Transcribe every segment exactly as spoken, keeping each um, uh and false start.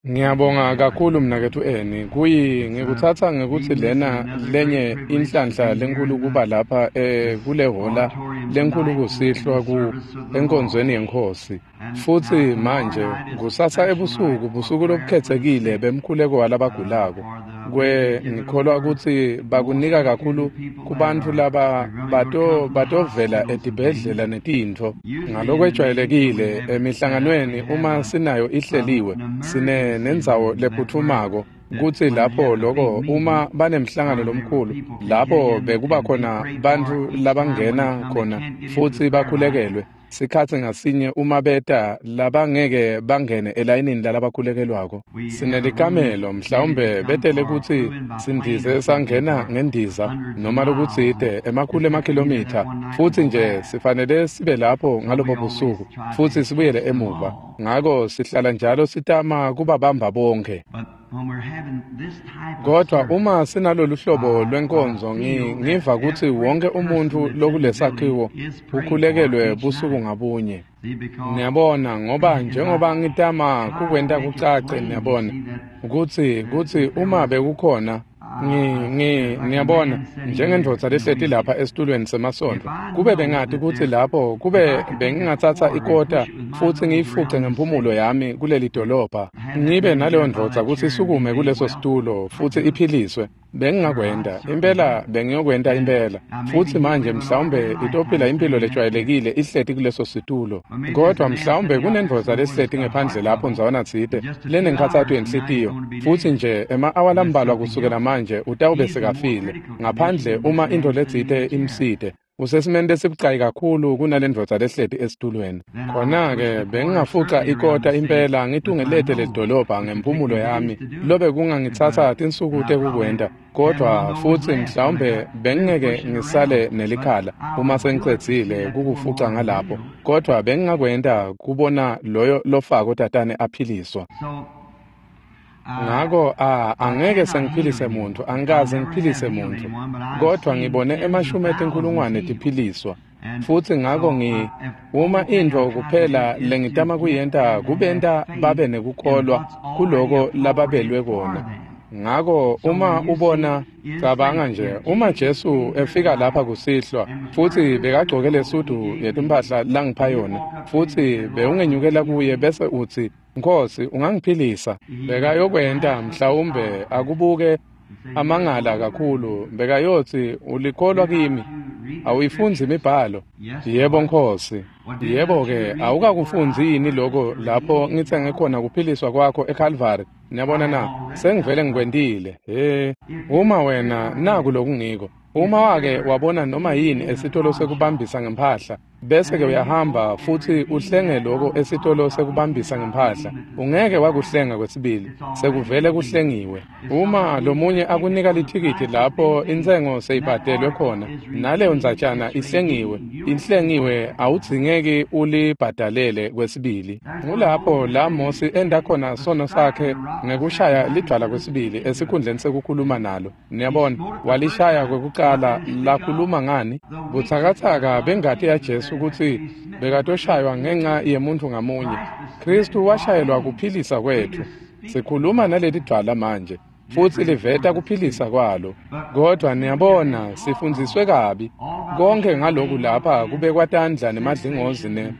Ngiyabonga kakhulu mnaketfu Eni. Kuyi ngikutsatsa ngekutsi lena lenye inhlanhla lenkhulu kuba lapha eh kule hhola lenkhulu kusihlwa ku enkonzweni yeNkhosi. Futsi manje kusasa ebusuku busuku lobukhetsekile bemkhuleko walabagulako. Kwe ngikholwa kutsi bakunika kakhulu kubantfu laba bato batovela etibhedlela netintfo. Ngalokwejwayelekile emihlanganweni uma sinayo ihleliwe sine nendzawo lephutfumako kutsi lapho loko uma banemhlangano lomkhulu lapho bekuba khona bantfu labangena khona futsi bakhulekelwe sikhatsi ngasinye uma beta labangeke bangene elayinini lalabakhulekelwako. Sinelikamelo mhlawumbe betele kutsi sindize sangena ngendiza noma lokutsite emakhulu emakhilomitha futsi nje sifanele sibe lapho ngalobo busuku futsi sibuyele emuva. Ngako sihlala njalo sitama kubabamba bonke. Kodwa uma sinalolu hlobo lwenkonzo ngiva kutsi wonke umuntfu lokulesakhiwo ukhulekelwe busuku ngabunye. Niyabona ngoba njengoba ngitama kukwenta kucace niyabona kutsi kutsi uma bekukhona ngi ngi niyabona njengendvodza lehleti lapha esitulweni semasondvo kube bengati kutsi lapho kube bengingatsatsa ikota futsi ngiyifuce ngemphumulo yami kuleli dolobha ngibe naleyo ndvodza kutsi isukume kuleso situlo futsi iphiliswe bengingakwenta impela bengiyokwenta impela. Futsi manje mhlawumbe itophila impilo lejwayelekile ihleti kuleso situlo, kodwa mhlawumbe kunendvodza lehleti ngephandle lapho ndzawana tsite lenenkhatsato yenhlitiyo futsi nje ema-awa lambalwa kusukela manje utawube sekafile ngaphandle uma intfo letsite imsite. Usesimeni lesibucayi kakhulu kunalendvodza lehleti esitulweni. Khona-ke bengingafuca ikota impela ngitungelete lelidolobha ngemphumulo yami lobe kungangitsatsa tinsuku tekukwenta, kodwa futsi mhlawumbe bengingeke ngisale nelikhala uma sengicedzile kukufuca ngalapho, kodwa bengingakwenta kubona loyo lofako tatane aphiliswa. Ngako a angeke sengiphilise muntu, angikaze ngiphilise muntu, kodwa ngibone emashumi etinkhulungwane tiphiliswa. Futsi ngako ngi uma intfo kuphela lengitama kuyenta kubenta babe nekukholwa kuloko lababelwe kona. Ngako uma ubona cabanga nje uma Jesu efika lapha kusihlwa futsi bekagcoke lesudu yetimphahla langipha yona futsi bewungenyukela kuye bese utsi Nkhosi ungangiphilisa, bekayokwenta mhlawumbe akubuke amangala kakhulu bekayotsi ulikholwa kimi awuyifundzi imibhalo. Yebo Nkhosi. Yebo ke awukakufundzi yini lokho lapho ngitsenge khona kuphiliswa kwakho eCalvary? Niyabona na sengivele ngikwentile. He uma wena naku lokungiko uma wake wabona noma yini esitolo sekubambisa ngemphahla bese ke uyahamba futsi uhlenge lokho esitolo sekubambisa ngemphahla ungeke wakuhlenga kwesibili sekuvele kuhlengiwe. Uma lomunye akunika lithikithi lapho intsengo seyibhadelwe khona naleyo ndzatshana ihlengiwe ihlengiwe awudzingeki ulibhadalele kwesibili. Ngulapho la Mosi enda khona sono sakhe ngekushaya lidvwala kwesibili esikhundleni sekukhuluma nalo. Niyabona walishaya kwekucala lakhuluma ngani butsakatsaka bengati yaJesu kutsi bekatoshaywa ngenxa yemuntu ngamunye. Kristu washayelwa kuphilisa kwethu. Sikhuluma naleli dvwala manje futsi liveta kuphilisa kwalo, kodwa niyabona sifundziswe kabi konke ngaloku lapha kubekwa tandla nemadlingozi ne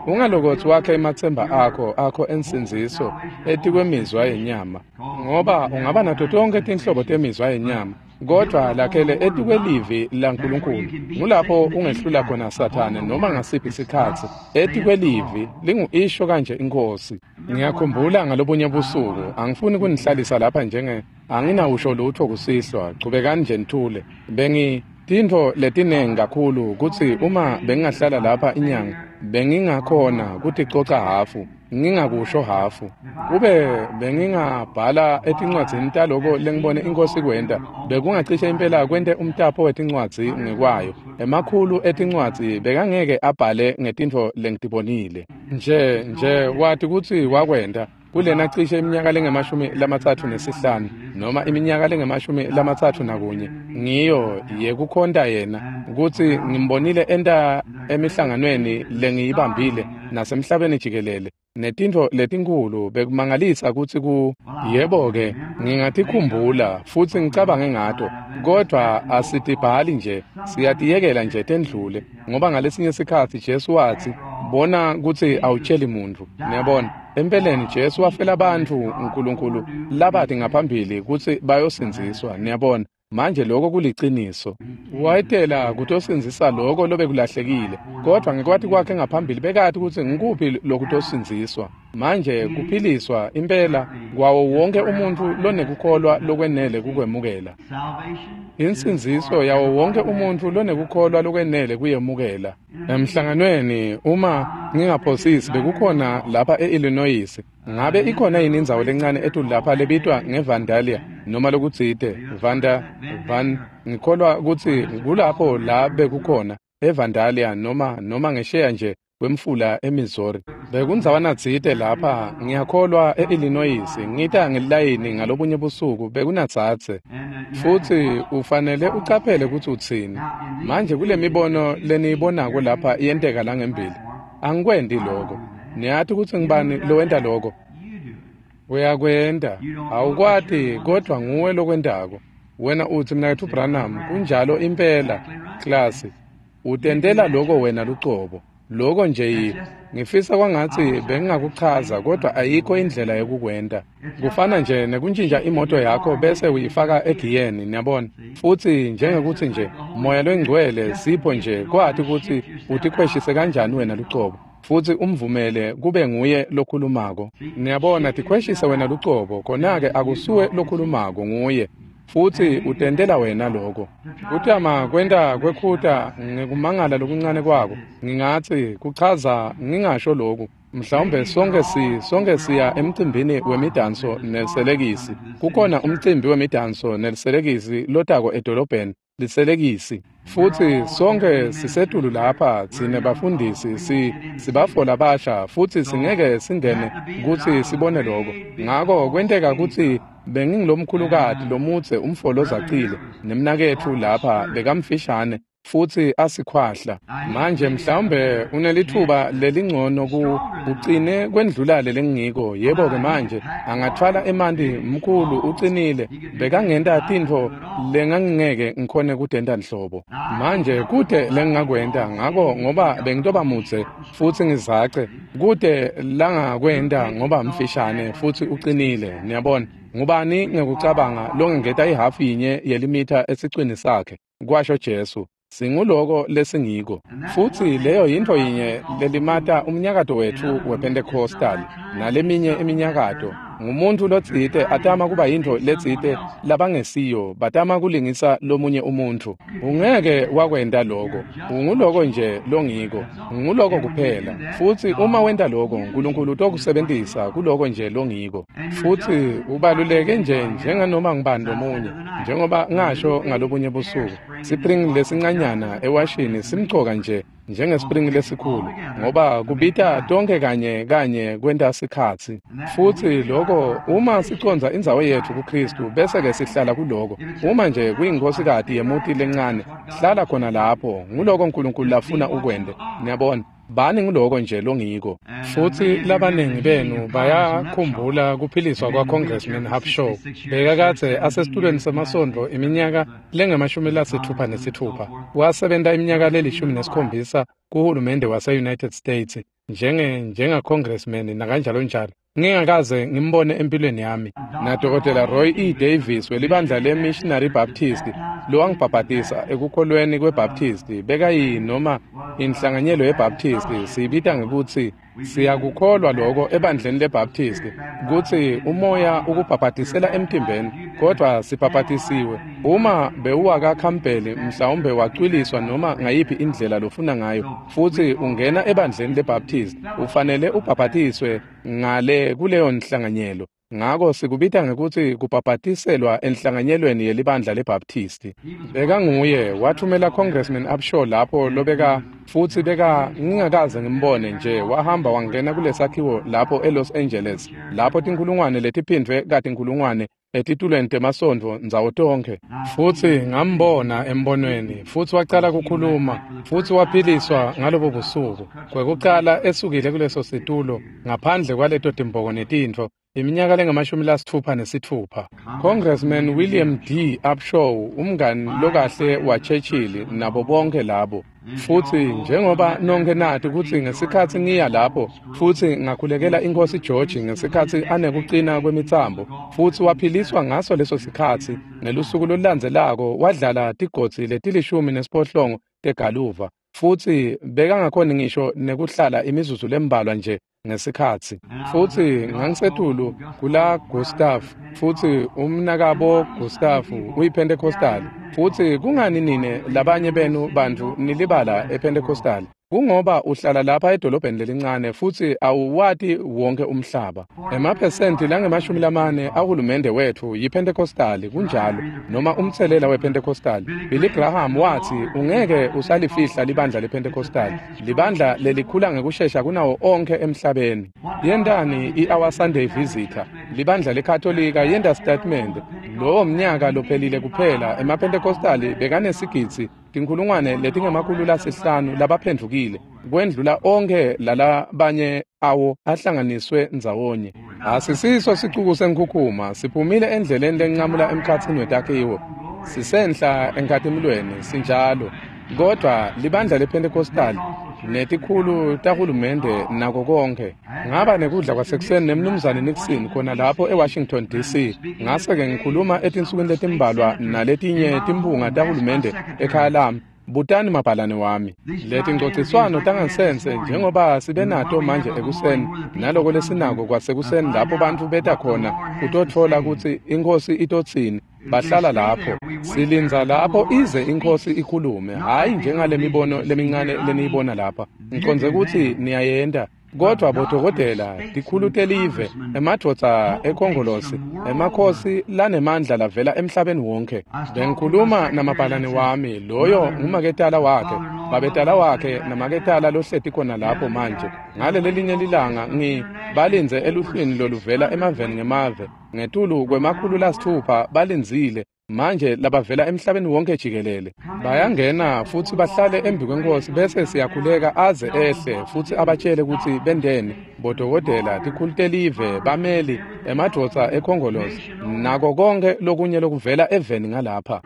ungalokothi wakhe ematsemba akho akho ensindziso etikwemizwa yenyama, ngoba ungaba nato tonke tinhlobo temizwa yenyama kodwa lakhele etikwelivi laNkulunkulu. Ngulapho ungehlula khona Sathane noma ngasiphi isikhatsi etikwelivi lingu-isho kanje iNkhosi. Ngiyakhumbula ngalobunye busuku angifuni kunihlalisa lapha njenge anginawusho lutho kusihlwa chubekani nje nithule. Bengi tintfo letinengi kakhulu kutsi uma bengingahlala lapha inyanga bengingakhona kuticoca hafu ngingakusho hafu. Kube bengingabhala etincwadzini taloko lengibone iNkhosi kwenta bekungacishe impela kwente umtapo wetincwadzi ngekwayo. Emakhulu etincwadzi bekangeke abhale ngetintfo lengitibonile. Nje nje wathi kutsi wakwenta kulena cishe iminyaka lengemashumi lamatsatfu nesihlanu noma iminyaka lengemashumi lamatsatfu nakunye ngiyo yekukhonta yena kutsi ngimbonile enta emihlanganweni lengiyibambile nasemhlabeni jikelele. Netintfo letinkhulu bekumangalisa kutsi ku yebo-ke ngingatikhumbula futsi ngicabange ngato, kodvwa asitibhali nje, siyatiyekela nje tendlule, ngoba ngalesinye sikhatsi Jesu watsi, bona kutsi awutjeli muntfu. Niyabona, empeleni Jesu wafela bantfu uNkulunkulu labati ngaphambili kutsi bayosindziswa. Niyabona, manje lokho kuliciniso. Wayetela kutosindzisa lokho lobekulahlekile, kodvwa ngekwati kwakhe ngaphambili bekati kutsi ngikuphi lokutosindziswa. Manje kuphiliswa impela kwawo wonke umuntfu lonekukholwa lokwenele kukwemukela. Insindziso yawo wonke umuntfu lonekukholwa lokwenele kuyemukela. Emhlanganweni uma ngingaphosisi bekukhona lapha e-Illinois. Ngabe ikhona yini indzawo lencane etulu lapha lebitwa ngeVandalia noma lokutsite Vanda Van ngikholwa kutsi kulapho la bekukhona eVandalia noma noma ngesheya nje kwemfula eMissouri. Bekundzawana tsite lapha ngiyakholwa e-Illinois ngita ngelilayini ngalobunye busuku bekunatsatse. Futsi ufanele ucaphele kutsi utsini. Manje kule mibono leniyibonako lapha iyenteka la ngembili. Angikwendi lokho. Niyati kutsi ngibani lowenta lokho? Uyakwenta. Awukwati kodvwa nguwe lokwentako. Wena utsi mnaketfu Branham kunjalo impela klasi. Utentela lokho wena lucobo. Lokho nje yini. Ngifisa kwangatsi bengingakuchaza kodwa ayikho indlela yokukwenta. Kufana nje nekuntjintja imoto yakho bese uyifaka egiyeni, niyabona. Futsi njengekuthi nje moya longcwele sipho nje kwati kutsi utikhweshise kanjani wena lucobo. Futsi umvumele kube nguye lokhulumako. Niyabona, tikhweshise wena lucobo, khona-ke akusuwe lokhulumako nguye. Futsi utentela wena lokho. Kutama kwenta kwekhuta ngekumangala lokuncane kwako. Ngingatsi kuchaza ngingasho lokhu. Mhlawumbe sonke si sonke siya emcimbini wemidanso neliselekisi. Kukhona umcimbi wemidanso neliselekisi lotako edolobheni liselekisi. Futsi sonke sisetulu lapha tsine bafundisi si sibafola basha futsi singeke singene kutsi sibone lokho. Ngako kwenteka kutsi bengingilomkhulukati lomutse umfolo zacile nemnaketfu lapha bekamfishane futsi asikhwahla. Manje mhlawumbe unelithuba lelingcono ku ucine kwendlula lelengiko. Yebo ke manje angathwala emanti mkhulu ucinile bekangenta tintfo lengangingeke ngikhone kutenta nhlobo. Manje kude lengingakwenta ngako ngoba bengitoba mutse futsi ngizace kude langakwenta ngoba mfishane futsi ucinile. Niyabona, ngubani ngekucabanga longengeta ihafu yinye yelimitha esicwini sakhe, kwasho Jesu. Singuloko lesingiko. Futsi leyo yintfo yinye lelimata umnyakato wetfu wePentecostal naleminye iminyakato. Ngumuntu lotsite atama kuba yintfo letsite labangesiyo, batama kulingisa lomunye umuntfu. Ungeke wakwenta lokho. Unguloko nje longiko. Unguloko kuphela. Futsi uma wenta lokho, uNkulunkulu utokusebentisa kuloko nje longiko. Futsi ubaluleke nje njenganoma ngibani lomunye. Njengoba ngasho ngalobunye busuku, sipring lesincanyana ewashini simcoka nje njengespring lesikhulu, ngoba kubita tonke kanye kanye kwenta sikhatsi. Futsi lokho uma sicondza indzawo yetfu kuKristu bese ke sihlala kuloko. Uma nje kuyinkhosikati yemuti lencane, hlala khona lapho. Nguloko uNkulunkulu lafuna ukwente. Niyabona, bani nguloko nje longiko. Futsi labaningi benu bayakhumbula kuphiliswa kwa-Congressman Hapshaw. Bekakadze asesitulweni semasondvo iminyaka lengamashumi lasitfupha nesitfupha. Wasebenta iminyaka lelishumi nesikhombisa kuhulumende wase-United States njenge njenga-Congressman nakanjalo njalo. Ngingakaze ngimbone empilweni yami. Na Dokotela Roy E. Davis welibandla le-Missionary Baptist lowangibhabhatisa ekukholweni kweBaptist bekayi noma inhlanganyelo yeBaptist siyibita ngekutsi siyakukholwa lokho ebandleni leBaptist kutsi umoya ukubhabhatisela emtimbeni, kodwa sibhabhatisiwe. Uma bewuwakaKhampeli mhlawumbe wacwiliswa noma ngayiphi indlela lofuna ngayo futsi ungena ebandleni leBaptist ufanele ubhabhatiswe ngale kuleyo nhlanganyelo. Ngako sikubita ngekutsi kubhabhatiselwa enhlanganyelweni yelibandla leBaptist. Bekanguye wathumela Congressman Upshaw lapho lobeka futsi beka ngingakaze ngimbone nje wahamba wangena kulesakhiwo lapho eLos Angeles lapho tinkhulungwane letiphindvwe katinkhulungwane etitulweni temasondvo ndzawo tonkhe. Futsi ngambona embonweni, futsi wacala kukhuluma, futsi waphiliswa ngalobo busuku. Kwekucala esukile kuleso situlo, ngaphandle kwaleto timboko netintfo, iminyaka lengamashumi lasitfupha nesitfupha. Congressman William D. Upshaw, umngani lokahle wa Churchill nabo bonke labo. Futsi njengoba nonke nati kutsi ngesikhatsi ngiya lapho futsi ngakhulekela iNkhosi George ngesikhatsi anekucina kwemitsambo, futsi waphiliswa ngaso leso sikhatsi. Ngelusuku lolulandzelako wadlala tigodzi letilishumi nesiphohlongo tegaluva, futsi bekangakhoni ngisho nekuhlala imizuzu lembalwa nje ngesikhatsi. Futsi ngangisetulu kula Gustav, futsi umnakabo Gustav uyiPentecostal. Futsi kungani nine labanye benu bantfu nilibala ePentecostal? Kungoba uhlala lapha edolobheni lelincane futsi awuwati wonke umhlaba. Emaphesenti langemashumi lamane ahulumende wetfu yiPentecostal, kunjalo, noma umtselela wePentecostal. Billy Graham watsi ungeke usalifihla libandla lePentecostal, libandla lelikhula ngekushesha kunawo onkhe emhlabeni. Yentani i-Our Sunday Visitor, libandla leKatolika yenta statement, lowo mnyaka lophelile kuphela emaPentecostal bekanesigidzi tinkhulungwane letingemakhulu lasihlanu labaphendvukile, kwendlula onkhe lalabanye awo ahlanganiswe ndzawonye. Asisiso sicuku senkhukhuma, siphumile endleleni lenqamula emkhatsini wetakhiwo, sisenhla enkhatimulweni sinjalo. Kodwa libandla lePentecostal netikhulu tahulumende nako konke. Ngaba nekudla kwasekuseni nemnumzane Nixon khona lapho eWashington D C. Ngase-ke ngikhuluma etinsukwini letimbalwa naletinye timphunga tahulumende ekhaya lami. Butani mabhalane wami. Letingcociswano tangansense njengoba sibe nato manje ekuseni, naloko lesinako kwasekuseni lapho bantfu beta khona kutotfola kutsi iNkhosi itotsini, bahlala lapho. Silindza lapho ize iNkhosi ikhulume, hhayi njengale mibono lemincane leniyibona lapha. Ngicondze kutsi niyayenta. Kodwa bodokotela, tikhulu telive, emadvodza ekhongolosi, emakhosi lanemandla lavela emhlabeni wonke. Bengikhuluma namabhalane wami, loyo ngumaketala wakhe, babetala wakhe namaketala lohleti khona lapho manje. Ngalelelinye lilanga ngi balindze eluhlwini loluvela emaveni ngemave, ngetulu kwemakhulu lasitfupha balindzile. Manje labavela emhlabeni wonke jikelele bayangena futsi bahlale embi kweNkhosi, bese siyakhuleka aze ehle futsi abatshele kutsi bendeni bodokotela, tikhulu telive, bameli, emadvodza ekhongolosi nako konke lokunye lokuvela eveni ngalapha.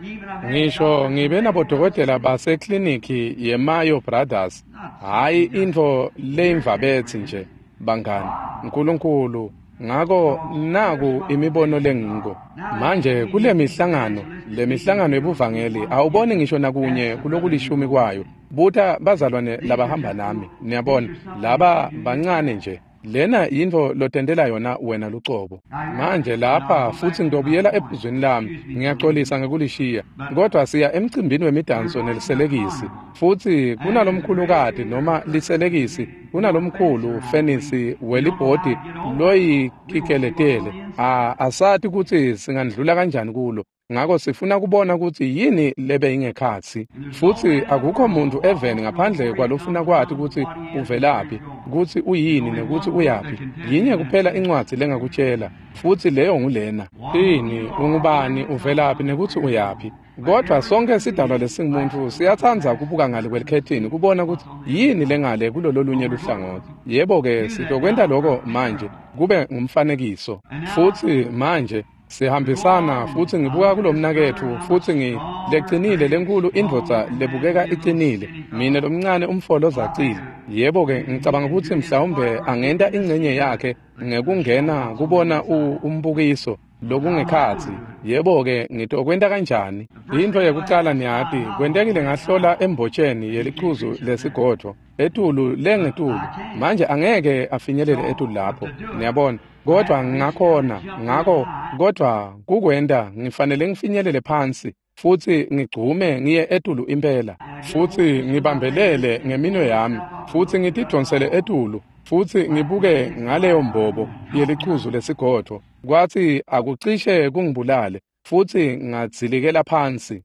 Ngisho ngibe nabodokotela basekliniki yeMayo Brothers, hhayi intfo leyimvabetsi nje bangani, Nkulunkulu. Ngako naku imibono lengiko. Manje kule mihlangano, le mihlangano yebuvangeli awuboni ngisho nakunye kulokulishumi kwayo. Buta bazalwane labahamba nami, niyabona, laba bancane nje. Lena yintfo lotentela yona wena lucobo. Manje lapha futsi ngitobuyela ephuzweni lami, ngiyaxolisa ngekulishiya, kodwa siya emcimbini wemidanso neliselekisi. Futsi kunalomkhulukati noma liselekisi, kunalomkhulu fenisi welibhodi loyikikeletele. A asati kutsi singandlula kanjani kulo. Ngako sifuna kubona kutsi yini lebe ingekhatsi. Futsi akukho muntu eveni ngaphandle kwalofuna kwati kutsi uvelaphi, kutsi uyini nekutsi uyaphi. Yinye kuphela incwadzi lengakutshela, futsi leyo ngulena. Ini, ungubani, uvelaphi nekutsi uyaphi. Kodwa sonke sidalwa lesingumuntu siyatsandza kubuka ngale kwelikhethini kubona kutsi yini lengale kulololunye luhlangothi. Yebo-ke sitokwenta loko manje kube ngumfanekiso. Futsi manje sihambisana futsi ngibuka kulomnaketfu futsi ngi lecinile lenkulu indvodza lebukeka icinile, mina lomncane umfolo zacile. Yebo-ke ngicabanga kutsi mhlawumbe angenta ingcenye yakhe ngekungena kubona umbukiso lokungekhatsi. Yebo-ke ngitokwenta kanjani? Intfo yekucala niyati, kwentekile ngahlola embotsheni yelichuzu lesigodvo etulu lengetulu. Manje angeke afinyelele etulu lapho, niyabona. Kodwa ngakhona, ngako kodwa kukwenta ngifanele ngifinyelele phansi futsi ngigcume ngiye etulu impela, futsi ngibambelele ngeminwe yami futsi ngitidonsele etulu futsi ngibuke ngaleyo mbobo yelichuzu lesigodvo. Kwathi akucishe kungibulale futsi ngadzilikela phansi.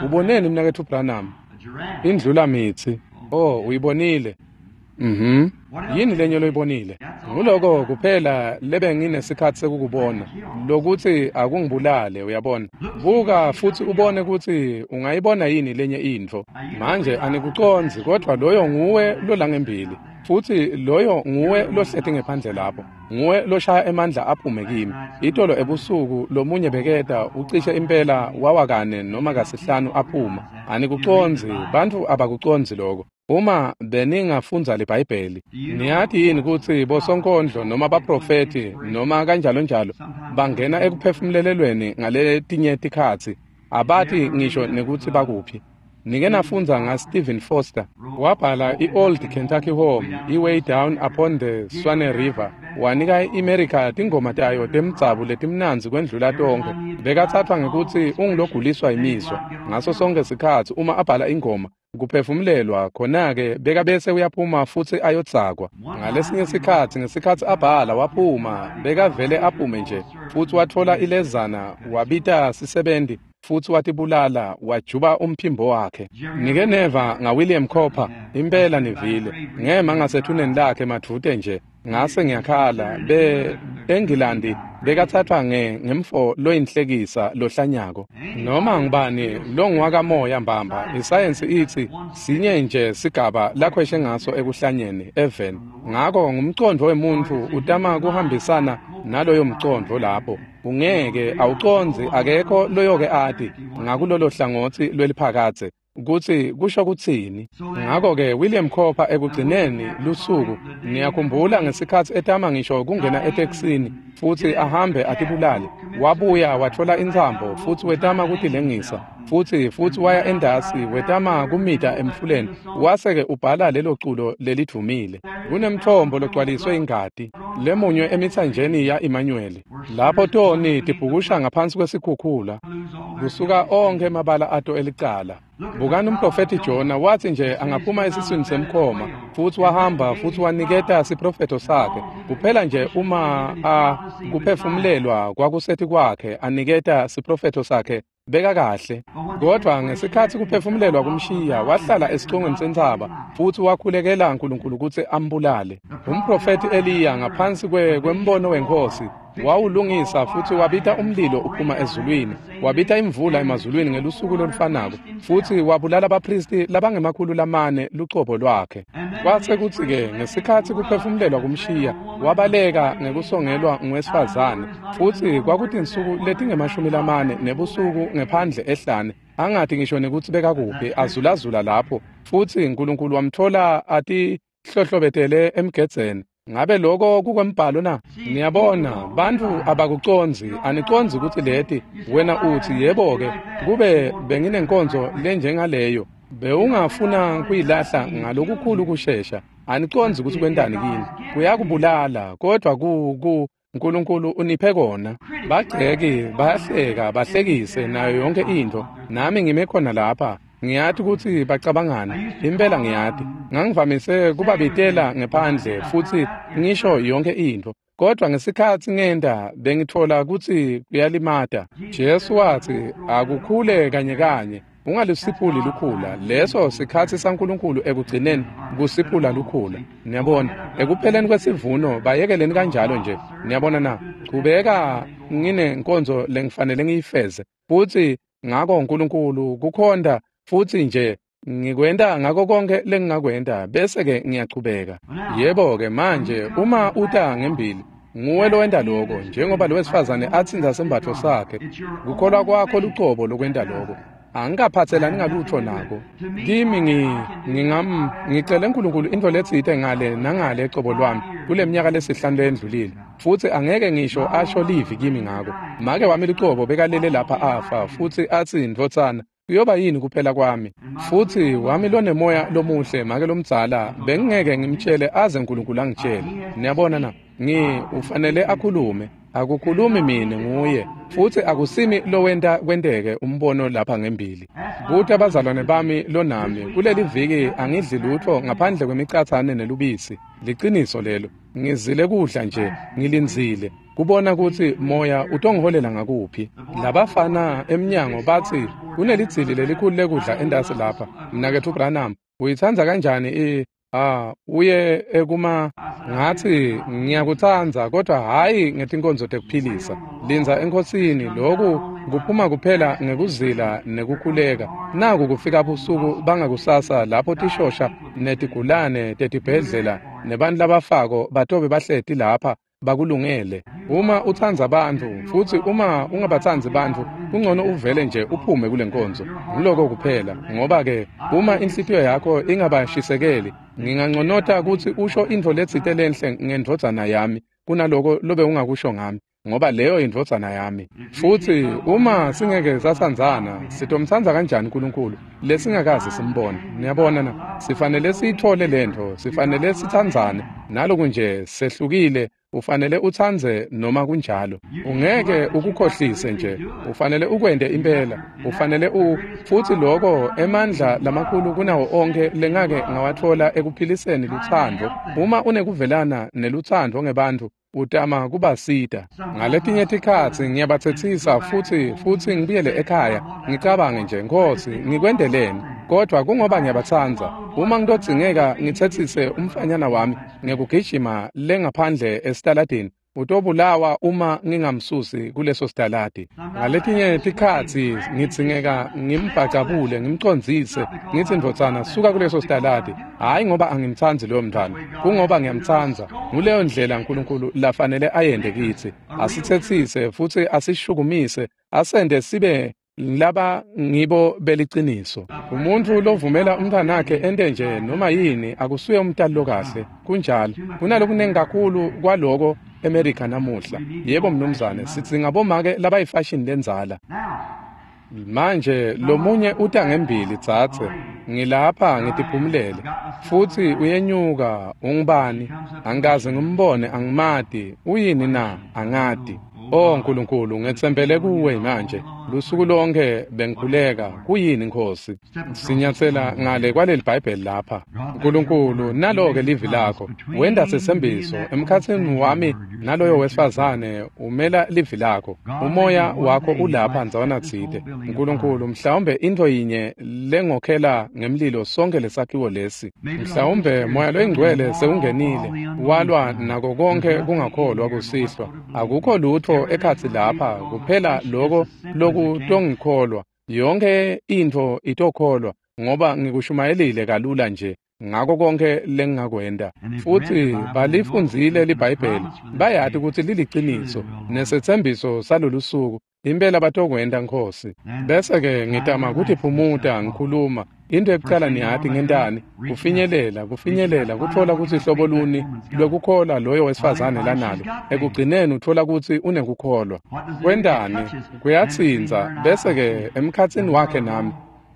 Uboneni mnaketfu Branham? Indlula mitsi. Oh, uyibonile. Mhm. Yini lenye loyibonile? Nguloko kuphela lebe nginesikhatsi sekukubona, lokuthi akungibulale, uyabona. Buka futhi ubone ukuthi ungayibona yini lenye intfo. Manje anikucondzi, kodwa loyo nguwe lolangembili, futhi loyo nguwe lohleti ngephandle lapho, nguwe loshaya emandla aphume kimi. Itolo ebusuku lomunye beketa ucishe impela wawakane noma kasihlanu aphuma. Anikucondzi, bantfu abakucondzi lokho. Uma beningafundza liBhayibheli, niyati yini kutsi bosonkondlo noma baprofethi noma kanjalo njalo bangena ekuphefumulelweni ngaletinye tikhatsi, abati ngisho nekutsi bakuphi. Nike nafundza nga Stephen Foster, wabhala i-Old Kentucky Home, i-Way Down Upon the Swanee River, wanika i-America tingoma tayo temdzabu letimnandzi kwendlula tonkhe. Bekathathwa ngekutsi unguloguliswa imizwa. Ngaso sonke sikhatsi uma abhala ingoma, kuphefumulelwa khona-ke bekabese uyaphuma futsi ayodzakwa. Ngalesinye sikhatsi ngesikhatsi abhala waphuma, bekavele aphume nje, futsi watfola ilezana, wabita sisebenti, futsi watibulala, wajuba umphimbo wakhe. Nike neva ngaWilliam Cooper, impela nivile. Ngema ngasethuneni lakhe madvute nje, ngase ngiyakhala. Be eNgilandi bekathathwa nge ngemfo loyinhlekisa lohlanyako. Noma ngubani longuwakamoya mbamba, isayensi itsi sinye nje sigaba lakhweshe ngaso ekuhlanyeni eveni. Ngako ngumcondvo wemuntfu utama kuhambisana naloyo mcondvo lapho. Ungeke awucondzi, akekho loyoke ati ngakulolo hlangotsi lweliphakadze kutsi kusho kutsini. Ngako-ke William Cooper ekugcineni lusuku, niyakhumbula ngesikhatsi etama ngisho kungena etekisini futsi ahambe atibulale, wabuya watfola intsambo futsi wetama kutilengisa, futsi futsi waya endasi wetama kumita emfuleni, wase-ke ubhala lelo culo lelidvumile. Kunemtfombo logcwaliswe ingati lemunywe emitsanjeni ya-Emmanuel, lapho toni tibhukusha ngaphansi kwesikhukhula, kusuka onkhe emabala ato elicala. Bukani umprofethi Jona, wathi nje angaphuma esiswini semkhoma, futsi wahamba futsi waniketa siprofetho sakhe. Kuphela nje uma a kuphefumulelwa kwakusethi kwakhe aniketa siprofetho sakhe, beka kahle. Kodwa ngesikhatsi kuphefumulelwa kumshiya, wahlala esicongweni sentsaba futsi wakhulekela uNkulunkulu kutsi ambulale. Umprofethi Eliya ngaphansi kwembono weNkhosi wawulungisa futsi wabita umlilo uphuma ezulwini, wabita imvula emazulwini ngelusuku lolufanako, futsi wabulala abaphristi labangemakhulu lamane lucobo lwakhe. Kwase kutsi-ke ngesikhatsi kuphefumulelwa kumshiya, wabaleka ngekusongelwa nguwesifazane, futsi kwakutinsuku letingemashumi lamane nebusuku ngephandle ehlane, angati ngisho nekutsi bekakuphi, azulazula lapho, futsi uNkulunkulu wamtfola atihlohlobetele emgedzeni. Ngabe lokho kukwembhalo na? Niyabona, bantfu abakucondzi, anicondzi kutsi leti. Wena utsi, yebo-ke, kube benginenkonzo lenjengaleyo, bewungafuna kuyilahla ngalokukhulu kushesha. Anicondzi kutsi kwentani kini. Kuyakubulala, kodwa ku ku uNkulunkulu uniphe kona. Bagceki bayahleka, bahlekise nayo yonke intfo. Nami ngime khona lapha. Ngiyati kutsi bacabangani, impela ngiyati. Ngangivamise kubabitela ngephandle futsi ngisho yonke intfo, kodwa ngesikhatsi ngenta bengitfola kutsi kuyalimata. Jesu watsi akukhule kanye kanye, ungalusiphuli lukhula. Leso sikhatsi saNkulunkulu ekugcineni kusiphula lukhula. Niyabona, ekupheleni kwesivuno bayekeleni kanjalo nje. Niyabona na? Chubeka, nginenkonzo lengifanele ngiyifeze, futsi ngako uNkulunkulu kukhonda futsi nje ngikwenta ngako konke lengingakwenta, bese-ke ngiyachubeka. Yebo-ke manje uma uta ngembili, nguwe lowenta lokho, njengoba lo wesifazane atsintsa sembatfo sakhe. Kukholwa kwakho lucobo lokwenta lokho. Angikaphatselani ngalutho nako. Kimi ngi ngingam ngicele uNkulunkulu intfo letsite ngale nangale ecobo lwami kule minyaka lesihlanu leyendlulile, futsi angeke ngisho asho livi kimi ngako. Make wami lucobo bekalele lapha afa, futsi atsi, ndvodzana, kuyoba yini kuphela kwami? Futsi wami lonemoya lomuhle make lomdzala, bengingeke ngimtshele aze uNkulunkulu angitshele. Niyabona na? Ngi ufanele akhulume. Akukhulumi mina, nguye, futsi akusimi lowenta kwenteke umbono lapha ngembili. Buta abazalwane bami lonami, kuleli viki angidli lutfo ngaphandle kwemicatsane nelubisi. Liciniso lelo. Ngizile kudla nje, ngilindzile kubona kutsi moya utongiholela ngakuphi. Labafana emnyango batsi kunelidzili lelikhulu lekudla endasi lapha. Mnaketfu Branham, uyitsandza kanjani i Ah, uye ekuma ngathi ngiyakutsandza kodwa hhayi ngetinkonzo tekuphilisa. Lindza eNkhosini, loku kuphuma kuphela ngekuzila nekukhuleka. Naku kufika busuku bangakusasa lapho tishosha netigulane tetibhedlela nebantfu labafako batobe bahleti lapha bakulungele. Uma utsandza bantfu futsi uma ungabatsandzi bantfu, kungcono uvele nje uphume kule nkonzo. Nguloko kuphela, ngoba-ke uma inhlitiyo yakho ingabashisekeli, nginganconota kutsi usho intfo letsite lenhle ngendvodzana yami kunaloko lobe ungakusho ngami, ngoba leyo indvodzana yami. Futsi uma singeke satsandzana, sitomtsandza kanjani uNkulunkulu lesingakaze simbone? Niyabona na? Sifanele siyitfole lentfo, sifanele sitsandzane. Naloku nje sehlukile, ufanele utsandze noma kunjalo. Ungeke ukukhohlise nje, ufanele ukwente impela, ufanele u futsi loko emandla lamakhulu kunawo onkhe lengake ngawatfola ekuphiliseni lutsandvo. Uma unekuvelana nelutsandvo ngebantfu, utama kubasita. Ngaletinye tikhatsi ngiyabatsetsisa futsi futsi ngibuyele ekhaya ngicabange nje, Nkhosi, ngikwenteleni? Kodwa kungoba ngiyabatsandza. Uma ngitodzingeka ngitsetsise umfanyana wami ngekugijima lengaphandle esitaladini, utobulawa uma ngingamsusi kuleso sitaladi. Ngaletinye tikhatsi ngidzingeka ngimbhacabule, ngimcondzise, ngitsi ndvodzana suka kuleso sitaladi. Hhayi ngoba angimtsandzi loyo mntfwana, kungoba ngiyamtsandza. Nguleyo ndlela uNkulunkulu lafanele ayente kitsi, asitsetsise futsi asishukumise, asente sibe laba ngibo beliciniso. Umuntfu lovumela umntfwanakhe ente nje noma yini akusuye umtali lokahle. Kunjalo, kunalokunengi kakhulu kwaloko eMerika namuhla. Yebo mnumzane, sidzinga bomake labayifashini lendzala. Manje lomunye uta ngembili, dzadze, ngilapha ngitiphumulele futsi uyenyuka. Ungubani? Angikaze ngimbone, angimati. Uyini na? Angati. Oh Nkulunkulu, ngetsembele kuwe manje. Lusuku lonke bengikhuleka. Kuyini Nkhosi? Sinyatsela ngale kwaleli Bhayibheli lapha. Nkulunkulu, nalo-ke livi lakho. Wenta setsembiso emkhatsini wami naloyo wesifazane, umela livi lakho. Umoya wakho ulapha ndzawana tsite. Nkulunkulu, mhlawumbe intfo yinye lengokhela ngemlilo sonke lesakhiwo lesi. Mhlawumbe Moya loyiNgcwele sewungenile, walwa nako konkhe kungakholwa kusihlwa. Akukho lutfo ekhatsi lapha kuphela loko lokutongikholwa. Yonke intfo itokholwa, ngoba ngikushumayelile kalula nje ngako konke lengingakwenta. Futsi balifundzile liBhayibheli, bayati kutsi liliciniso nesetsembiso salolusuku. Impela batokwenta, Nkhosi. Bese-ke ngitama kutiphumuta ngikhuluma. Into ekucala niyati ngentani? Kufinyelela, kufinyelela, kutfola kutsi hlobo luni lwekukholwa loyo wesifazane lanalo. Ekugcineni utfola kutsi unekukholwa. Kwentani? Kuyatsintsa. Bese-ke emkhatsini wakhe nami,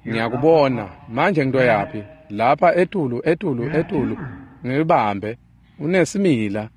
ngiyakubona. Manje ngitoyaphi? Lapha etulu, etulu, etulu. Ngibambe. Unesimila.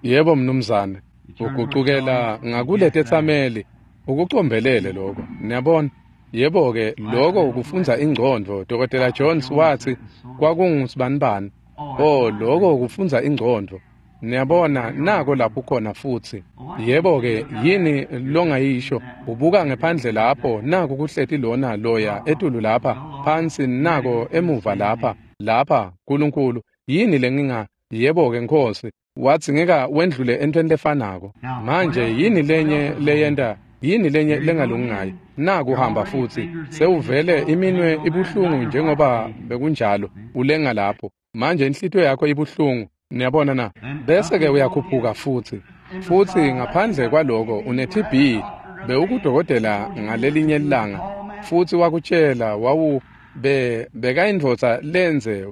Yebo mnumzane. Ugucukela ngakuletetsameli, ukucombelele lokho. Niyabona? Yebo-ke, lokho kufundza ingcondvo. Dokotela Jones watsi kwakungusibanibani. Oh, lokho kufundza ingcondvo. Niyabona, nako lapho khona futsi. Yebo-ke, yini longayisho? Ubuka ngephandle lapho, naku kuhleti lona loya etulu lapha, phansi nako emuva lapha, lapha, Nkulunkulu. Yini lenginga? Yebo-ke, Nkhosi, wadzingeka wendlule entweni lefanako. Manje yini lenye leyenta? Yini lenye lengalungi ngayo? Naku hamba futsi, sewuvele iminwe ibuhlungu njengoba bekunjalo, ulenga lapho. Manje inhlitiyo yakho ibuhlungu. Niyabona na? Bese-ke uyakhuphuka futsi. Futsi ngaphandle kwaloko une T B, bewukudokotela ngalelinye ilanga, futsi wakutshela wawu be bekayindvodza lenze.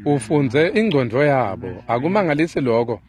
Ufundze ingcondvo yabo. Akumangalisi lokho.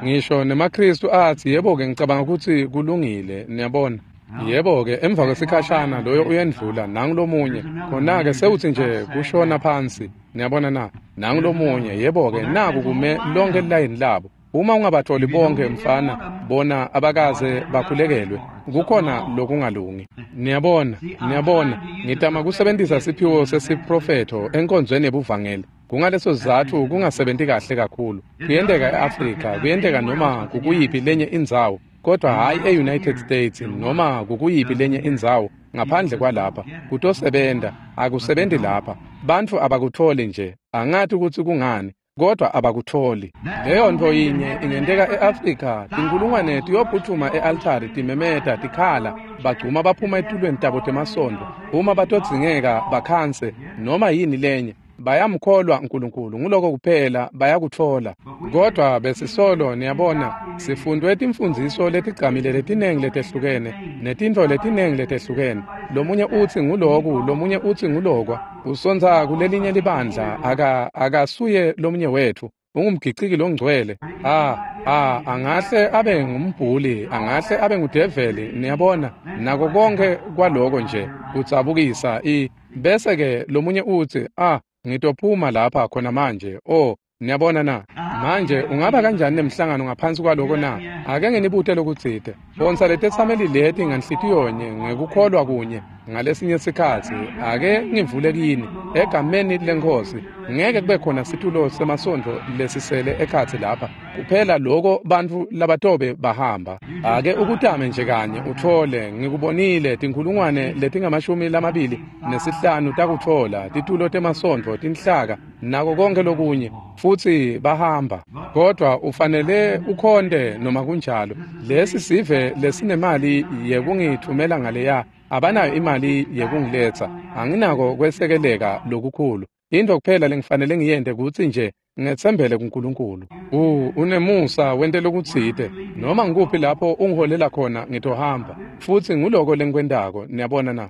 Ngisho nemaKristu atsi, yebo-ke, ngicabanga kutsi kulungile. Niyabona? Yebo-ke, emva kwesikhashana loyo uyendlula, nangu lomunye. Khona-ke sewutsi nje kushona phansi. Niyabona na? Nangu lomunye. Yebo-ke, naku kume lonke lilayini labo. Uma ungabatholi bonke mfana, bona abakaze bakhulekelwe. Kukhona lokungalungi. Niyabona, niyabona, ngitama kusebentisa siphiwo sesiprofetho enkonzweni yebuvangeli. Kungaleso sizatfu kungasebenti kahle kakhulu. Kuyenteka e-Afrika, kuyenteka noma kukuyiphi lenye indzawo. kodwa hhayi e-United States noma kukuyiphi lenye indzawo ngaphandle kwalapha. Kutosebenta, akusebenzi lapha. Bantfu abakutholi nje, angathi kutsi kungani, kodwa abakutholi. Leyo nto yinye ingenteka e-Afrika, tinkulungwane tiyophuthuma e-altari timemeta tikhala, bagcuma baphuma etulweni tabo temasontfo, uma batodzingeka bakhanse noma yini lenye. Bayamkholwa uNkulunkulu, nguloko kuphela bayakutfola. Kodwa besisolo niyabona, sifundwe timfundziso letigcamile letinengi letehlukene netintfo letinengi letehlukene. Lomunye utsi nguloku, lomunye utsi ngulokwa. Usontsa kulelinye libandla, aka akasuye lomunye wetfu. Ungumgiciki longcwele. Ah, ah, angahle abe ngumbhuli, angahle abe ngudeveli, niyabona. Nako konke kwaloko nje kudzabukisa i bese ke lomunye utsi, ah, ngitophuma lapha khona manje. Oh, niyabona na? Manje ungaba kanjani nemhlangano ngaphansi kwaloko na? Ake nginibute lokutsite. Phonsa letetsameli leti nganhlitiyonye ngekukholwa kunye ngalesinye sikhatsi. Ake ngivule kini egameni leNkhosi. Ngeke kube khona situlo semasontfo lesisele ekhatsi lapha. Kuphela loko bantfu labatobe bahamba. Ake ukutame nje kanye uthole. Ngikubonile tinkhulungwane letingamashumi lamabili nesihlanu takutfola titulo temasontfo, tinhlaka nako konke lokunye, futsi bahamba. Kodwa ufanele ukhonte noma kunjalo. Lesi sive lesinemali yekungithumela ngaleya, abanayo imali yekungiletsa. Anginako kwesekeleka lokukhulu. Into kuphela lengifanele ngiyente kutsi nje ngetsembele kuNkulunkulu. U unemusa wente lokutsite. Noma ngikuphi lapho ungiholela khona ngitohamba. Futsi nguloko lengikwentako, niyabona na?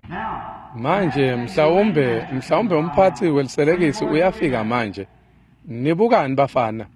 Manje mhlawumbe mhlawumbe umphatsi weliselekisi uyafika manje. Nibukani bafana?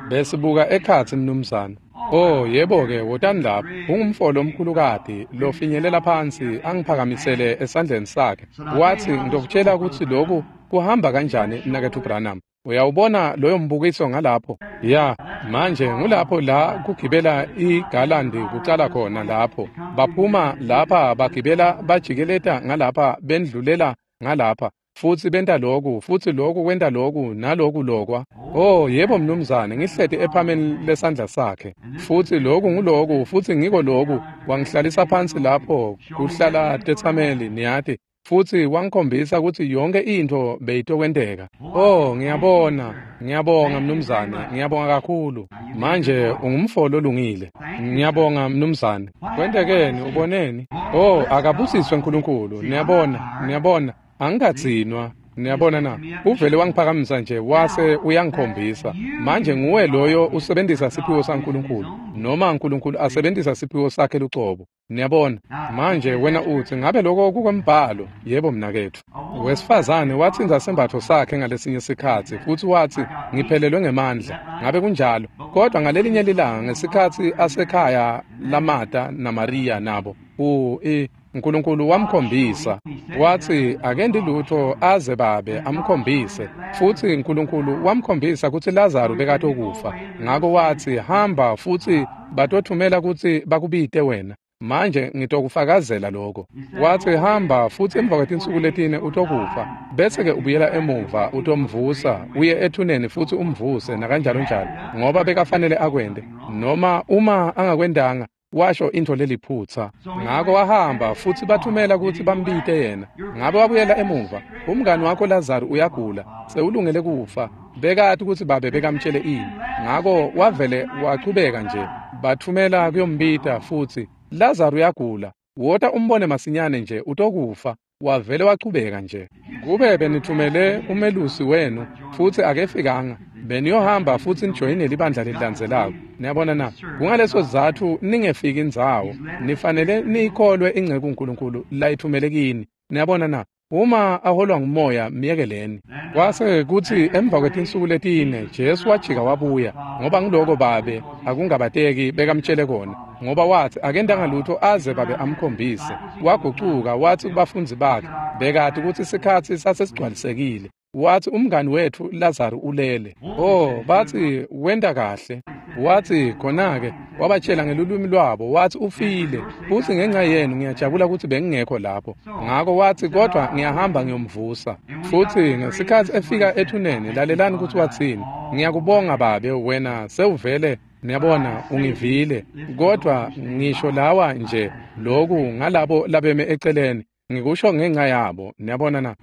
Besibuka ekhatsi mnumzane. Oh yebo ke, wotani lapha. Ungumfolo omkhulukati lofinyelela phansi angiphakamisele esandleni sakhe. Wathi, ngitokutshela ukuthi lokhu kuhamba kanjani mnaketfu Branham. Uyawubona loyo mbukiso ngalapho? Ya, manje ngulapho la kugibela igalandi kucala khona lapho. Baphuma lapha bagibela bajikeleta ngalapha bendlulela ngalapha. Futsi benta loku, futsi loku kwenta loku, naloku lokwa. Oh, yebo mnumzane, ngihleti ephameni lesandla sakhe. Futsi loku nguloku, futsi ngiko loku. Wangihlalisa phansi lapho, kuhlala tetsameli, niyati. Futsi wangikhombisa kutsi yonke intfo beyitokwenteka. Oh, ngiyabona, ngiyabonga mnumzane, ngiyabonga kakhulu. Manje ungumfo lolungile. Ngiyabonga mnumzane. Kwentekeni, uboneni? Oh, akabusiswe uNkulunkulu. Niyabona, niyabona. Angikadzinwa, niyabona na? Uvele wangiphakamisa nje wase uyangikhombisa. Manje nguwe loyo usebenzisa siphiwo saNkulunkulu, noma uNkulunkulu asebenzisa siphiwo sakhe lucobo. Niyabona? Manje wena utsi, ngabe lokho kukwembhalo? Yebo mnaketfu. Wesifazane watsintsa sembatfo sakhe ngalesinye sikhatsi futsi watsi, ngiphelelwe ngemandla. Ngabe kunjalo? Kodwa ngalelinye lilanga ngesikhatsi asekhaya laMata naMariya nabo, u i uNkulunkulu wamkhombisa. Wathi akendi lutho aze babe amkhombise. Futsi uNkulunkulu wamkhombisa kutsi Lazaro bekatokufa. Ngako wathi, hamba futsi batothumela kutsi bakubite wena. Manje ngitokufakazela lokho. Wathi, hamba futsi emva kwetinsuku letine utokufa. Bese ke ubuyela emuva utomvusa, uye ethuneni futsi umvuse nakanjalo njalo, ngoba bekafanele akwente. Noma uma angakwendanga, washo intfo leliphutsa. Ngako wahamba futsi bathumela kutsi bambite yena. Ngabe wabuyela emuva. Umngani wakho Lazaro uyagula, sewulungele kufa. Bekati kutsi babe bekamtshele ini. Ngako wavele wachubeka nje. Bathumela kuyombita futsi, Lazaro uyagula, wota umbone masinyane nje utokufa. Wavele wachubeka nje. Kube benithumele umelusi wenu futsi akefikanga, beniyohamba futsi nijoyine libandla lelilandzelako. Niyabona na? Kungaleso sizatfu ningefiki indzawo. Nifanele niyikholwe inceku uNkulunkulu layithumele kini. Niyabona na? Uma aholwa ngumoya, miyekeleni. Kwase kutsi emva kwetinsuku letine Jesu wajika wabuya, ngoba ngiloko babe akungabateki bekamtshele kona, ngoba wathi akendanga lutho aze babe amkhombise. Wagucuka wathi kubafundzi bakhe, bekati kutsi sikhatsi sasesigcwalisekile. Wathi umngani wetfu Lazaro ulele. Oh, bathi wenta kahle. Wathi khona-ke wabatshela ngelulwimi lwabo, wathi ufile, futsi ngenxa yenu ngiyajabula kutsi bengingekho lapho. Ngako wathi kodwa ngiyahamba ngiyomvusa. Futsi ngesikhatsi efika ethuneni, lalelani kutsi watsini. Ngiyakubonga babe, wena sewuvele Niyabona, ungivile, kodwa ngisho lawa nje loku ngalabo labeme eceleni, ngikusho ngenxa yabo. Niyabona na?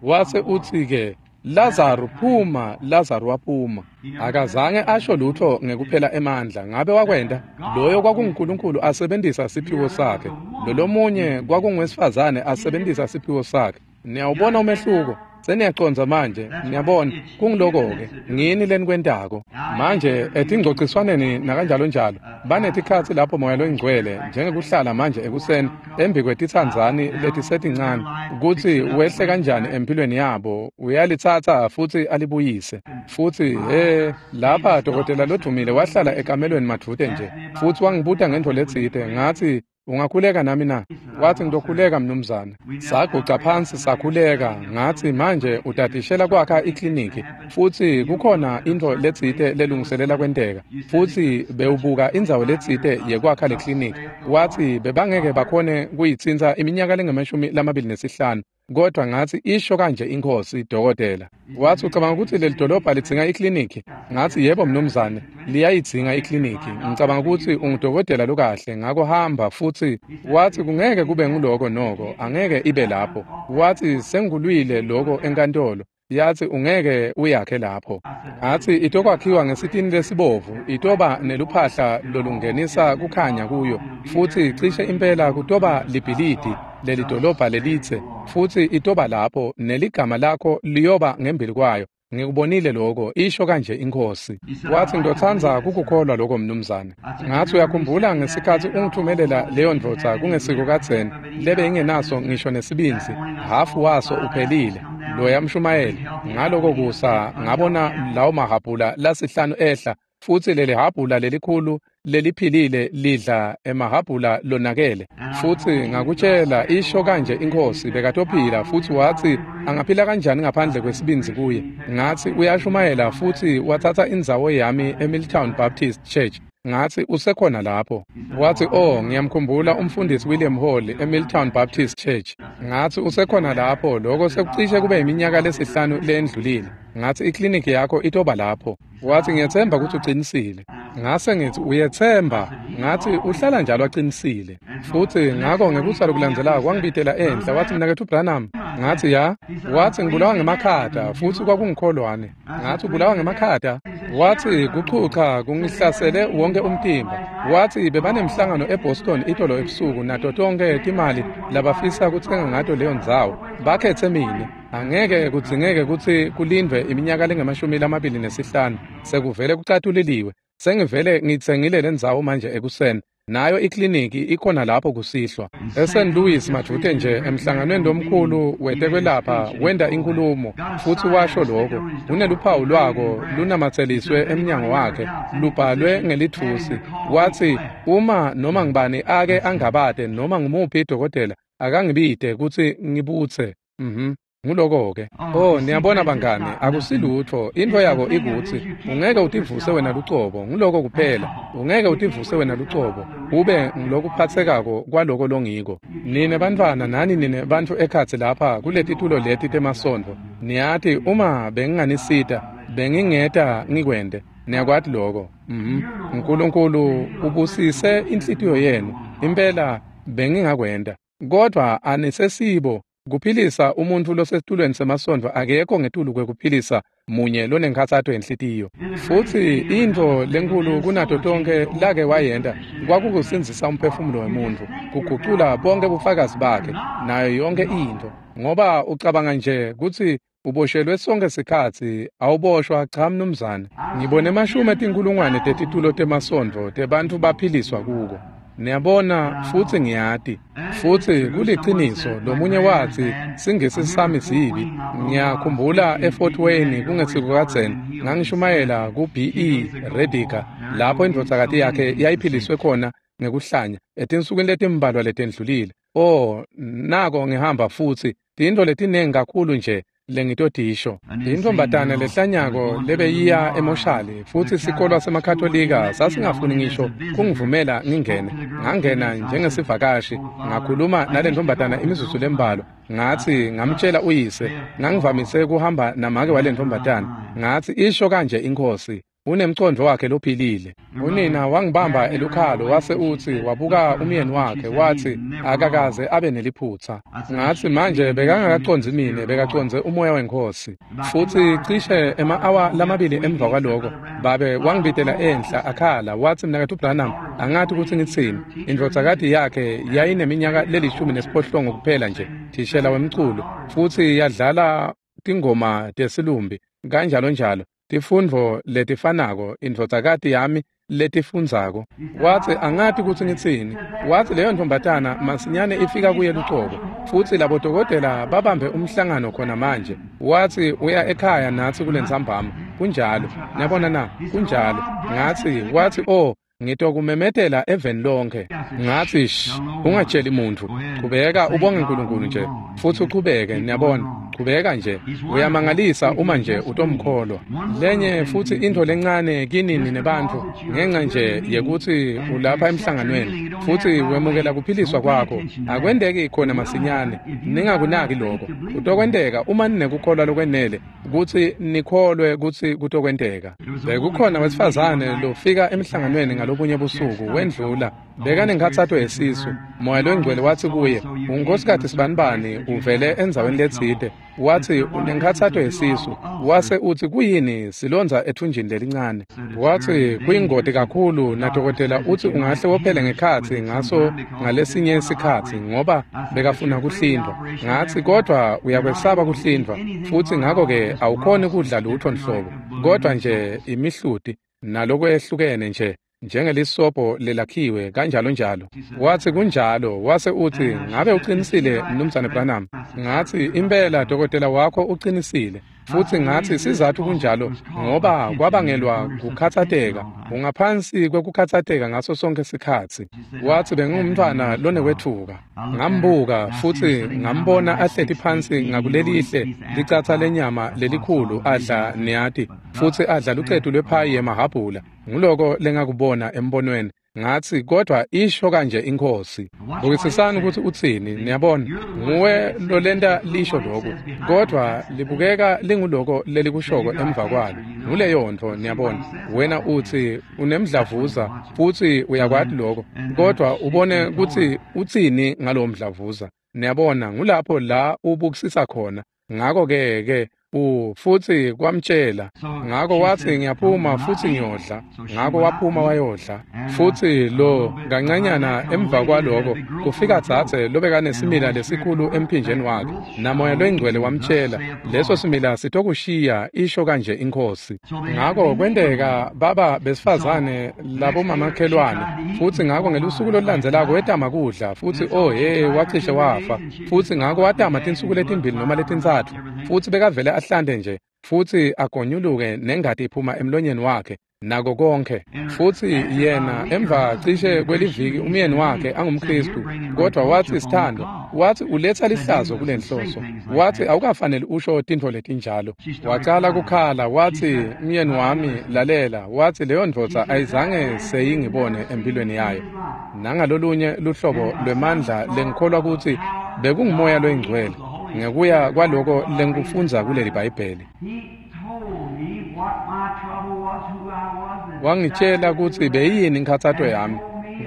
Wase uthi-ke, Lazaro phuma, Lazaro waphuma. Akazange asho lutho ngekuphela emandla. Ngabe wakwenda? Loyo kwakunguNkulunkulu asebenzisa siphiwo sakhe. Lolomunye kwakungwesifazane asebenzisa siphiwo sakhe. Niyawubona umehluko? Seniyacondza manje, niyabona, kungiloko-ke, ngini lenikwentako. Manje etingcociswaneni nakanjalo njalo, banetikhatsi lapho Moya loyiNgcwele, njengekuhlala manje ekuseni, embi kwetitsandzani letisetincane, kutsi wehle kanjani empilweni yabo, uyalitsatsa futsi alibuyise. Futsi, he, lapha dokotela lodvumile wahlala ekamelweni madvute nje, futsi wangibuta ngentfo letsite, ngatsi, ungakhuleka nami na? Wathi ngizokhuleka mnumzane. Saguca phansi sakhuleka. Ngathi manje utatishela kwakha ikliniki, futsi kukhona intfo letsite lelungiselela kwenteka, futsi bewubuka indzawo letsite yekwakha le kliniki. Wathi bebangeke bakhone kuyitsintsa iminyaka lengemashumi lamabili nesihlanu, kodwa ngathi isho kanje inkosi dokotela. Wathi ucabanga ukuthi leli dolobha lidzinga ikliniki? Ngathi yebo mnumzane, liyayidzinga ikliniki. Ngicabanga ukuthi ungudokotela lokahle, ngakho hamba. Futhi wathi kungeke kube nguloko noko, angeke ibe lapho. Wathi sengulwile lokho enkantolo. Yathi ungeke uyakhe lapho. Ngathi itokwakhiwa ngesitini lesibovu, itoba neluphahla lolungenisa kukhanya kuyo, futhi cishe impela kutoba libhilidi leli dolobha lelitse, futhi itoba lapho neligama lakho liyoba ngembili kwayo. Ngikubonile lokho, isho kanje inkosi. Wathi ngizotsandza kukukholwa lokho mnumzane. Ngathi uyakhumbula ngesikhathi ungithumelela leyo ndvodza kungesiko kadzeni, lebe ingenaso ngisho nesibindzi, hafu waso uphelile, loya mshumayeli. Ngaloko kusa ngabona lawo mahhabhula lasihlanu ehla, futsi leli hhabhula lelikhulu leliphilile lidla emahhabhula lonakele. Futsi ngakutshela, isho kanje inkosi, bekatophila. Futsi wathi angaphila kanjani ngaphandle kwesibindzi kuye? Ngathi uyashumayela, futsi wathatha indzawo yami eMilltown Baptist Church. Ngathi usekhona lapho. Wathi oh, ngiyamkhumbula umfundisi William Hall eMilltown Baptist Church. Ngathi usekhona lapho, lokho sekucishe kube iminyaka lesihlanu lendlulile. Ngathi ikliniki yakho itoba lapho. Wathi ngiyethemba ukuthi uqinisile. Ngase ngithi uyethemba? Ngathi uhlala njalo aqinisile. Futhi ngakho ngekusa lokulandzelako kwangibitela enhla, wathi mnaketfu Branham. Ngathi ya. Wathi ngibulawa ngemakhata, futhi kwakungikholwane. Ngathi ubulawa ngemakhata? Wathi kuchucha kungihlasele wonke umtimba. Wathi bebanemhlangano eBoston itolo ebusuku, nato tonke timali labafisa kutsenga ngato leyo ndzawo. Bakhethe mine. Angeke kudzingeke kutsi kulindvwe iminyaka lengemashumi lamabili nesihlanu, sekuvele kucatuliliwe. Sengivele ngitsengile lendzawo manje ekuseni. Nayo ikliniki ikhona lapho kusihlwa. ESaint Louis madvute nje emhlanganweni lomkhulu wetekwelapha wenda inkulumo, futhi washo lokho. Uneluphawu lwako lunamatseliswe emnyango wakhe, lubhalwe ngelithusi. Wathi uma noma ngibani ake angabade noma ngumuphi dokotela, akangibide kutsi ngibutse. Mhm. Nguloko-ke. Oh, niyabona bangani, akusilutho. Into yako ikutsi ungeke utivuse wena lucobo, nguloko kuphela. Ungeke utivuse wena lucobo, ube ngilokuphatsekako kwaloko longiko. Nine bantfwana nani nine bantfu ekhatsi lapha kuletitulo leti temasondvo. Niyati uma benginganisita, bengingeta ngikwente. Niyakwati lokho. Mhm. uNkulunkulu ubusise inhlitiyo yenu. Impela bengingakwenta. Kodwa anisesibo kuphilisa umuntfu losesitulweni semasondvo akekho ngetulu kwekuphilisa munye lonenkhatsato yenhlitiyo. Futsi intfo lenkulu kunato tonkhe lake wayenta kwakukusindzisa umphefumulo wemuntfu, kugucula bonke bufakazi bakhe nayo yonke intfo. Ngoba ucabanga nje kutsi uboshelwe sonke sikhatsi, awuboshwa cha mnumzane. Ngibone emashumi etinkhulungwane tetitulo temasondvo tebantfu baphiliswa kuko. Niyabona, futsi ngiyati. Futsi kuliciniso, lomunye watsi singisi sami sibi. Ngiyakhumbula eFort Wayne kungesiko kadzeni, ngangishumayela ku B E Rediger, lapho indvodzakati yakhe yayiphiliswe khona ngekuhlanya etinsukwini letimbalwa letendlulile. Oh, nako ngihamba futsi tintfo letinengi kakhulu nje lengitotisho. Intombatane lehlanyako lebeyiya emoshali, futsi sikolwa semaKatolika sasingafuni ngisho kungivumela ngingene. Ngangena njengesivakashi, ngakhuluma nalentombatana imizuzu lembalwa. Ngathi ngamtshela uyise, ngangivamise kuhamba namake walentombatana. Ngathi isho kanje inkosi, Unemcondvo wakhe lophilile. Unina wangibamba elukhalo wase utsi wabuka umyeni wakhe watsi akakaze abe neliphutsa. Ngatsi manje bekangakacondzi mine, bekacondze umoya weNkhosi. Futsi cishe ema-awa lamabili emva kwaloko babe wangibitela enhla akhala watsi mnaketfu Branham angati kutsi ngitsini. Indvodzakati yakhe yayineminyaka lelishumi nesiphohlongo kuphela nje, thishela wemculo, futsi yadlala tingoma tesilumbi kanjalo njalo. Tifundvo letifanako indvodzakati yami letifundzako. Watsi angati kutsi ngitsini. Watsi leyo ntombatana masinyane ifika kuye lucobo, futsi labo dokotela babambe umhlangano khona manje. Watsi uya ekhaya natsi kulentsambama. Kunjalo, niyabona na? Kunjalo. Ngatsi watsi oh ngitokumemetela eveni lonke. Ngatsi shh, ungatsheli muntfu. Qhubeka ubonge uNkulunkulu nje futsi uchubeke, niyabona. Qhubeka nje. Uyamangalisa uma nje utomkholwa. Lenye futsi intfo lencane kinini nebantfu ngenxa nje yekutsi ulapha emhlanganweni futsi wemukela kuphiliswa kwakho akwenteki khona masinyane. Ningakunaki lokho. Kutokwenteka uma ninekukholwa lokwenele kutsi nikholwe kutsi kutokwenteka. Bekukhona wesifazane lofika emhlanganweni ngalobunye busuku wendlula bekanenkhatsato yesisu. Moya loNgcwele watsi kuye, unkosikati sibanibani uvele endzaweni letsite. Watsi unenkhatsato yesisu. Wase utsi kuyini silondza ethunjini lelincane. Watsi kuyingoti kakhulu nadokotela utsi ungahle wophele ngekhatsi ngaso ngalesinye isikhatsi ngoba bekafuna kuhlindwa. Ngatsi kodwa uyakwesaba kuhlindwa futsi ngako-ke awukhoni kudla lutho nhlobo kodwa nje imihluti nalokwehlukene nje njengelisobho lelakhiwe kanjalo njalo. Watsi kunjalo. Wase utsi ngabe uqinisile mnumzane Branham? Ngatsi impela dokotela wakho uqinisile. Futsi ngatsi sizathu kunjalo ngoba kwabangelwa kukhatsateka. Ungaphansi kwekukhatsateka ngaso sonke sikhatsi. Watsi bengumntfwana lonekwetfuka. Ngambuka futsi ngambona ahleti phansi ngakulelihle licatsa lenyama lelikhulu adla niyati futsi adla lucetu lwephayi yemahhabhula. Nguloko lengakubona embonweni. Ngatsi kodwa isho kanje iNkhosi. Bukisisani kutsi utsini, niyabona. Nguwe lolenta lisho lokhu, kodwa libukeka linguloko lelikushoko emva kwalo. Nguleyo ntfo, niyabona. Wena utsi unemdlavuza futsi uyakwati lokho, kodwa ubone kutsi utsini ngalowo mdlavuza. Niyabona, ngulapho la ubukisisa khona. Ngako-ke ke u futsi kwamtshela. Ngako watsi ngiyaphuma futsi ngiyodla. Ngako waphuma wayodla. Futsi lo kancanyana emva kwaloko kufika dzadze lobekanesimila lesikhulu emphinjeni wakhe. Namoya loyingcwele wamtshela leso simila sitokushiya isho kanje iNkhosi. Ngako kwenteka baba besifazane labomamakhelwane futsi ngako ngelusuku lolulandzelako wetama kudla futsi oh hey wacishe wafa. Futsi ngako watama tinsuku letimbili noma letintsatfu futsi bekavele ahlante nje futsi agonyuluke nengati iphuma emlonyeni wakhe nako konke. Futsi yena emva cishe kweliviki umyeni wakhe angumKristu kodwa watsi sithando, watsi uletsa lihlazo kulenhloso. Watsi awukafaneli usho tintfo letinjalo. Wacala kukhala watsi umyeni wami lalela, watsi leyo ndvodza ayizange seyingibone empilweni yayo. Nangalolunye luhlobo lwemandla lengikholwa kutsi bekungumoya loyingcwele ngekuya kwaloko lengikufundza kuleli Bhayibheli. Wangitshela kutsi beyiyini inkhatsato yami,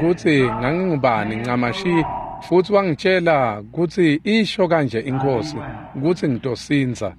kutsi ngangingubani ncamashi, futsi wangitshela kutsi isho kanje iNkhosi kutsi ngitosindza.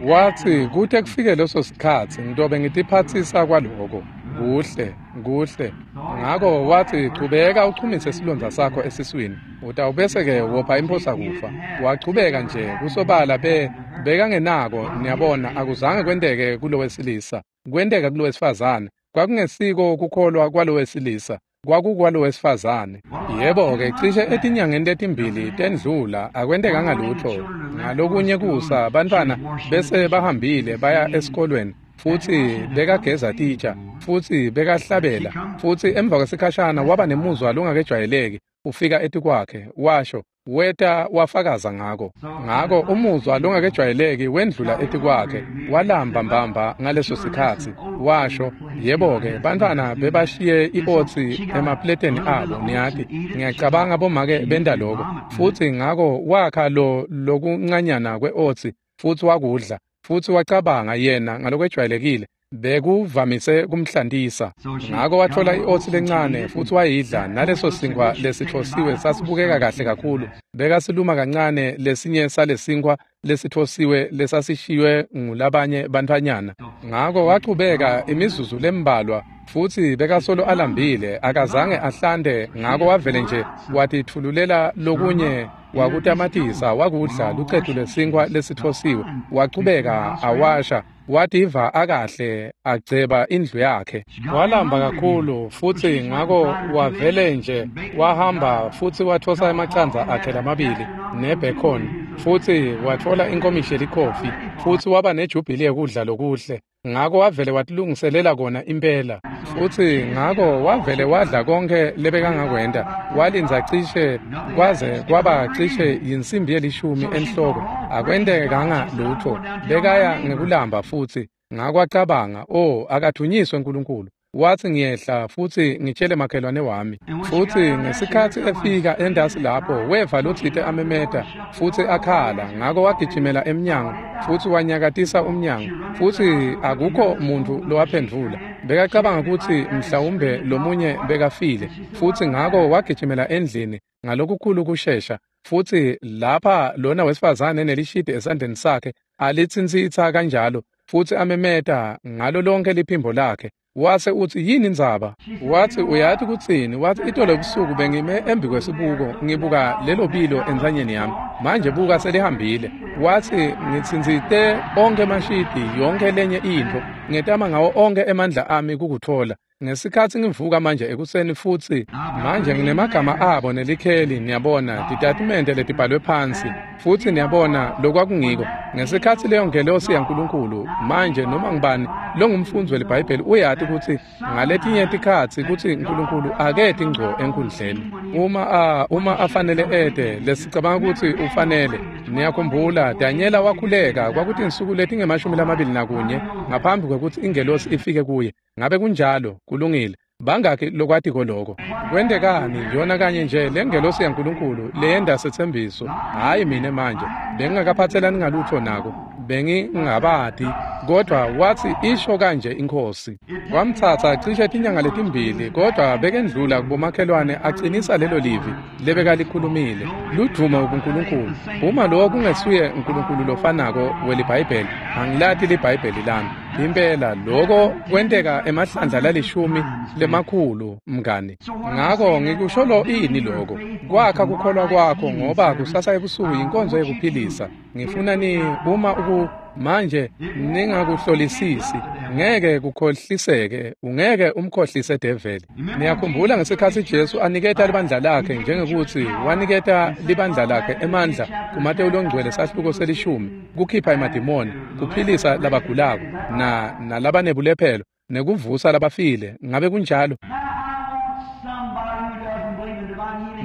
Watsi kute kufike leso sikhatsi ngitobe ngitiphatsisa kwaloko. Kuhle, kuhle. Ngako watsi chubeka uchumise silondza sakho esiswini, utawubese-ke wopha imphosa kufa. Wachubeka nje kusobala be bekangenako, niyabona, akuzange kwenteke kulowesilisa, kwenteka kulowesifazane. Kwakungesiko kukholwa kwalowesilisa, kwakukwalowesifazane. Yebo-ke cishe etinyangeni letimbili tendlula akwentekanga lutho. Ngalokunye kusa bantfwana bese bahambile baya esikolweni futsi bekageza titsha futsi bekahlabela futsi emva kwesikhashana waba nemuzwa longakejwayeleki ufika etikwakhe washo weta wafakaza ngako. Ngako umuzwa longakejwayeleki wendlula etikwakhe walamba mbamba ngaleso sikhatsi washo yebo-ke bantfwana bebashiye i-otsi emapleteni abo niyati ngiyacabanga bomake benta loko. Futsi ngako wakha lo lokuncanyana kwe-otsi futsi wakudla Futsi wacabanga yena ngalokwejwayelekile bekuvamise kumhlantisa. Ngako watfola i-oats lencane futsi wayidla, naleso sinkwa lesitfosiwe sasibukeka kahle kakhulu. Bekasiluma kancane lesinye salesinkwa lesitfosiwe lesasishiywe ngulabanye bantfwanyana. Ngako wachubeka imizuzu lembalwa futsi bekasolo alambile, akazange ahlante. Ngako wavele nje watitfululela lokunye wakutamatisa wakudla lucetu lesinkwa lesitfosiwe. Wachubeka awasha, wativa akahle, agceba indlu yakhe. Walamba kakhulu futsi ngako wavele nje wahamba futsi watfosa emacandza akhe lamabili nebacon, futsi watfola inkomishi yelikhofi, futsi waba nejubhili yekudla lokuhle. Ngako wavele watilungiselela kona impela, futsi ngako wavele wadla konke lebekangakwenta. Walindza cishe kwaze kwaba cishe yinsimbi yelishumi enhloko, akwentekanga lutfo. Bekaya ngekulamba futsi. Ngako acabanga, oh, akathunyiswe uNkulunkulu. Watsi ngiyehla futsi ngitshele makhelwane wami. Futsi ngesikhatsi efika endasi lapho, weva lotsite amemeta futsi akhala. Ngako wagijimela emnyango futsi wanyakatisa umnyango, futsi akukho muntu lowaphendvula. Bekacabanga kutsi mhlawumbe lomunye bekafile, futsi ngako wagijimela endlini ngalokukhulu kushesha. Futsi lapha lona wesifazane nelishidi esandleni sakhe alitsintsitsa kanjalo, futsi amemeta ngalo lonke liphimbo lakhe. Wase utsi, yini indzaba? Watsi, uyati kutsini? Watsi, itolo ebusuku bengime embi kwesibuko ngibuka lelo bilo entsanyeni yami. Manje buka selihambile. Watsi, ngitsintsite onkhe emashidi, yonke lenye intfo, ngetama ngawo onkhe emandla ami kukutfola. Ngesikhatsi ngivuka manje ekuseni futsi manje nginemagama abo nelikheli, niyabona, titatimende letibhalwe phansi, futsi niyabona lokwakungiko. Ngesikhatsi leyo ngelosi yaNkulunkulu, manje noma ngubani longumfundzi weliBhayibheli uyati kutsi ngaletinye tikhatsi kutsi uNkulunkulu aketi ngco enkundleni. Uma a uma afanele ete, lesicabanga kutsi ufanele. Niyakhumbula Danyela wakhuleka kwakutinsuku letingemashumi lamabili nakunye ngaphambi kwekutsi ingelosi ifike kuye. Ngabe kunjalo? Kulungile. Bangaki lokwatiko loko? Kwentekani? Yona kanye nje lengelosi yaNkulunkulu leyenda setsembiso. Hayi mine manje bengingakaphathelani ngalutho nako, bengingabati, kodwa watsi isho kanje iNkhosi. Kwamtsatsa cishe tinyanga letimbili, kodwa bekendlula kubomakhelwane acinisa lelo livi lebekalikhulumile. Ludvumo kuNkulunkulu. Uma lokho kungesuye uNkulunkulu lofanako weliBhayibheli, angilati liBhayibheli lami. Impela lokho kwenteka emahlandla lalishumi lemakhulu, mngani. Ngako ngikusho lo ini lokho kwakha kukholwa kwakho, ngoba kusasa ebusuku inkonzo yekuphilisa. Ngifuna ni uma uku manje ningakuhlolisisi, ngeke kukhohliseke, ungeke umkhohlise develi. Niyakhumbula ngesikhatsi Jesu aniketa libandla lakhe, njengekuthi waniketa libandla lakhe emandla kuMateyu longcwele sahluko selishumi, kukhipha emadimoni, kuphilisa labagulako na nalabanebulephelo, nekuvusa labafile. Ngabe kunjalo?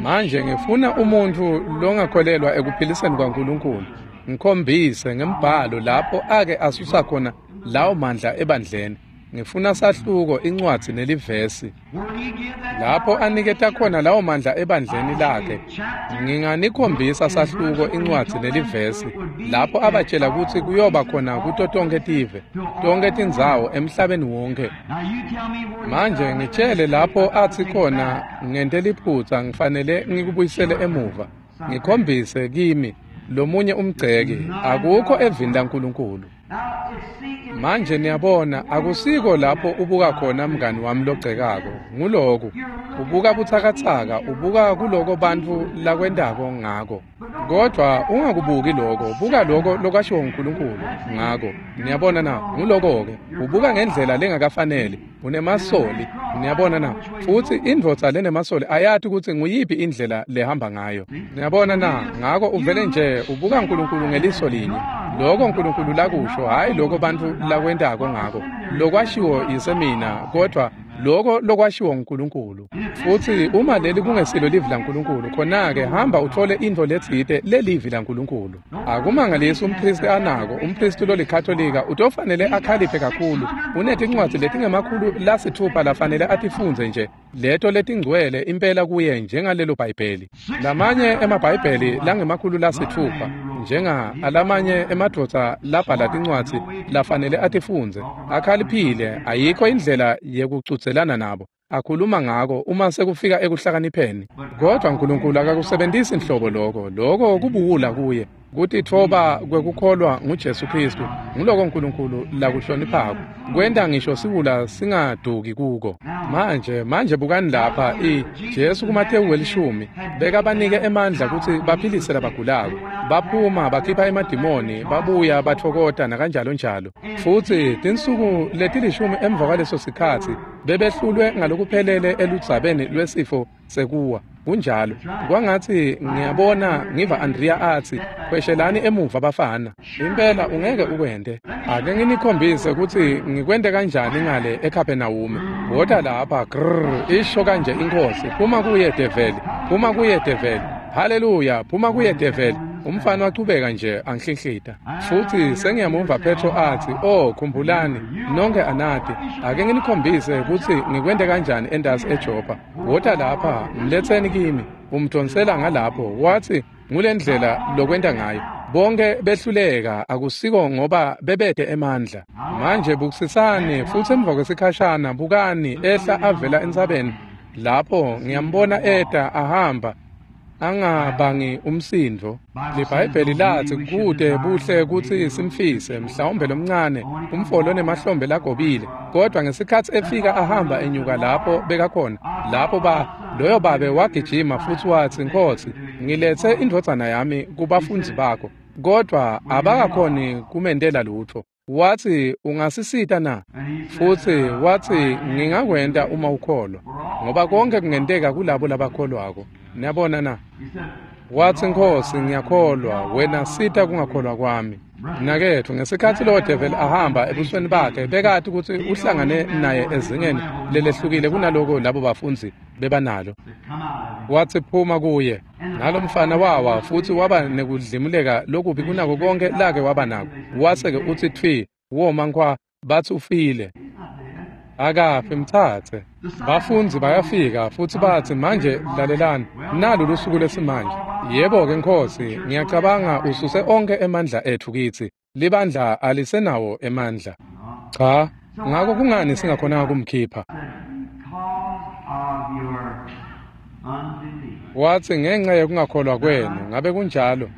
Manje ngifuna umuntfu longakholelwa ekuphiliseni kwaNkulunkulu ngikhombise ngembhalo lapho ake asusa khona lawo mandla ebandleni. Ngifuna sahluko, incwadzi nelivesi lapho aniketa khona lawo mandla ebandleni lakhe. Nginganikhombisa sahluko, incwadzi nelivesi lapho abatshela kutsi kuyoba khona kuto tonkhe tive, tonkhe tindzawo emhlabeni wonke. Manje ngitshele lapho athi khona ngente liphutsa, ngifanele ngikubuyisele emuva. Ngikhombise kimi lomunye umgceki, akukho evini laNkulunkulu. Manje niyabona, akusiko lapho ubuka khona mngani wami logcekako. Nguloku ubuka butsakatsaka, ubuka kuloko bantfu lakwentako ngako. Kodwa ungakubuki lokho, buka lokho lokwashiwo uNkulunkulu ngako. Niyabona na? Nguloko-ke ubuka ngendlela lengakafanele, unemasoli. Niyabona na? Futsi indvodza lenemasoli ayati kutsi nguyiphi indlela lehamba ngayo. Niyabona na? Ngako uvele nje ubuka uNkulunkulu ngeliso linye. Lokho uNkulunkulu lakusho, hayi lokho bantfu lakwentako ngako. Lokwashiwo yisemina, kodwa lokho lokwashiwo uNkulunkulu. Futsi uma leli kungesilo livi laNkulunkulu, khona-ke hamba uthole intfo letsite lelivi laNkulunkulu. Akumangalisi umphristi anako, umphristi lolikhatolika utofanele akhaliphe kakhulu. Unetincwadzi letingemakhulu lasitfupha lafanele atifundze nje, leto letingcwele impela kuye njengalelo Bhayibheli. Lamanye emabhayibheli langemakhulu lasitfupha, njenga alamanye emadvodza labhala tincwadzi lafanele atifundze. Akhaliphile, ayikho indlela yekucudzelana nabo. Akhuluma ngako uma sekufika ekuhlakanipheni. Kodwa uNkulunkulu akakusebenzisi inhlobo lokho. Lokho kubuwula kuye. Kutitfoba kwekukholwa nguJesu Kristu nguloko uNkulunkulu lakuhloniphako. Kwenta ngisho siwula singaduki kuko. Manje manje bukani lapha i Jesu kuMatewu welishumi bekabanike emandla kutsi baphilise labagulako. Baphuma bakhipha emadimoni babuya batfokota nakanjalo njalo. Futsi tinsuku letilishumi emva kwaleso sikhatsi bebehlulwe ngalokuphelele eludzabeni lwesifo sekuwa. Kunjalo kwangatsi ngiyabona ngiva Andrea atsi khweshelani emuva bafana. Impela ungeke ukwente. Ake nginikhombise kutsi ngikwente kanjani ngale eKapernaum. Wota lapha grrr isho kanje inkosi, phuma kuye develi, phuma kuye develi. Haleluya, phuma kuye develi. Umfana wachubeka nje anhlinhlita. Futsi sengiyamuva Petro atsi, "Oh, khumbulani, nonke anati. Ake nginikhombise kutsi ngikwente kanjani entasi eJopha. Wota lapha, mletseni kimi." Umdonsela ngalapho, watsi, "Ngulendlela lokwenta ngayo." Bonke behluleka akusiko ngoba bebete emandla. Manje bukisisani futsi emva kwesikhashana bukani ehla avela entsabeni. Lapho ngiyambona eta ahamba angabangi umsindvo. LiBhayibheli lathi kude buhle kutsi simfise mhlawumbe lomncane umfolo nemahlombe lagobile, kodwa ngesikhatsi efika ahamba enyuka lapho bekakhona lapho ba loyo babe wagijima futsi watsi, "Nkosi, ngiletse indvodzana yami kubafundzi bakho, kodwa abakakhoni kumendela lutho." Watsi, "Ungasisita na?" Futsi watsi, "Ngingakwenta uma ukholwa, ngoba konke kungenteka kulabo labakholwako." Niyabona na? Watsi, "Nkosi, ngiyakholwa, wena sita kungakholwa kwami." Mnaketfu, ngesikhatsi lowo develi ahamba ebusweni bakhe bekati kutsi uhlangane naye ezingeni lelehlukile kunaloko labo bafundzi bebanalo. Watsi, "Phuma kuye." Nalomfana wawa futsi waba nekudlimuleka lokubi kunako konke lake waba nako. Wase-ke utsi tfi, woma nkhwa, batsi ufile. Akafi, mtsatse. Bafundzi bayafika futsi batsi, "Manje lalelani, nalu lusuku lesimanje. Yebo-ke Nkosi, ngiyacabanga ususe onke emandla etfu kitsi. Libandla alisenawo emandla." Cha, ngako kungani singakhonanga kumkhipha? Watsi, "Ngenxa yekungakholwa kwenu." Ngabe kunjalo?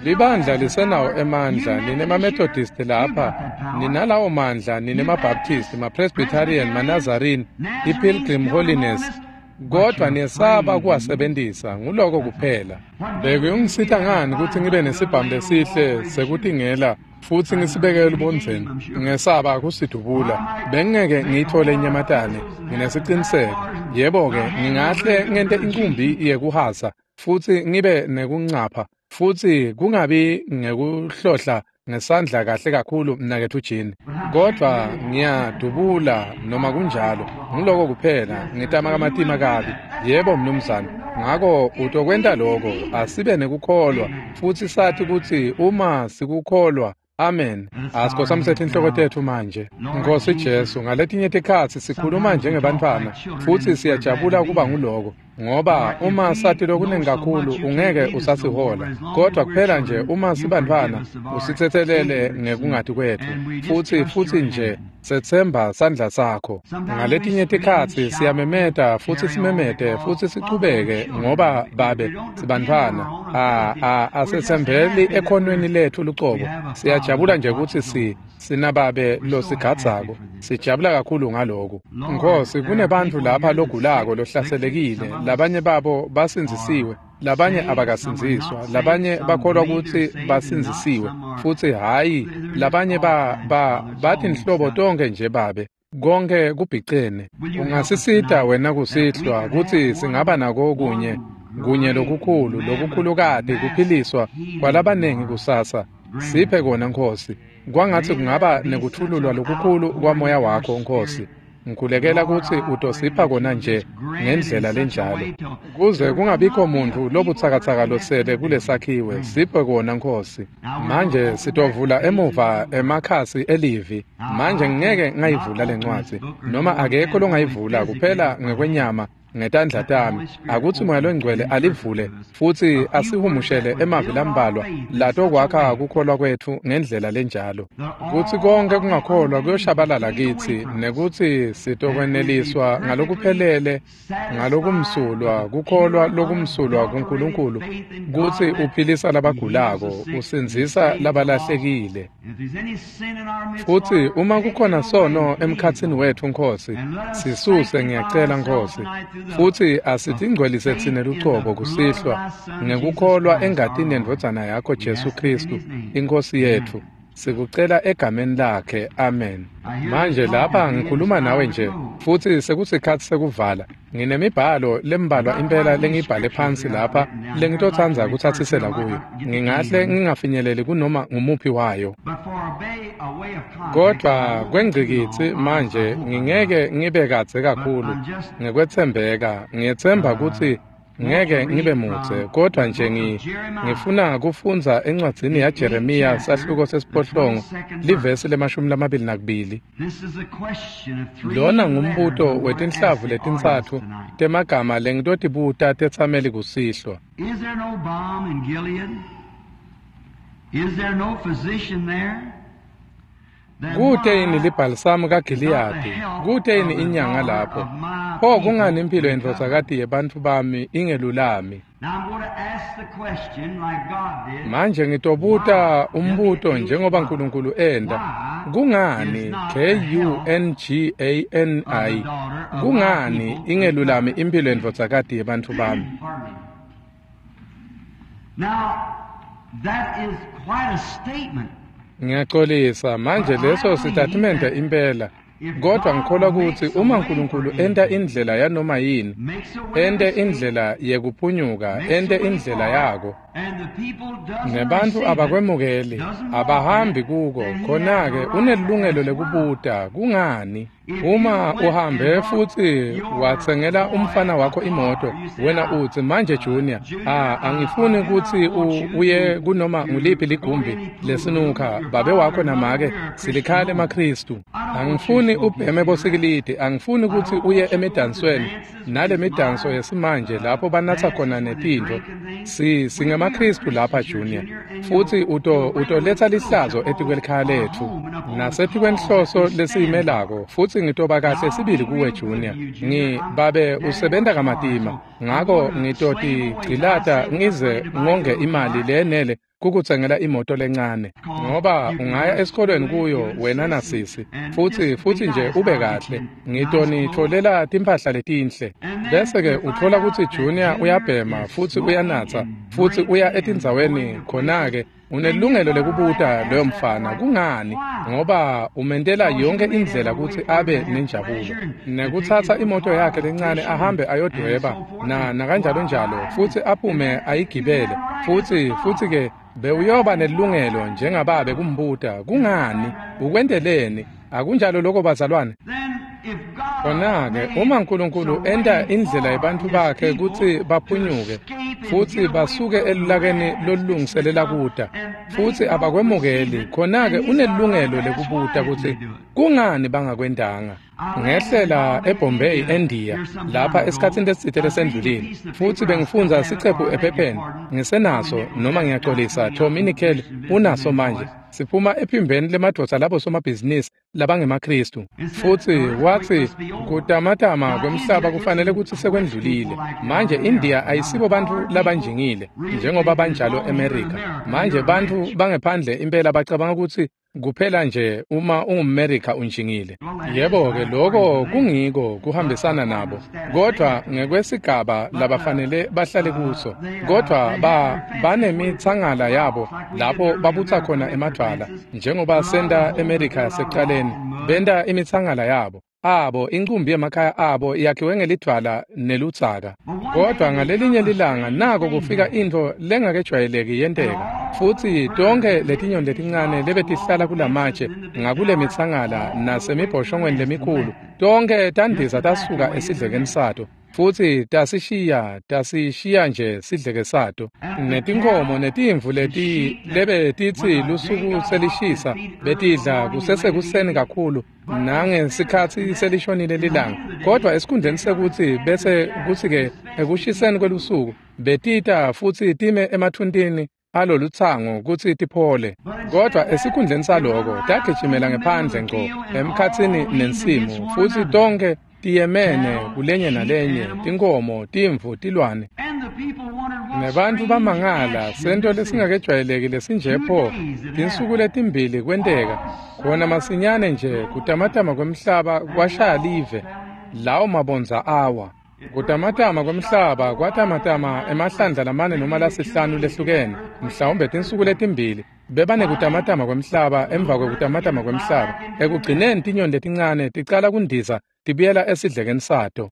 Libandla lisenawo emandla. Ninema-Methodist lapha, ninalawo mandla, ninema-Baptist, ma-Presbyterian, ma-Nazarene, i-Pilgrim Holiness, kodwa niyesaba kuwasebentisa. Nguloko kuphela. Bekuyongisita ngani kutsi ngibe nesibhamu lesihle sekutingela futsi ngisibeke elubondzeni ngesaba kusidubula? Bengingeke ngiyithole inyamatane, nginesiciniseko. Yebo-ke, ngingahle ngente inkumbi yekuhasa futsi ngibe nekuncapha futsi kungabi ngekuhlohla ngesandla kahle kakhulu mnaketfu Jean, kodvwa ngiyadubula noma kunjalo. Nguloko kuphela, ngitama kamatima kabi. Yebo mnumzane. Ngako utokwenta loko. Asibe nekukholwa futsi sathi kutsi uma sikukholwa. Amen. Asikhosamsethe inhloko tetfu manje. Nkosi Jesu, ngaletinye tikhatsi sikhuluma njengebantfwana futsi siyajabula kuba nguloko, ngoba uma sati lokunengi kakhulu ungeke usasihola, kodwa kuphela nje uma sibantfwana usitsetselele ngekungati kwetfu futsi futsi nje setsemba sandla sakho. Ngaletinye tikhatsi siyamemeta futsi simemete futsi sichubeke, ngoba babe sibantfwana, a a asetsembeli ekhonweni letfu lucobo. Siyajabula nje kutsi si sinababe losigadzako. Sijabula kakhulu ngaloko. Nkosi, kunebantfu lapha logulako lohlaselekile, labanye babo basindzisiwe, labanye abakasindziswa, labanye bakholwa kutsi basindzisiwe futsi hhayi, labanye ba ba batinhlobo tonke nje babe. Konke kubhicene. Ungasisita wena kusihlwa kutsi singaba nako kunye kunye lokukhulu lokukhulukati kuphiliswa kwalabanengi kusasa. Siphe kona Nkosi. Kwangatsi kungaba nekuthululwa lokukhulu kwamoya wakho Nkosi. Ngikhulekela kutsi utosipha kona nje ngendlela lenjalo, kuze kungabikho muntfu lobutsakatsaka losele kulesakhiwe. Siphe kona Nkosi. Manje sitovula emuva emakhasi elivi. Manje ngeke ngayivula lencwadzi, noma akekho longayivula kuphela ngekwenyama ngetandla tami. Akutsi Moya loNgcwele alivule futsi asihumushele emavi lambalwa latokwakha kukholwa kwetfu ngendlela lenjalo, kutsi konke kungakholwa kuyoshabalala kitsi, nekutsi sitokweneliswa ngalokuphelele ngalokumsulwa kukholwa lokumsulwa kuNkulunkulu, kutsi uphilisa labagulako, usindzisa labalahlekile. Futsi uma kukhona sono emkhatsini wetfu, Nkhosi, sisuse, ngiyacela, Nkhosi, futsi asitingcwelise tsine lucobo kusihlwa ngekukholwa engatini yendvodzana yakho Jesu Khristu, iNkhosi yetfu. Sikucela egameni lakhe, amen. Manje lapha ngikhuluma nawe nje, futsi sekusikhatsi sekuvala. Nginemibhalo lembalwa impela lengiyibhale phansi lapha lengitotsandza kutsatsisela kuyo. Ngingahle ngingafinyeleli kunoma ngumuphi wayo. Kodvwa kwengcikitsi manje ngingeke ngibe kadze kakhulu ngekwetsembeka. Ngiyetsemba kutsi ngeke ngibe mudze, kodwa nje ngi ngifuna kufundza encwadzini yaJeremiya sahluko sesiphohlongo livesi lemashumi lamabili nakubili. Lona ngumbuto wetinhlavu letintsatfu temagama lengitotibuta tetsameli kusihlwa. Is there no balm in Gilead? Is there no physician there? Kute yini libhalisamu kaGiliyadi? Kute yini inyanga lapho? Pho kungani impilo yendvodzakati yebantfu bami ingelulami? Now I'm going to ask the question like God did. Manje ngitobuta umbuto njengoba Nkulunkulu enda. Kungani K U N G A N I? Kungani ingelulami impilo yendvodzakati yebantfu bami? Pardon me. Now, that is quite a statement. Ngiyaxolisa, manje leso sitatimende impela. Kodwa ngikholwa kutsi uma Nkulunkulu enta indlela yanoma yini, Makes a way ente of escape, indlela yekuphunyuka, makes a ente way indlela forward, yako, and the people doesn't nebantfu receive it, abakwemukeli, doesn't walk in abahambi it, kuko, then he has khona-ke a right to unelilungelo ask why. lekubuta kungani. If Uma you went and uhambe bought futhi your watsengela boy umfana a wakho imoto, car, you say, wena "Now, utsi manje uh, Junior, Junior, ah, I, I angifuni do kutsi not want u- you uye to, kunoma to nguliphi go to ligumbi any pool room. lesinukha, Your babe father wakho and mother, namake we're a Christian silikhaya home. lemaKhristu. I don't want you Angifuni smoking ubheme cigarettes. bosikilidi, angifuni I kutsi don't uye want you going to emidansweni dances with nale these midanso modern yesimanje uh, lapho banatsa dances khona where they netintfo. drink and things. Si We, we are singemaKhristu lapha Christians here, Junior, Junior, and futhi you'll, uto you'll bring a utoletsa lihlazo reproach upon etikwelikhaya our letfu home and upon the cause that nasetikwenhloso we stand for. lesiyimelako, futhi ngitoba Now, kahle I'll sibili be kuwe real good Junior. to you, Junior. Ngi I'm babe Daddy usebenta works hard, kamatima, so I'm ngako going to slave away till I ngitotigcilata save enough ngize money to buy you ngonge a little imali car. leyenele kukutsengela imoto lencane, Cause ngoba you can go ungaya to esikolweni school in, kuyo you and wena sis, and, nasisi, and futhi just be futhi nje nice. ube I'll get kahle. you nice clothes. Ngitonitfolela timphahla letinhle. And then Bese ke you find uthola kutsi out that Junior Junior uyabhema is futhi smoking uyanatsa and futhi uya drinking and going etindzaweni, to places. khona-ke Then you unelilungelo got a right to lekubuta ask loyo that mfana boy kungani, why. ngoba umentela Because you yonke made indlela every way kutsi for him to abe have nenjabulo, pleasure and to take his nekutsatsa little imoto car yakhe out lencane fishing ahambe and, and ayodweba so forth na and go nakanjalo out njalo, riding. futhi And aphume then you ayigibele, have a right as a futhi futhi father ke bewuyoba nelilungelo njengababe kumbuta kungani, ukwenteleni? Akunjalo lokho bazalwane? Then if God Khona-ke made uma Nkulunkulu some enta way indlela for yebantfu his bakhe people kutsi to baphunyuke escape and futhi get away basuke from the elulakeni wrath that's fixing to lolulungiselela come, kuta, and they futhi don't receive abakwemukeli, it, khona-ke then he's got a right unelilungelo to ask why lekubuta didn't they kutsi do it. kungani bangakwentanga. I landed in Ngehlela Bombay, eBombay, India, eNdiya, here some time lapha ago. esikhatsini lesitsite I was reading a lesendlulile, piece of futhi paper. I still bengifundza have it, sicephu or I beg your ephepheni. pardon, Tommy Ngisenaso, Nichols noma has it now. ngiyaxolisa, Two Tommy young Nickel Christian unaso businessmen manje. boys. Siphuma ephimbeni lemadvodza labo somabhizinisi labangemaKhristu. And said, Futhi the earthquake wathi must be over. kutamatama Now, kwemhlaba India kufanele isn't kutsi rich sekwendlulile. people like they Manje are in India America. Now, the ayisibo bantfu poor people labanjingile really njengoba think that as banjalo long as you're in eMerica. America, Manje you're bantfu rich. bangephandle impela bacabanga kutsi kuphela nje uma ungumMerica unjingile. Well, that is Yebo ke right according lokho to them, kungiko but kuhambisana according to nabo, the status they kodwa have. ngekwesigaba But uh, labafanele bahlale uh, kuso, they uh, kodwa they have ba their fences where they put banemitsangala the yabo rocks, like we did in lapho early babutsa America, khona make their emadvwala, fences. njengoba A lot of senta holes are eMerica built out of rock yasekucaleni, and mud. benta imitsangala yabo. Abo incumbi yemakhaya abo yakhiwe ngelidvwala neludzaka. But one day Kodwa there ngalelinye come a lilanga strange nako thing kufika happened, intfo lengakejwayeleki and yenteka, all the futhi birds tonke that lived letinyoni in these letincane rocks lebetihlala along the fences kulamatshe and in the big ngakule tower mitsangala all flew away from the nasemibhoshongweni nest and lemikhulu, left it, tonke just tandiza tasuka evacuated the esidlekeni nest. sato Futsi tasishiya tasishiya nje sidleke sato. Netinkhomo netimvu leti lebetitsi lusuku selishisa betidla kusesekuseni kakhulu nangesikhatsi selishonile lilanga. Kodwa esikhundleni sekutsi bese kutsi-ke ekushiseni kwelusuku betita futsi time emathuntini alolutsango kutsi tiphole. Kodwa esikhundleni saloko tagijimela ngephandle ngco emkhatsini nensimu futsi tonkhe tiyemene kulenye nalenye, tinkhomo, timvu, tilwane. Nebantfu bamangala sento lesingakejwayeleki lesinje pho. Tinsuku letimbili kwenteka khona masinyane nje kutamatama kwemhlaba kwashaya live, lawo mabondza awa. Kutamatama kwemhlaba kwatamatama emahlandla lamane noma lasihlanu lehlukene, mhlawumbe tinsuku letimbili bebanekutamatama kwemhlaba emva kwekutamatama kwemhlaba. Ekugcineni tinyoni letincane ticala kundiza tibuyela esidlekeni sato.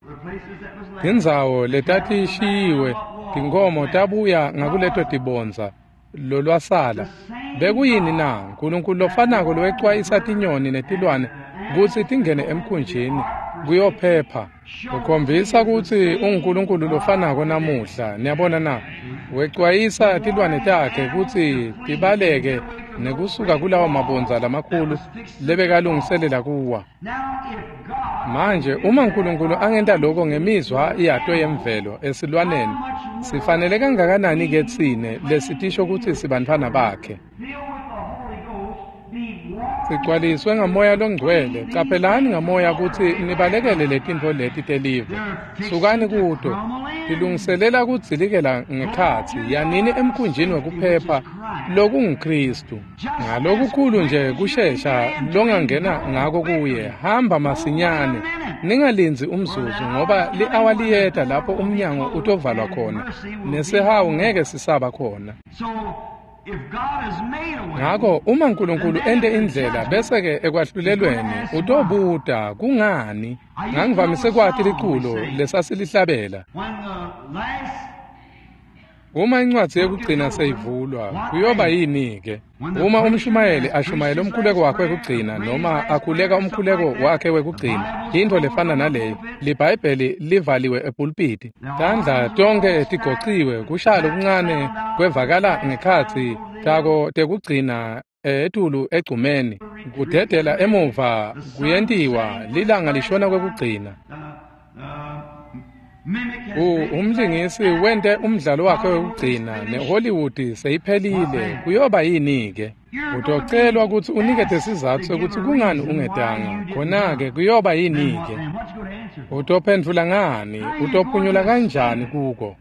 Tindzawo letatishiyiwe tinkhomo tabuya ngakuleto tibondza lolwasala. Bekuyini na? Nkulunkulu lofanako lowecwayisa tinyoni netilwane kutsi tingene emkhunjini kuyophepha. Ukhombisa kutsi unguNkulunkulu lofanako namuhla. Niyabona na? Wecwayisa tilwane takhe kutsi tibaleke nekusuka kulawo mabondza lamakhulu lebekalungiselela kuwa. Manje uma uNkulunkulu angenta lokho ngemizwa yato yemvelo esilwaneni, sifanele kangakanani ke tsine lesitisho kutsi sibantfwana bakhe? Sigcwaliswe ngamoya longcwele. Caphelani ngamoya kutsi nibalekele letintfo leti telive. Sukani kuto. Tilungiselela kudzilikela ngekhatsi, yanini emkhunjini wekuphepha lokunguKristu. Ngalokukhulu nje kushesha longangena ngako kuye, hamba masinyane. Ningalindzi umzuzu ngoba li-awa liyeta lapho umnyango utovalwa khona, nesihawu ngeke sisaba khona. Ngako uma uNkulunkulu ente indlela bese-ke ekwahlulelweni utobuta kungani. Ngangivamise kwati liculo lesasilihlabela. Uma incwadzi yekugcina seyivulwa, kuyoba yini-ke? Uma umshumayeli ashumayela umkhuleko wakhe wekugcina noma akhuleka umkhuleko wakhe wekugcina, intfo lefana naleyo, liBhayibheli livaliwe epulpiti. Tandla tonkhe tigociwe, kushaya lokuncane kwevakala ngekhatsi tako tekugcina etulu egcumeni. Kudedela emuva kuyentiwa, lilanga lishona kwekugcina. Umlingisi wente umdlalo wakhe wekugcina neHollywood seyiphelile. Kuyoba yini-ke? Utocelwa kutsi unikete sizatfu sekutsi kungani ungetanga. Khona-ke kuyoba yini-ke? Utophendvula ngani? Utophunyula kanjani kuko?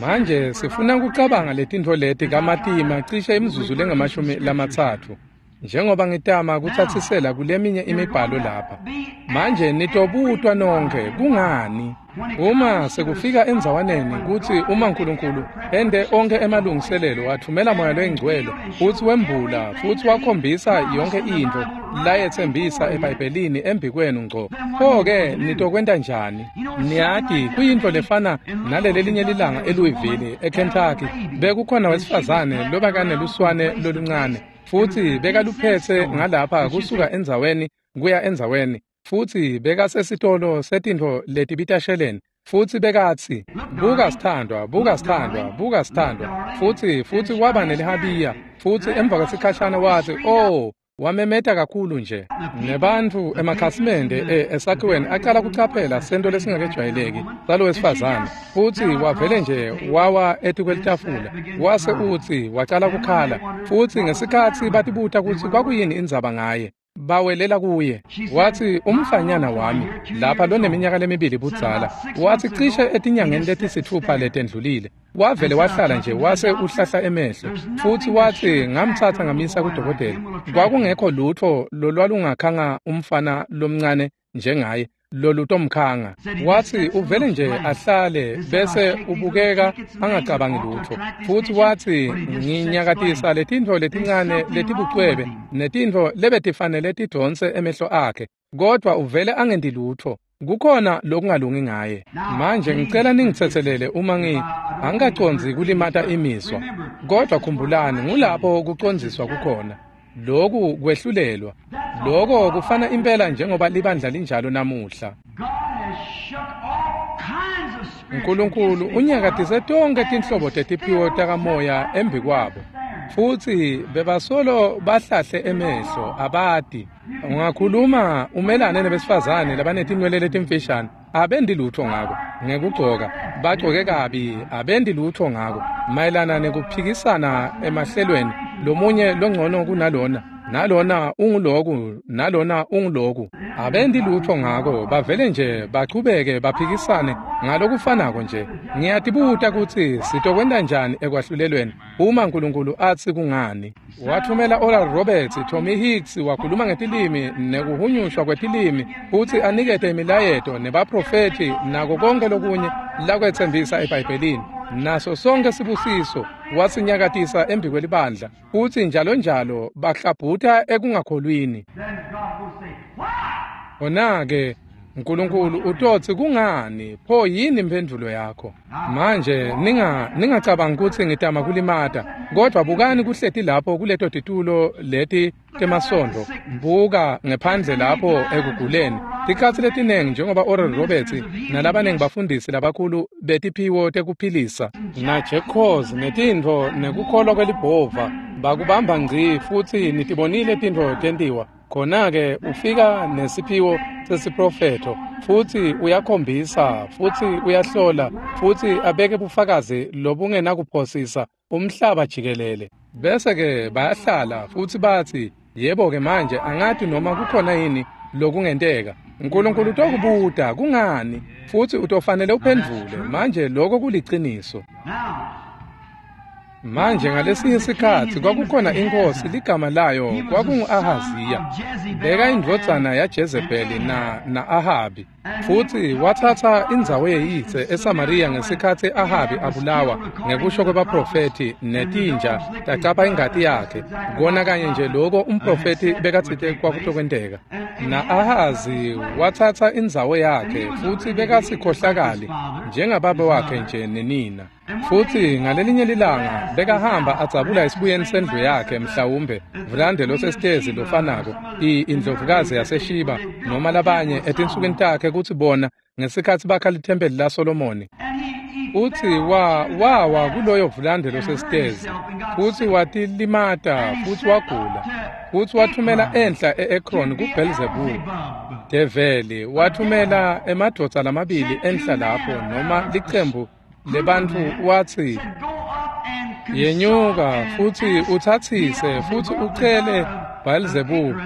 Manje sifuna kucabanga letintfo leti kamatima cishe imizuzu lengamashumi lamatsatfu, njengoba ngitama kutsatsisela kuleminye imibhalo lapha. Manje nitobutwa nonkhe kungani? Uma sekufika endzawaneni kutsi uma uNkulunkulu ente onkhe emalungiselelo, wathumela Moya loyiNgcwele futsi wembula futsi wakhombisa yonke intfo layetsembisa eBhayibhelini embikwenu ngco, pho-ke nitokwenta njani? Niyati kuyintfo lefana nalelelinye lilanga eLouisville, eKentucky, bekukhona wesifazane lobekaneluswane loluncane futsi bekaluphetse ngalapha kusuka endzaweni kuya endzaweni, futsi bekasesitolo setintfo letibita sheleni, futsi bekatsi, buka sithandwa, buka sithandwa, buka sithandwa, futsi futsi waba nelihabiya, futsi emva kwesikhashana watsi, oh, wamemeta kakhulu nje. Nebantfu emakhasimende esakhiweni acala kucaphela sento lesingakejwayeleki salo wesifazane, futsi wavele nje wawa etikwelitafula, wase utsi wacala kukhala, futsi ngesikhatsi batibuta kutsi kwakuyini indzaba ngaye, bawelela kuye. Watsi, umfanyana wami lapha loneminyaka lemibili budzala, watsi cishe etinyangeni letisitfupha letendlulile wavele wahlala nje wase uhlahla emehlo, futsi watsi ngamtsatsa ngamisa kudokotela. Kwakungekho lutfo lolwalungakhanga umfana lomncane njengaye lolutomkhanga. Watsi uvele nje ahlale bese ubukeka angacabangi lutfo, futsi watsi nginyakatisa letintfo letincane letibucwebe netintfo lebetifanele tidonse emehlo akhe, kodwa uvele angenti lutfo. Kukhona lokungalungi ngaye. Manje ngicela ningitsetselele uma ngi angikacondzi kulimata imizwa, kodwa khumbulani ngulapho kucondziswa kukhona. Loku kwehlulelwa, loko kufana impela njengoba libandla linjalo namuhla. Nkulunkulu unyakatise tonkhe tinhlobo tetiphiwo takamoya embikwabo, futsi bebasolo bahlahle emehlo abati. Ungakhuluma umelane nebesifazane labanetinwele letimfishane, abendi lutho ngako. Ngekugcoka bagcoke kabi, abendi lutho ngako. Mayelana nekuphikisana emahlelweni, lomunye longcono kunalona, nalona unguloku, nalona unguloku, abendi lutho ngako. Bavele nje bachubeke baphikisane ngalokufanako nje. Ngiyatibuta kutsi sitokwenta njani ekwahlulelweni uma Nkulunkulu atsi kungani. Wathumela Oral Roberts, Tommy Hicks wakhuluma ngetilimi nekuhunyushwa kwetilimi, futsi anikete imilayeto nebaprofethi nako konke lokunye lakwetsembisa eBhayibhelini. Naso sonke sibusiso wasinyakatisa embikwelibandla, futsi njalo njalo bahlabhuta ekungakholwini. Khona-ke Nkulunkulu utotsi kungani, pho yini imphendvulo yakho? Manje ninga ningacabangi kutsi ngitama kulimata, kodvwa bukani kuhleti lapho kuleto titulo leti temasondo, buka ngephandle lapho ekuguleni. Tikhatsi letinengi njengoba Oral Roberts nalabanengi bafundisi labakhulu betiphiwo tekuphilisa na-Jack netintfo nekukholwa kwelibhova bakubamba ngci, futsi nitibonile tintfo tentiwa. Khona-ke ufika nesiphiwo sesiprofetho, futsi uyakhombisa, futsi uyahlola, futsi abeke bufakazi lobungenakuphosisa umhlaba jikelele. Bese-ke bayahlala futsi batsi, yebo-ke manje angati noma kukhona yini lokungenteka. Nkulunkulu utokubuta kungani, futsi utofanele uphendvule. Manje lokho kuliciniso. Manje ngalesinye isikhatsi kwakukhona inkosi ligama layo kwakungu-Ahaziya. Beka indvodzana yaJezebeli na na-Ahabi, futsi watsatsa indzawo yeyise eSamariya ngesikhatsi Ahabi abulawa ngekusho kwebaprofethi, netinja tacapha ingati yakhe. Kona kanye nje lokho umprofethi bekatsite kwakutokwenteka. Na-Ahazi watsatsa indzawo yakhe, futsi bekasikhohlakali njengababe wakhe nje nenina. Futsi ngalelinye lilanga bekahamba adzabula esibuyeni sendlu yakhe, mhlawumbe vulande losesitezi lofanako, indlovukazi yaseShiba noma labanye etinsukwini takhe, kutsi bona ngesikhatsi bakha lithempeli laSolomoni. Utsi wa wawa kuloyo vulande losesitezi, futsi watilimata, futsi wagula, futsi wathumela enhla e-Ekron kuBhelzebule. Develi wathumela emadvodza lamabili enhla lapho, noma licembu lebantfu, watsi, yenyuka futsi utsatsise futsi ucele Bhelzebule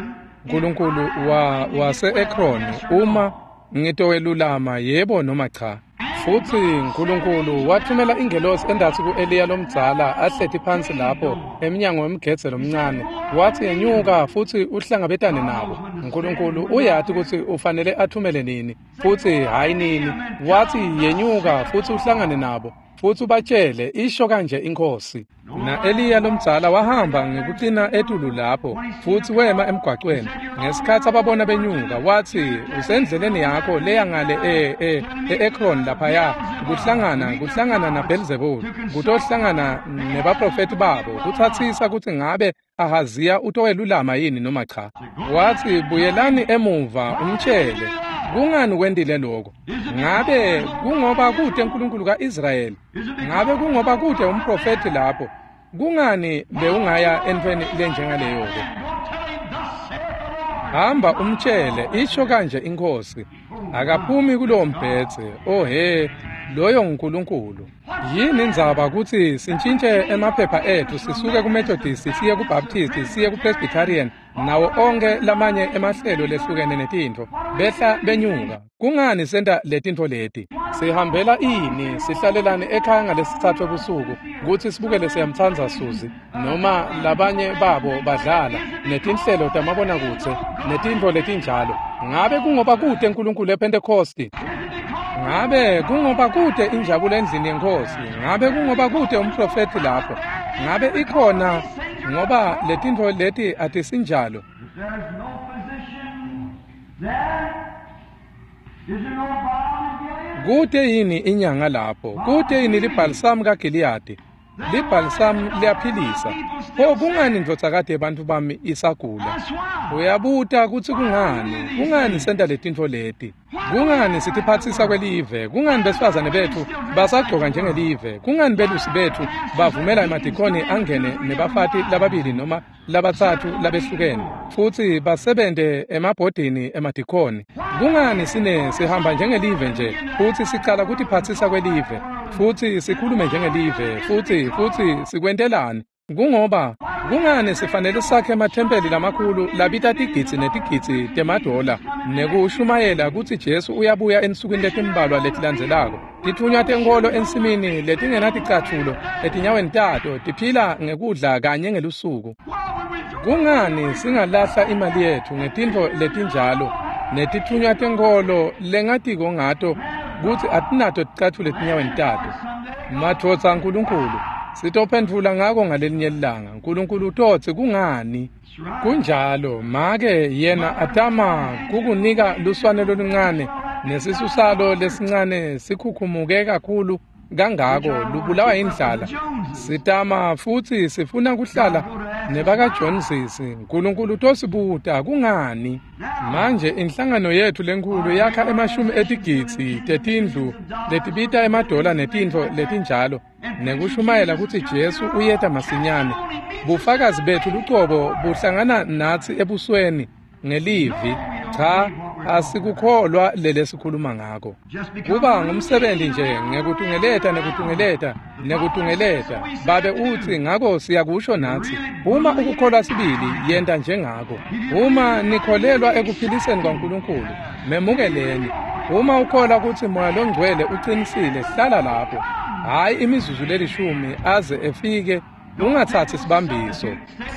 nkulunkulu wa wase-Ekron uma ngitowelulama yebo noma cha. Futsi Nkulunkulu wathumela ingelosi endatsi ku-Eliya lomdzala ahleti phansi lapho emnyango wemgedze lomncane, watsi yenyuka futsi uhlangabetane nabo. Nkulunkulu uyati kutsi ufanele athumele nini futsi hhayi nini. Watsi yenyuka futsi uhlangane nabo futsi ubatshele isho kanje inkosi. Na-Eliya lomdzala wahamba ngekucina etulu lapho futsi wema emgwacweni. Ngesikhatsi ababona benyuka, watsi usendleleni yakho leya ngale e e e-Ekron laphaya, kuhlangana kuhlangana naBhelzebule, kutohlangana nebaprofethi babo, kutsatsisa kutsi ngabe Ahaziya utowelulama yini noma cha. Watsi buyelani emuva umtshele kungani wendile lokho. Ngabe kungoba kute uNkulunkulu kaIsrayeli? Ngabe kungoba kute umprofethi lapho? Kungani bewungaya entweni lenjengaleyo-ke? Hamba umtshele isho kanje inkosi. Akaphumi kulowo mbhedze. Oh he, loyo nguNkulunkulu. Yini indzaba kutsi sintshintshe emaphepha ethu sisuke kuMethodist siye kuBaptist siye kuPresbyterian nawo onke lamanye emahlelo lehlukene netintfo behla benyuka? Kungani senta letintfo leti? Sihambela ini? Sihlalelane ekhaya ngalesithathu ebusuku kutsi sibukele Siyamtsandza Suzi noma labanye babo badlala netinhlelo tamabonakudze netintfo letinjalo. Ngabe kungoba kute uNkulunkulu ePhentekhosti? Ngabe kungoba kute injabulo endlini yenkosi? Ngabe kungoba kute umprofethi lapho? Ngabe ikhona ngoba letintfo leti atisinjalo? Kute yini inyanga lapho? Kute yini libhalisamu kaGiliyadi? Libhalisamu liyaphilisa. Pho kungani ndvodzakati yebantfu bami isagula? Uyabuta kutsi kungani? Kungani senta letintfo leti? Kungani sitiphatsisa kwelive? Kungani besifazane betfu basagcoka njengelive? Kungani belusi betfu bavumela emadikoni angene nebafati lababili noma labatsatfu labehlukene futsi basebente emabhodini emadikoni? Kungani sine sihamba njengelive nje futsi sicala kutiphatsisa kwelive futsi sikhulume njengelive futsi futsi sikwentelani? Kungoba kungani sifanele sakhe emathempeli lamakhulu labita tigidzi netigidzi temadola nekushumayela kutsi Jesu uyabuya ensukwini letimbalwa letilandzelako? Titfunywa tenkholo ensimini letingenaticatfulo etinyaweni tato tiphila ngekudla kanye ngelusuku. Kungani singalahla imali yetfu ngetintfo letinjalo netitfunywa tenkholo lengatiko ngato kutsi atinato ticatfulo etinyaweni tato? Madvodza aNkulunkulu, sitophendvula ngako ngalelinye ilanga. Nkulunkulu utotsi kungani? Kunjalo, make yena atama kukunika luswane loluncane nesisu salo lesincane sikhukhumuke kakhulu kangako lubulawa indlala. Sitama futsi sifuna kuhlala nebakaJoneses. Nkulunkulu utosibuta kungani? Manje inhlangano yetfu lenkhulu yakha emashumi etigidzi tetindlu letibita emadola netintfo letinjalo nekushumayela kutsi Jesu uyeta masinyane. Bufakazi betfu lucobo buhlangana natsi ebusweni ngelivi. Cha, asikukholwa lelesikhuluma ngako. Kuba ngumsebenzi nje ngekutungeleta nekutungeleta nekutungeleta. Babe utsi ngako siyakusho natsi, uma ukukholwa sibili yenta njengako. Uma nikholelwa ekuphiliseni kwaNkulunkulu, memukeleni. Uma ukholwa kutsi Moya Longcwele uqinisile, hlala lapho. Hhayi imizuzu lelishumi aze efike, ungatsatsi sibambiso.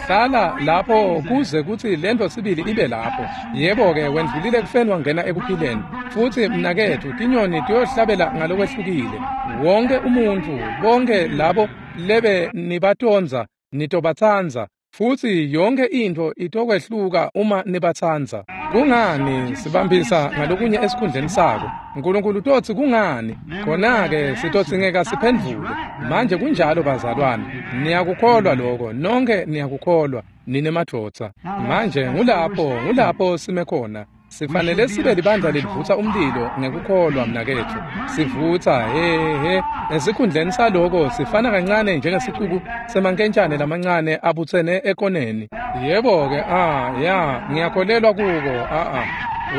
Hlala lapho kuze kutsi lento sibili ibe lapho. Yebo-ke, wendlulile ekufeni wangena ekuphileni. Futsi mnaketfu, tinyoni tiyohlabela ngalokwehlukile. Wonke umuntfu, bonke labo lebe nibatondza, nitobatsandza. Futsi yonke intfo itokwehluka uma nibatsandza. Kungani sibambisa ngalokunye esikhundleni sako? Nkulunkulu utotsi kungani? Khona-ke sitodzingeka siphendvule. Manje kunjalo bazalwane, niyakukholwa lokho, nonke niyakukholwa, nine madvodza. Manje ngulapho, ngulapho sime khona. Sifanele sibe libandla lelivutsa umlilo ngekukholwa mnaketfu. Sivutsa he he esikhundleni saloko sifana kancane njengesicuku semankentshane lamancane abutsene ekoneni. Yebo-ke, ah ya, ngiyakholelwa kuko, ah ah.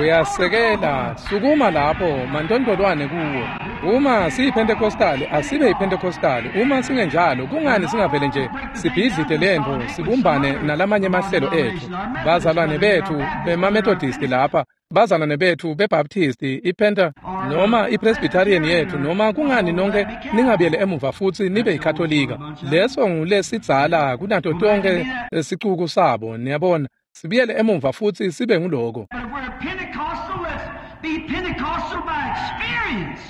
Uyasekela, sukuma lapho mantontolwane kuwo. Uma siyiPentecostal, asibe yiPentecostal. Uma singenjalo, kungani singavele nje sibhidlite lentfo sibumbane nalamanye emahlelo etfu? Bazalwane betfu bemaMethodist lapha, bazalwane betfu beBaptist, iPenta noma iPresbyterian yetfu, noma kungani nonke ningabuyele emuva futsi nibe yiKatolika? Leso ngulesidzala kunato tonke sicuku sabo, niyabona. Sibuyele emuva futsi sibe nguloko. But if we're Pentecostal, let's be Pentecostal by experience.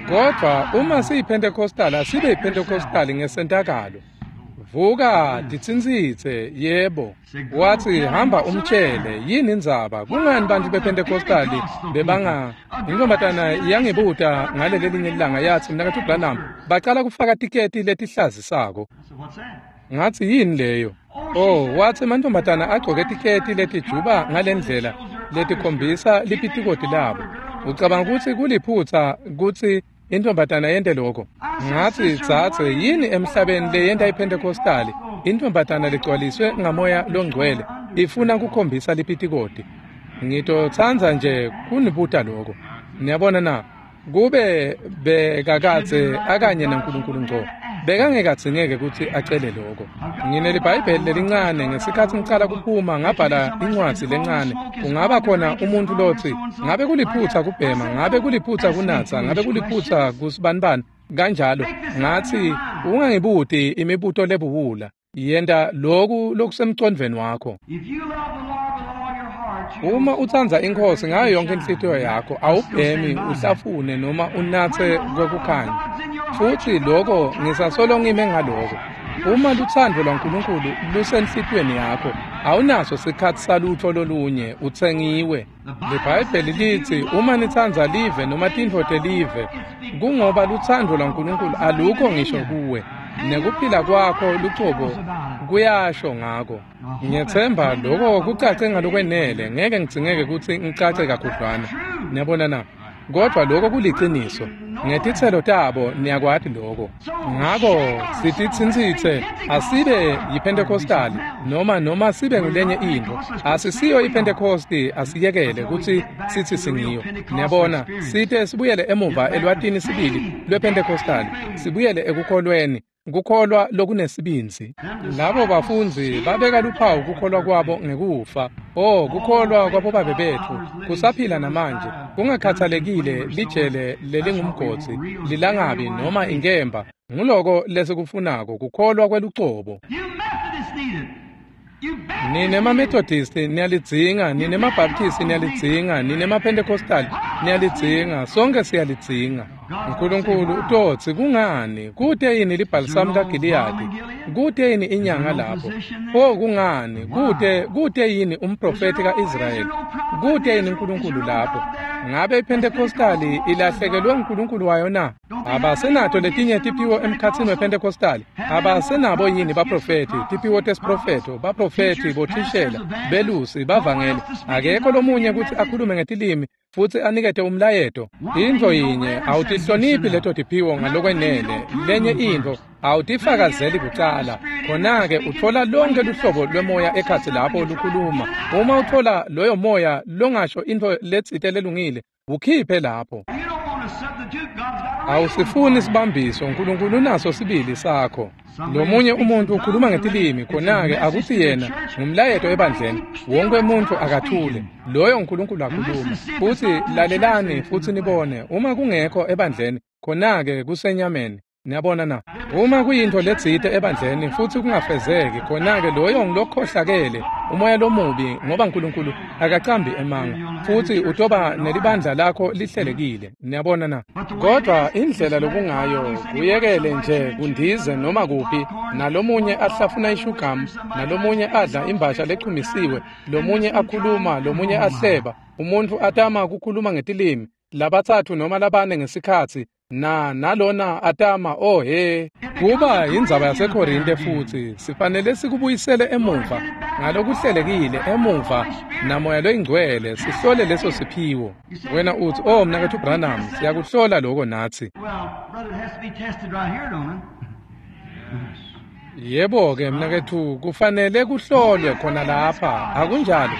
Kodvwa uma siyiPentecostal, asibe yiPentecostal ngesentakalo. Vuka titsintsitse, yebo. Watsi hamba umtshele yini indzaba? Kungani bantfu bePentecostal bebanga? Intombatana yangibuta ngalelelinye ilanga yatsi, mnaketfu Branham, bacala kufaka tiketi letihlazisako. I said, what's that? Ngatsi yini leyo? Oh, watsi emantombazana agcoke tiketi letijuba ngalendlela letikhombisa lipitikoti labo. Ucabanga kutsi kuliphutsa kutsi intombatana yente lokho? Ngatsi dzadze, yini emhlabeni leyenta iPentecostal? Intombatana legcwaliswe ngamoya longcwele ifuna kukhombisa lipitikoti. Ngitotsandza nje kunibuta lokho. Niyabona na? Kube bekakadze akanye naNkulunkulu ngco, bekangekadzingeke kutsi acele lokho. Nginelibhayibheli lelincane. Ngesikhatsi ngicala kuphuma ngabhala incwadzi lencane. Kungaba khona umuntfu lotsi ngabe kuliphutsa kubhema, ngabe kuliphutsa kunatsa, ngabe kuliphutsa kusibanibani kanjalo. Ngatsi ungangibuti imibuto lebuwula, yenta loku lokusemcondvweni wakho. If you love the Lord with all your heart, you Uma utsandza iNkhosi ngayo yonke inhlitiyo yakho, awubhemi, uhlafune noma unatse kwekukhanya. Futsi lokho ngisasolo ngime ngaloko. Uma lutsandvo lwaNkulunkulu lusenhlitiyweni yakho, awunaso sikhatsi salutfo lolunye, utsengiwe. LiBhayibheli litsi uma nitsandza live noma tintfo telive, kungoba lutsandvo lwaNkulunkulu alukho ngisho kuwe. Nekuphila kwakho lucobo kuyasho ngako. Ngiyetsemba lokho kucace ngalokwenele, ngeke ngidzingeke kutsi ngicace kakhudlwana. Niyabona na? Kodwa lokho kuliciniso. Ngetitselo tabo niyakwati lokho. Ngako sititsintsitse asibe yiPentecostal noma noma sibe ngulenye intfo. Asisiyo iPentecosti, asiyekele kutsi sithi singiyo. Niyabona, site sibuyele emuva elwatini sibili lwePentecostal, sibuyele ekukholweni. Kukholwa lokunesibindzi. Labo bafundzi babeka luphawu kukholwa kwabo ngekufa. Oh, kukholwa kwabobabe betfu kusaphila namanje, kungakhathalekile lijele lelingumgodzi, lilangabi noma inkemba. Nguloko lesikufunako, kukholwa kwelucobo. Nine maMethodist niyalidzinga, nine maBaptist niyalidzinga, nine maPentecostal niyalidzinga, sonke siyalidzinga. uNkulunkulu utotsi kungani kute yini libhalisamu kaGiliyadi, kute yini inyanga lapho? Oh, kungani kute kute yini umprofeti kaIsrayeli, kute yini uNkulunkulu lapho? Ngabe iPentecostali ilahlekelwe uNkulunkulu wayo na? Abasenato letinye tiphiwo emkhatsini wePentecostali? Abasenabo yini baprofeti, tiphiwo tesiprofeto, baprofeti, bothishela, belusi, bavangeli? Akekho lomunye kutsi akhulume ngetilimi futsi anikete umlayeto. Intfo yinye, awutihloniphi leto tiphiwo ngalokwenele. Lenye intfo, awutifakazeli kucala. Khona-ke utfola lonke luhlobo lwemoya ekhatsi lapho lukhuluma. Uma utfola loyo moya longasho intfo letsite lelungile, ukhiphe lapho. Awusifuni sibambiso, uNkulunkulu unaso sibili sakho. Lomunye umuntu ukhuluma ngetilimi, khona-ke akuthi yena ngumlayeto ebandleni. Wonke umuntu akathule, loyo uNkulunkulu akhuluma. Futsi lalelani futsi nibone, uma kungekho ebandleni, khona-ke kusenyameni. Niyabona na? Uma kuyintfo letsite ebandleni futsi kungafezeki, khona-ke loyo ngilokhohlakele, umoya lomubi, ngoba uNkulunkulu akacambi emanga, futsi utoba nelibandla lakho lihlelekile. Niyabona na? Kodwa indlela lokungayo, kuyekele nje kundize noma kuphi, nalomunye ahlafuna ishugamu, nalomunye adla imbasha lechumisiwe, lomunye akhuluma, lomunye ahleba, umuntfu atama kukhuluma ngetilimi, labatsatfu noma labane ngesikhatsi, na nalona atama. Oh he, kuba indzaba yaseKorinte futsi sifanele sikubuyisele emuva ngalokuhlelekile, emuva namoya loyingcwele, sihlole leso siphiwo. Wena utsi, oh mnaketfu Branham, siyakuhlola lokho natsi. Yebo-ke mnaketfu, kufanele kuhlolwe khona lapha, akunjalo?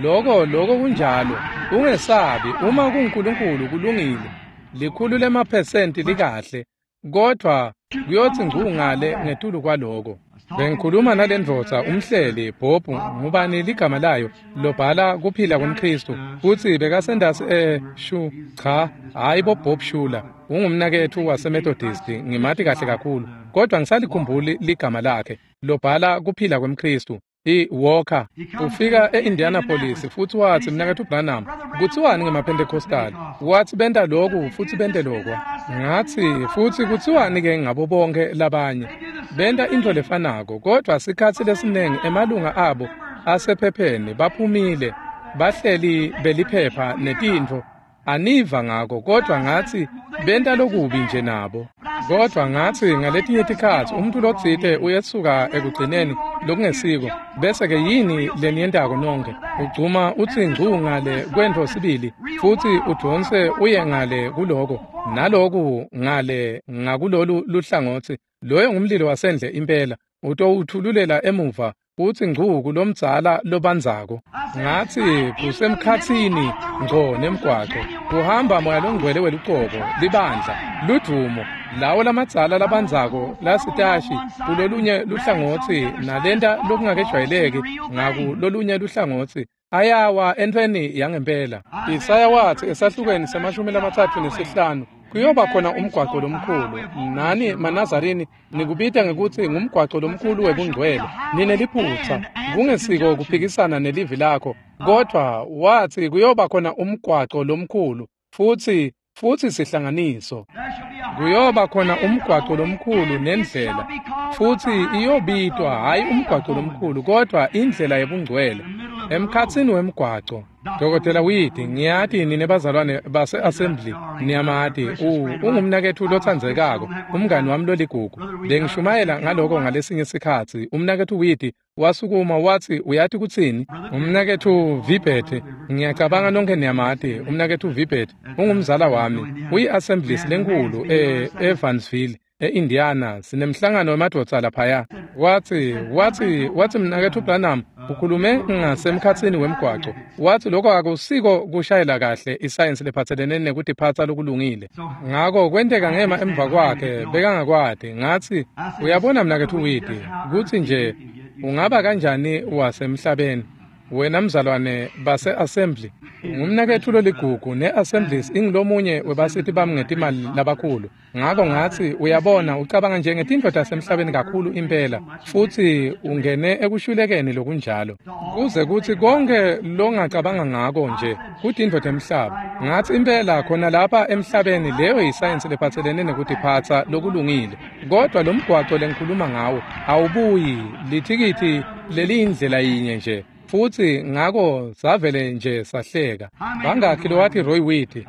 Loko loko kunjalo. Ungesabi, uma kunguNkulunkulu kulungile. Likhulu lemaphesenti likahle, kodvwa kuyotsi ngcungale ngetulu kwaloko. Bengikhuluma nalendvodza umhleli Bob, ngubani ligama layo, lobhala kuphila kwemKhristu, futsi bekasendasi eh shu cha, hayi bo Bob Shula, ungumnaketfu waseMethodist, ngimati kahle kakhulu, kodwa ngisalikhumbuli ligama lakhe, lobhala kuphila kwemKhristu. I-Walker ufika e-Indianapolis futsi watsi, mnaketfu Branham, kutsiwani ngemaPentecostal? Watsi benta loku futsi bente lokwa. Ngatsi, futsi kutsiwani-ke ngabo bonke labanye? Benta intfo lefanako, kodvwa sikhatsi lesinengi emalunga abo asephepheni baphumile, bahleli beliphepha netintfo. Aniva ngako, kodvwa ngatsi benta lokubi nje nabo. Kodvwa ngatsi ngaletinye tikhatsi umuntu lotsite uyesuka ekugcineni lokungesiko, bese-ke yini leniyentako nonke? Ugcuma utsi ngcu ngale kwentfo sibili, futsi udvonse uye ngale kuloko, naloku ngale ngakulolu luhlangotsi. Loyo ngumlilo wasendle impela, utowuthululela emuva utsi ngcu kulomdzala lobandzako. Ngatsi kusemkhatsini ngco nemgwaco, kuhamba moya longcwele welucobo, libandla, ludvumo, lawo lamadzala labandzako lasitashi kulolunye luhlangotsi nalenta lokungakejwayeleki ngakulolunye luhlangotsi, ayawa entfweni yangempela. Isaya watsi esahlukweni semashumi lamatsatfu nesihlanu, kuyoba khona umgwaco lomkhulu. Nani maNazarini nikubita ngekutsi ngumgwaco lomkhulu webungcwele. Nine liphutsa, kungesiko kuphikisana nelivi lakho, kodvwa watsi kuyoba khona umgwaco lomkhulu futsi futsi sihlanganiso. Kuyoba khona umgwaco lomkhulu nendlela, futhi iyobitwa hhayi umgwaco lomkhulu kodwa indlela yebungcwele emkhatsini wemgwaco. Dokotela Weed, ngiyati nine bazalwane base-assembly niyamati, ungumnaketfu lotsandzekako, umngani wami loligugu. Bengishumayela ngaloko ngalesinye sikhatsi. Umnaketfu Weed wasukuma watsi, uyati kutsini? Umnaketfu Vibert, ngiyacabanga nonke niyamati, umnaketfu Vibert ungumzala wami, uyi-assemblies lenkulu e-Evansville, e-Indiana, sinemhlangano wemadvodza laphaya. Watsi, watsi, watsi mnaketfu Branham ukhulume ngasemkhatsini wemgwaco. Watsi lokho akusiko kushayela kahle isayensi lephatselene nekutiphatsa lokulungile. Ngako kwenteka ngema emva kwakhe bekangakwati. Ngatsi, uyabona mnaketfu Weed, kutsi nje ungaba kanjani wasemhlabeni wena mzalwane base-assembly. Ngumnaketfu loligugu ne-assemblies ingilomunye webasiti bami ngetimali labakhulu. Ngako ngatsi, uyabona ucabanga nje ngetintfo tasemhlabeni kakhulu impela, futsi ungene ekushulekeni lokunjalo kuze kutsi konke longacabanga ngako nje kutintfo temhlaba. Ngatsi impela khona lapha emhlabeni leyo yisayensi lephatselene nekutiphatsa lokulungile, kodwa lo mgwaco lengikhuluma ngawo awubuyi lithikithi leliyindlela yinye nje. Futsi ngako savele nje sahleka. Bangakhi lowathi Roy Weed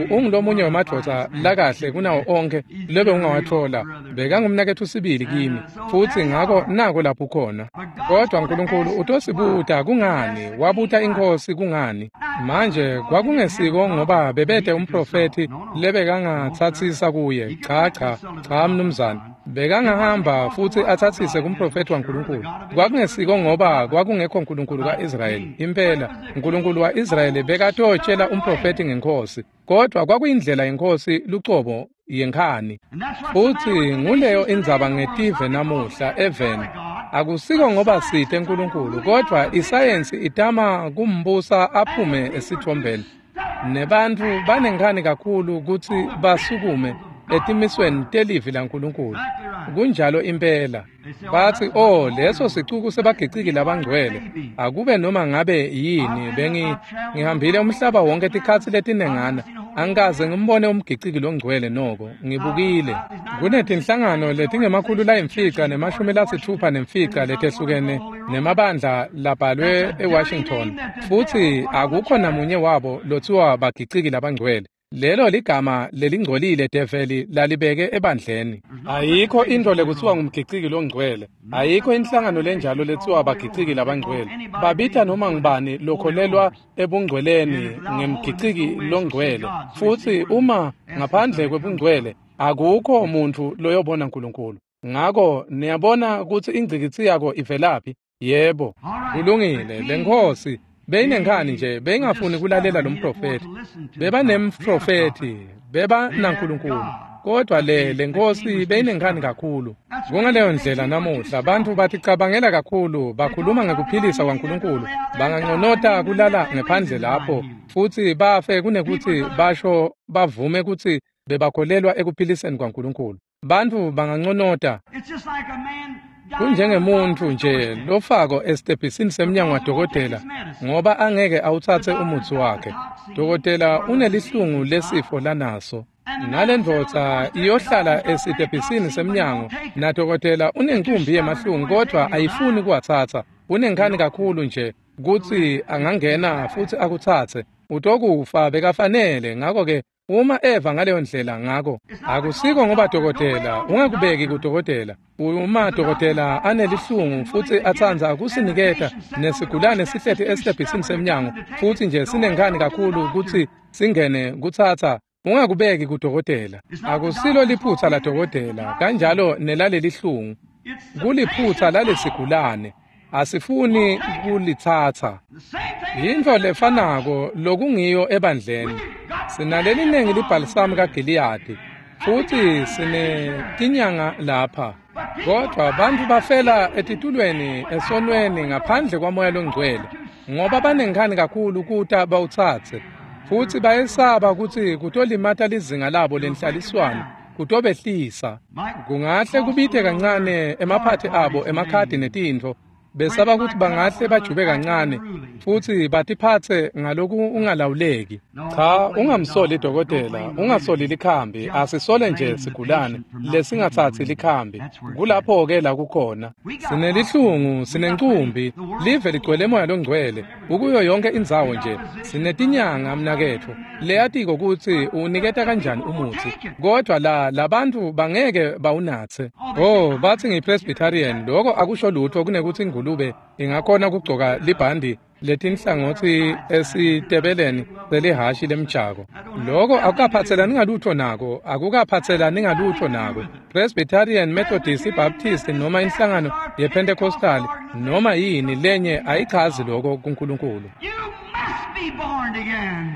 ungulomunye wemadvodza lakahle kunawo onke lebe ungawathola, bekangumnaketfu sibili kimi, futsi ngako nako lapho khona. Kodwa uNkulunkulu utosibuta kungani, wabuta inkosi kungani. Manje kwakungesiko ngoba bebete umprofethi lebekangatsatsisa kuye. Cha cha cha mnumzane, bekangahamba futsi atsatsise kumprofethi waNkulunkulu. Kwakungesiko ngoba kwakungekho uNkulunkulu kaIsrayeli. Impela uNkulunkulu waIsrayeli bekatotshela umprofethi ngenkosi, kodwa kwakuyindlela yenkosi lucobo yenkhani. Futsi nguleyo indzaba ngetive namuhla eveni. Akusiko ngoba site uNkulunkulu, kodwa isayensi itama kumbusa aphume esithombeni. Nebantfu banenkhani kakhulu kutsi basukume etimisweni telivi laNkulunkulu. Kunjalo impela. Batsi, oh, leso sicuku sebagiciki labangcwele. Akube noma ngabe yini, bengi ngihambile umhlaba wonke tikhatsi letinengana, angikaze ngimbone umgiciki longcwele noko, ngibukile. Kunetinhlangano letingemakhulu layimfica nemashumi lasitfupha nemfica letehlukene nemabandla labhalwe eWashington, futsi akukho namunye wabo lothiwa bagiciki labangcwele. Lelo ligama lelingcolile develi lalibeke ebandleni. Ayikho into lekuthiwa ngumgiciki longcwele. Ayikho inhlangano lenjalo lethiwa bagiciki labangcwele. Babita noma ngubani lokholelwa ebungcweleni ngemgiciki longcwele. Futsi uma ngaphandle kwebungcwele akukho umuntu loyobona uNkulunkulu. Ngako niyabona kutsi ingcikitsi yako ivelaphi? Yebo, kulungile. Lenkosi beyinenkhani nje, beyingafuni kulalela lo mprofethi. Bebanemprofethi, beba naNkulunkulu, kodwa le lenkosi beyinenkhani kakhulu. Kungaleyo ndlela namuhla bantfu baticabangela kakhulu, bakhuluma ngekuphilisa kwaNkulunkulu, banganconota kulala ngephandle lapho futsi bafe kunekuthi basho bavume kutsi bebakholelwa ekuphiliseni kwaNkulunkulu. Bantfu banganconota. Kunjengemuntfu nje lofako esitebhisini semnyango wadokotela ngoba angeke awutsatse umutsi wakhe. Dokotela unelihlungu lesifo lanaso. Nalendvodza iyohlala esitebhisini semnyango nadokotela unencumbi yemahlungu kodwa ayifuni kuwatsatsa. Unenkhani kakhulu nje kutsi angangena futsi akutsatse. Utokufa bekafanele. Ngako-ke uma eva ngaleyo ndlela, ngako akusiko ngoba dokotela, ungakubeki kudokotela. Uma dokotela anelihlungu futsi atsandza kusiniketa nesigulane sihleti esitebhisini semnyango futsi nje sinenkhani kakhulu kutsi singene kutsatsa, ungakubeki kudokotela. Akusilo liphutsa ladokotela, kanjalo nelalelihlungu. Kuliphutsa lalesigulane. Asifuni kulitsatsa. Yintfo lefanako lokungiyo ebandleni. Sinalelinengi libhalisamu kaGiliyadi futsi sinetinyanga lapha, kodwa bantfu bafela etitulweni esonweni ngaphandle kwaMoya loNgcwele ngoba banenkhani kakhulu kuta bawutsatse, futsi bayesaba kutsi kutolimata lizinga labo lenhlaliswano, kutobehlisa. Kungahle kubite kancane emaphathi abo emakhadi netintfo, Besaba ukuthi bangahle bajube kancane futhi batiphatse ngaloku ungalawuleki. Cha, ungamsoli dokotela, ungasoli likhambi, asisole nje sigulane lesingathathi likhambi. Kulapho-ke la kukhona. Sinelihlungu, sinencumbi, live ligcwele moya longcwele, ukuyo yonke indzawo nje. Sinetinyanga mnaketfu, leyatiko ukuthi uniketa kanjani umuthi, kodwa la labantu bangeke bawunatse. Oh, bathi ngiyi-Presbyterian, lokho akusho lutho kunekuthi ingulube ingakhona kugcoka libhandi letinhlangothi esitebeleni selihashi lemjako. Lokho akukaphathelani ngalutho nako, akukaphathelani ngalutho nako. Presbyterian, Methodist, Baptist noma inhlangano yePentecostal noma yini lenye ayichazi lokho kuNkulunkulu. You must be born again.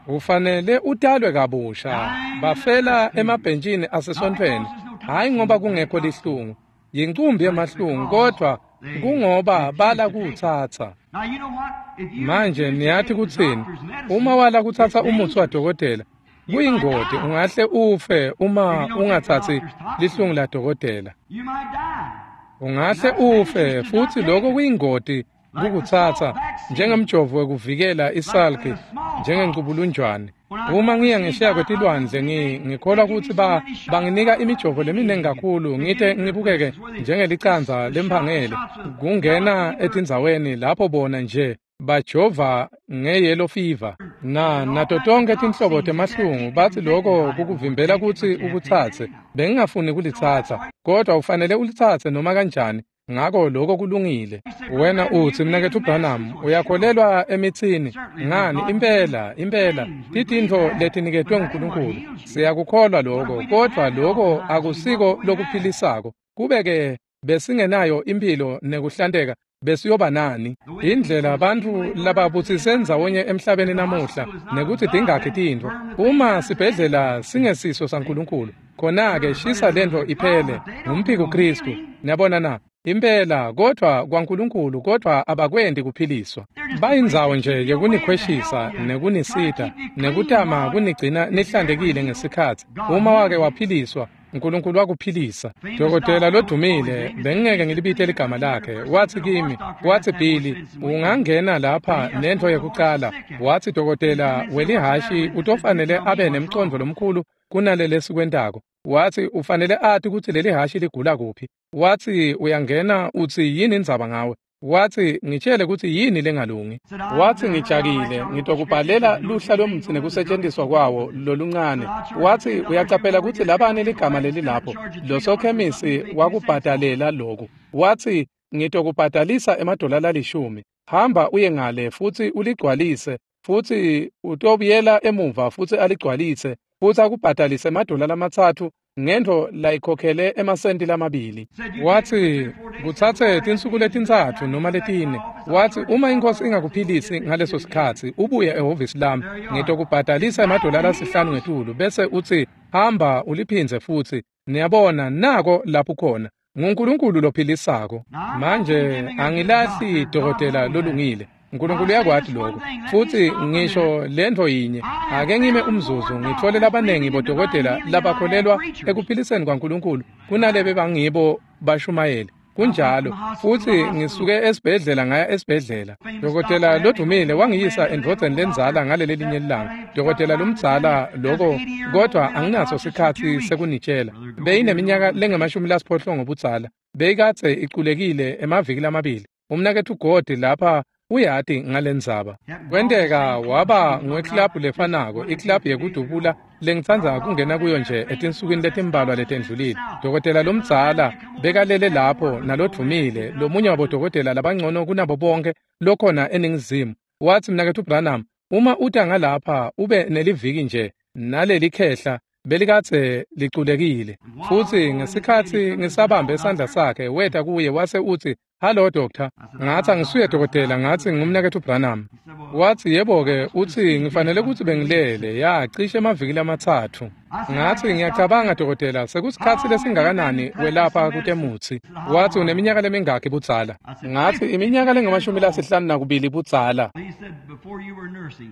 Ufanele utalwe kabusha. Bafela emabhentshini asesontfweni, hayi ngoba kungekho lihlungu, yincumbi yemahlungu, kodwa kungoba bala kuwutsatsa. Now you know what? If you Manje refuse to niyathi take the kutsini? doctor's medicine, Uma wala kutsatsa it's umuthi dangerous. wadokotela, kuyingoti, ungahle ufe uma ungatsatsi lihlungu ladokotela. You might die. Ungahle ufe futhi lokho kuyingoti kukutsatsa njengemjovo wekuvikela isalki njengencubulunjwane. Uma ngiya ngesheya kwetilwandle ngi ngikholwa ukuthi ba banginika imijovo leminingi kakhulu ngite ngibukeke njengelicandza lemphangele kungena etindzaweni lapho bona nje bajova nge-yellow fever na nato tonke tinhlobo temahlungu. Bathi lokho kukuvimbela kutsi ukutsatse. Bengingafuni kulitsatsa, kodwa ufanele ulitsatse noma kanjani. Ngako lokho kulungile. Wena uthi, mnaketfu Branham, uyakholelwa emitsini? Ngani, impela, impela, titintfo letiniketwe nguNkulunkulu. Siyakukholwa lokho, kodwa lokho akusiko lokuphilisako. Kube-ke besingenayo imphilo nekuhlanteka, besiyoba nani? Indlela bantfu lababutsise ndzawonye emhlabeni namuhla nekuthi tingakhi tintfo. Uma sibhedlela singesiso saNkulunkulu, khona-ke shisa lentfo iphele, ngumphiko Khristu. Niyabona na? Impela, kodwa kwaNkulunkulu, kodwa abakwenti kuphiliswa. Bayindzawo nje yekunikhweshisa nekunisita nekutama kunigcina nihlantekile ngesikhatsi. Uma wake waphiliswa, uNkulunkulu wakuphilisa. Dokotela lodumile, bengingeke ngilibite ligama lakhe, wathi kimi, wathi Billy, ungangena lapha nentfo yekucala. Wathi dokotela welihashi utofanele abe nemcondvo lomkhulu kunalele lesikwentako. Wathi ufanele ati kutsi leli hashi ligula kuphi. Wathi uyangena uthi yini indzaba ngawe? Wathi ngitshele kutsi yini lengalungi. Wathi ngijakile, ngitokubhalela luhla lomtsi nekusetshenziswa kwawo loluncane. Wathi uyacaphela kutsi labani ligama leli lapho, losokhemisi wakubhadalela loku. Wathi ngitokubhadalisa emadola lalishumi. Hamba uye ngale futhi uligcwalise, futhi utobuyela emuva futhi aligcwalise, futhi akubhadalise emadola lamatsatfu ngentfo layikhokhele emasenti lamabili. Wathi kutsatse tinsuku letintsatfu noma letine. Wathi uma inkosi ingakuphilisi ngaleso sikhatsi, ubuye ehhovisi lami, ngitokubhadalisa emadola lasihlanu ngetulu, bese uthi hamba uliphindze futhi. Niyabona, nako lapho khona. NguNkulunkulu lophilisako. Manje angilahli dokotela lolungile. uNkulunkulu uyakwati lokho. Futhi ngisho lentfo yinye, ake ngime umzuzu ngithole labanengi bodokotela labakholelwa ekuphiliseni kwaNkulunkulu kunalebe bangibo bashumayeli. Kunjalo. Futhi ngisuke esibhedlela ngaya esibhedlela. Dokotela lodumile wangiyisa endvodzeni lendzala ngaleli linye ilanga. Dokotela lomdzala lokho, kodwa anginaso sikhatsi sekunitshela. Beyineminyaka lengemashumi lasiphohlongo budzala. Beyikadze iculekile emaviki lamabili. Umnaketfu God lapha uyati ngalendzaba. Kwenteka waba ngweklabhu lefanako, iklabhu yekudubula lengitsandza kungena kuyo nje etinsukwini letimbalwa letendlulile. Dokotela lomdzala bekalele lapho nalodvumile, lomunye wabodokotela labangcono kunabo bonke lokhona eNingizimu. Watsi mnaketfu Branham, uma uta ngalapha ube neliviki nje naleli khehla belikadze liculekile. Futhi ngesikhatsi ngisabambe isandla sakhe, weta kuye wase utsi, "Hello doctor." Ngathi angisuye dokotela, ngathi ngumnaketfu Branham. Wathi yebo-ke, uthi ngifanele kutsi bengilele, ya cishe emaviki lamatsatfu. Ngathi ngiyacabanga dokotela, sekusikhatsi lesingakanani welapha kutemutsi? Wathi uneminyaka lemingakhi budzala? Ngathi iminyaka lengamashumi lasihlanu nakubili budzala. He said before you were nursing.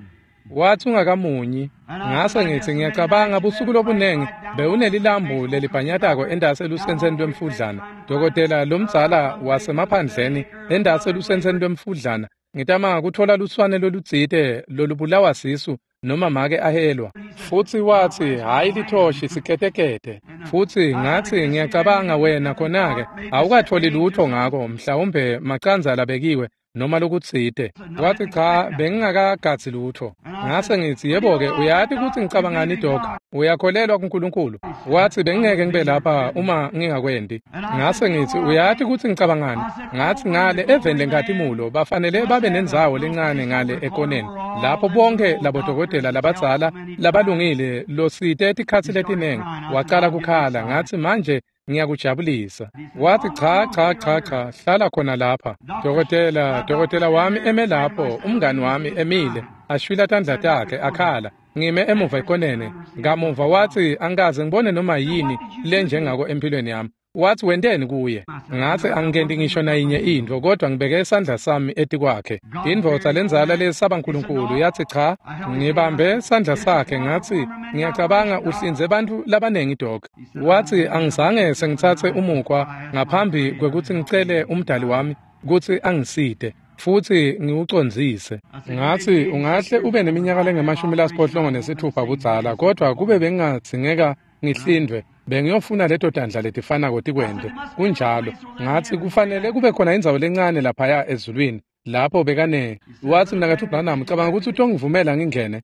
Wathi ungakamunyi. Ngase ngithi ngiyacabanga busuku lobunengi bewunelilambu lelibhanyatako endase elusenseni lwemfudlana. Dokotela lomdzala wasemaphandleni endase elusenseni lwemfudlana. Ngitama kuthola luswane lolutsite lolubulawa sisu noma make ahelwa. Futsi wathi hhayi lithoshi siketekete. Futsi ngathi ngiyacabanga wena khona-ke awukatholi lutho ngako mhlawumbe macandza labekiwe noma lokutsite. Wathi cha bengingakagadzi lutho. Ngase ngithi yebo-ke uyati kutsi ngicabangani Doc, uyakholelwa kuNkulunkulu. Wathi bengingeke ngibe lapha uma ngingakwendi. Ngase ngithi uyati kutsi ngicabangani. Ngathi ngale eveni leNkhatimulo bafanele babe nendzawo lencane ngale ekoneni lapho bonke labodokotela labadzala labalungile losite tikhatsi letinengi. Wacala kukhala. Ngathi manje ngiyakujabulisa. Wathi cha cha cha cha hlala khona lapha. Dokotela dokotela wami eme lapho, umngani wami emile ashwila tandla takhe akhala. Ngime emuva ekoneni. Ngamuva wathi angikaze ngibone noma yini lenjengako empilweni yami. Wathi wenteni kuye? Ngathi angikendi ngisho nayinye intfo kodwa ngibeke isandla sami etikwakhe. Indvodza lenzala lesaba uNkulunkulu yathi cha. Ngibambe sandla sakhe ngathi ngiyacabanga uhlinze bantfu labanengi Doc. Wathi angizange sengitsatse umukhwa ngaphambi kwekutsi ngicele umdali wami kutsi angisite futsi ngiwucondzise. Ngathi ungahle ube neminyaka lengemashumi lasiphohlongo nesithupha budzala kodwa kube bengingadzingeka ngihlindwe bengiyofuna leto tandla letifanako tikwente. Kunjalo. Ngathi kufanele kube khona indzawo lencane laphaya ezulwini lapho bekane. Wathi mnaketfu Branham cabanga kutsi utongivumela ngingene.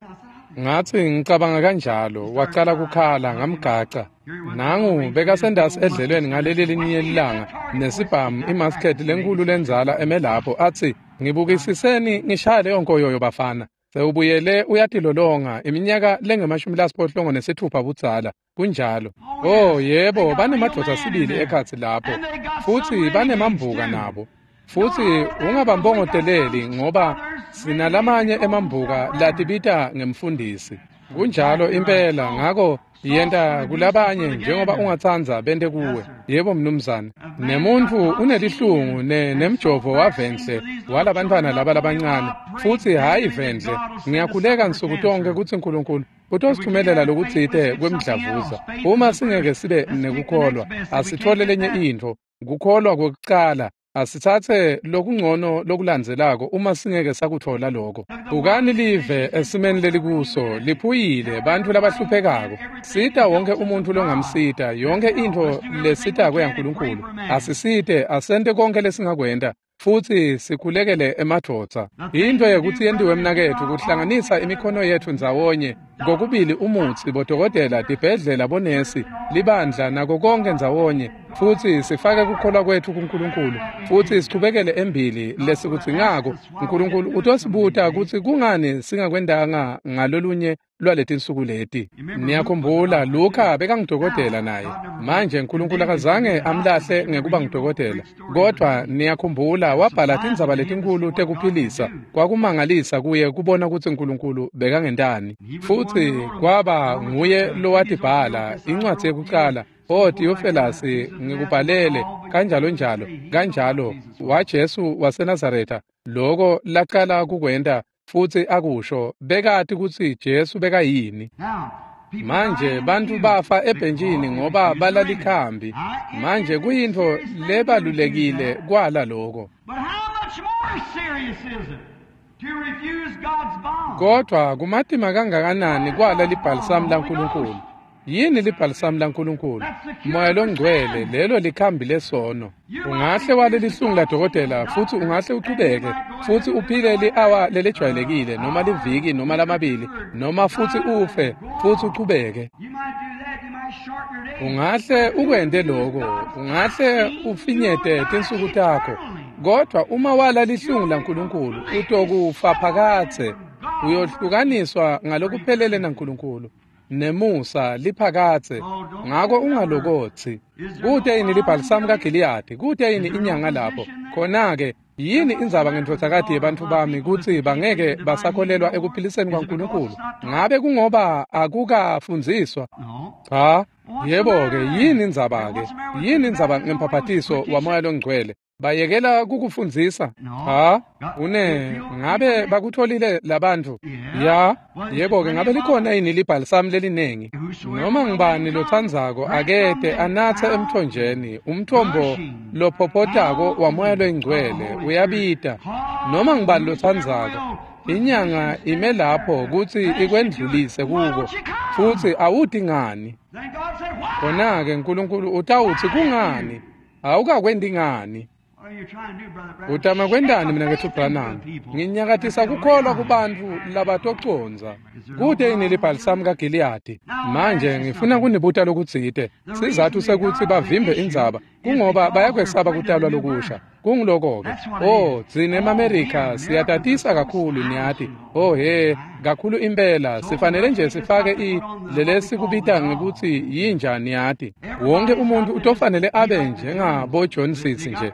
Ngathi ngicabanga kanjalo. Wacala kukhala ngamgaca. Nangu bekasendasi edlelweni ngaleli linye lilanga nesibhamu imasket lenkulu lenzala eme lapho athi ngibukisiseni ngishaya leyo nkoyoyo bafana. Sewubuyele uyatilolonga iminyaka lengemashumi lasiphohlongo nesithupha budzala. Kunjalo. Oh yebo, banemadvodza sibili ekhatsi lapho futsi banemambuka nabo. Futsi ungabambongoteleli ngoba sinalamanye emambuka latibita ngemfundisi. Kunjalo impela. Ngako yenta kulabanye njengoba ungatsandza bente kuwe. Yebo mnumzane. Nemuntfu unelihlungu ne nemjovo wavendle walabantfwana laba labancane futsi hhayi vendle. Ngiyakhuleka nsuku tonke kutsi uNkulunkulu utosithumelela lokutsite kwemdlavuza. Uma singeke sibe nekukholwa asithole lenye intfo. Kukholwa kwekucala asitsatse lokungcono lokulandzelako uma singeke sakuthola lokho. Bukani live esimeni lelikuso liphuyile bantfu labahluphekako. Sita wonke umuntfu longamsita, yonke intfo lesitako yaNkulunkulu. Asisite, asente konke lesingakwenta futsi sikhulekele emadvodza. Into yekutsi yentiwe mnaketfu kuhlanganisa imikhono yetfu ndzawonye kokubili umutsi, bodokotela, tibhedlela, bonesi, libandla nako konke ndzawonye futsi sifake kukholwa kwetfu kuNkulunkulu futsi sichubekele embili lesikudzingako. uNkulunkulu utosibuta kutsi kungani singakwendanga ngalolunye lwaletinsuku leti. Niyakhumbula Luka bekangudokotela naye. Manje uNkulunkulu akazange amlahle ngekuba ngudokotela, kodwa niyakhumbula wabhala tindzaba letinkulu tekuphilisa. Kwakumangalisa kuye kubona kutsi uNkulunkulu bekangentani. Futsi kwaba nguye lowatibhala incwadzi yekucala. O Theophilus, ngikubhalele kanjalo njalo kanjalo waJesu waseNazaretha loko laqala kukwenta futsi akusho bekati kutsi Jesu bekayini. Manje bantfu bafa ebhentshini ngoba balalikhambi. Manje kuyintfo lebalulekile kwala loko. Kodwa kumatima kangakanani kwala libhalisamu laNkulunkulu. Yini libhalisamu laNkulunkulu? Moya longcwele, lelo likhambi lesono. Ungahle wale lihlungu ladokotela futsi ungahle uchubeke futsi uphile li-awa lelejwayelekile noma liviki noma lamabili noma futsi ufe futsi uchubeke. Ungahle ukwente loko, ungahle ufinyete tinsuku takho, kodwa uma wala lihlungu laNkulunkulu utokufa phakadze. Uyohlukaniswa ngalokuphelele naNkulunkulu nemusa liphakadze. Ngako ungalokothi kute yini libhalisamu kaGiliyadi, kute yini inyanga lapho. Khona-ke yini indzaba ngendvodzakati yebantfu bami kutsi bangeke basakholelwa ekuphiliseni kwaNkulunkulu? Ngabe kungoba akukafundziswa? Cha. Yebo-ke, yini indzaba-ke? Yini indzaba ngemphaphatiso waMoya loNgcwele? Bayekela kukufundzisa. Cha, une ngabe bakutholile labantfu? Ya, yebo-ke ngabe likhona yini libhalisamu lelinengi? Noma ngibani lotsandzako akete anatse emthonjeni, umthombo lophophotako waMoya loyiNgcwele uyabita. Noma ngibani lotsandzako, inyanga ime lapho kutsi ikwendlulise kuko, futsi awuti ngani. Khona-ke Nkulunkulu utawutsi kungani? Awukakwenti ngani? Utama kwentani mnaketfu Branham? Nginyakatisa kukholwa kubantfu labatocondza. Kute yini libhalisamu kaGiliyadi? Manje ngifuna kunibuta lokutsite. Sizatfu sekutsi bavimbe indzaba kungoba bayakwesaba kutalwa lokusha. Kunguloko-ke. Oh, tsine emaMerika siyatatisa kakhulu niyati. Oh he, kakhulu impela sifanele nje sifake i lelesikubita ngekutsi yinja niyati. Wonke umuntu utofanele abe njengabo John Sisi nje.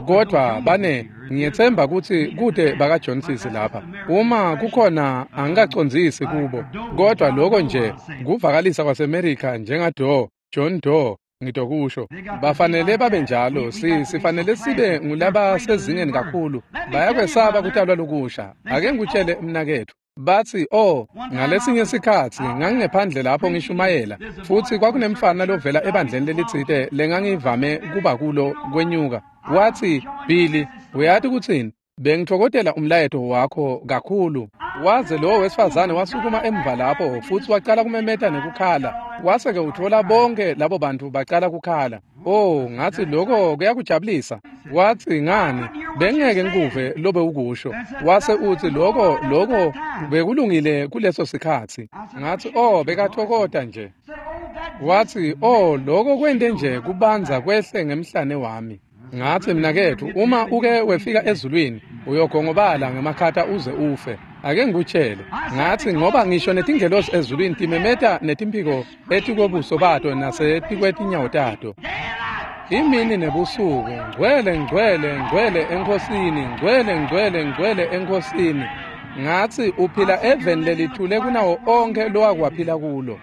Kodwa bane ngiyetsemba kutsi kute baka John Sisi lapha. Uma kukhona angikacondzisi kubo. Kodwa lokho nje kuvakalisa kwaseMerika njenga John Doe. Ngitokusho bafanele babe njalo, si sifanele sibe ngulaba sezingeni kakhulu. Bayakwesaba kutalwa lokusha. Ake ngikutshele mnaketfu, batsi oh, ngalesinye sikhatsi ngangingephandle lapho ngishumayela, futsi kwakunemfana lovela ebandleni lelitsite lengangivame kuba kulo kwenyuka. Watsi, Billy, uyati kutsini? Bengitfokotela umlayeto wakho kakhulu. Waze lowo wesifazane wasukuma emva lapho futsi wacala kumemeta nekukhala. Wase-ke utfola bonke labo bantu bacala kukhala. Oh, ngatsi lokho kuyakujabulisa. Watsi ngani, bengeke ngikuve lobe ukusho. Wase utsi lokho lokho bekulungile kuleso sikhatsi. Ngatsi oh, bekatfokota nje. Watsi oh, lokho kwente nje kubanza kwehle ngemhlane wami. Ngatsi mnaketfu, uma uke wefika ezulwini uyogongobala ngemakhata uze ufe. Ake ngikutshele. Ngatsi ngoba ngisho netingelosi ezulwini timemeta netimphiko etikwebuso bato nasetikwetinyawo tato. Imini nebusuku, ngcwele ngcwele ngcwele enkosini, ngcwele ngcwele ngcwele enkosini. Ngatsi uphila eveni lelithule kunawo onke lowakwaphila kulo.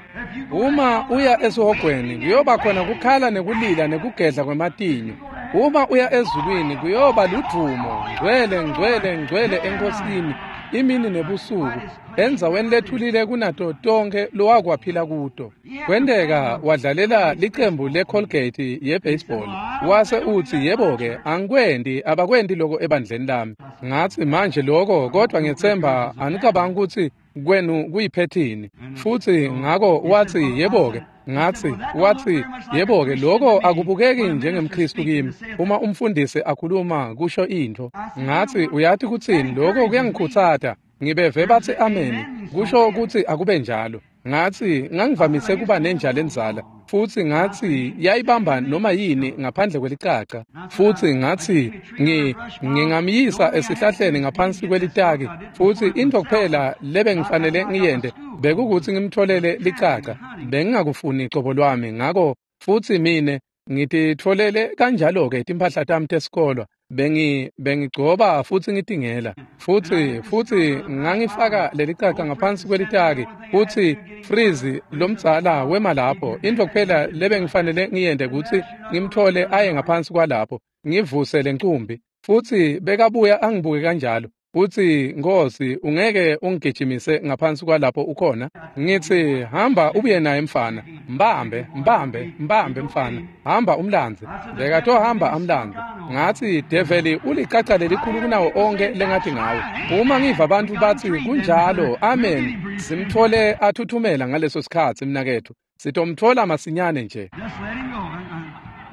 Uma uya esihogweni kuyoba khona kukhala nekulila nekugedla kwematinyo. Uma uya ezulwini kuyoba ludvumo, ngcwele ngcwele ngcwele enkosini, imini nebusuku, endzaweni lethulile kunato tonke lowakwaphila kuto. Kwenteka wadlalela licembu le-Colgate ye-baseball. Wase utsi yebo-ke angikwenti, abakwenti loko ebandleni lami. Ngatsi manje loko kodwa ngiyetsemba anicabangi kutsi kwenu kuyiphethini. Futsi ngako watsi yebo-ke. Ngatsi watsi yebo-ke loko akubukeki njengemKhristu kimi uma umfundisi akhuluma kusho intfo. Ngatsi uyati kutsini, loko kuyangikhutsata. Ngibeve batsi amen kusho kutsi akube njalo. Ngatsi ngangivamise kuba nenja lenzala, futsi ngatsi yayibamba noma yini ngaphandle kwelicaca. Futsi ngatsi ngi ngingamyisa esihlahleni ngaphansi kwelitaki, futsi intfo kuphela lebengifanele ngiyente bekukutsi ngimtholele licaca. Bengingakufuni cobo lwami, ngako futsi mine ngititfolele kanjalo-ke timphahla tami tesikolwa. Bengi bengigcoba futsi ngitingela, futsi futsi ngangifaka lelicaca ngaphansi kwelitaki, futsi Freeze lomdzala wema lapho. Intfo kuphela lebengifanele ngiyente kutsi ngimtfole aye ngaphansi kwalapho, ngivuse lencumbi. Futsi bekabuya angibuke kanjalo. Utsi Nkosi, ungeke ungigijimise ngaphansi kwalapho ukhona? Ngitsi hamba ubuye naye mfana, mbambe mbambe mbambe mfana, hamba umlandze. Bekatohamba amlandze. Ngatsi develi ulicaca lelikhulu kunawo onke lengathi ngawe. Uma ngiva abantu batsi kunjalo, amen, simtfole athuthumela ngaleso sikhatsi mnaketfu. Sitomtfola masinyane nje.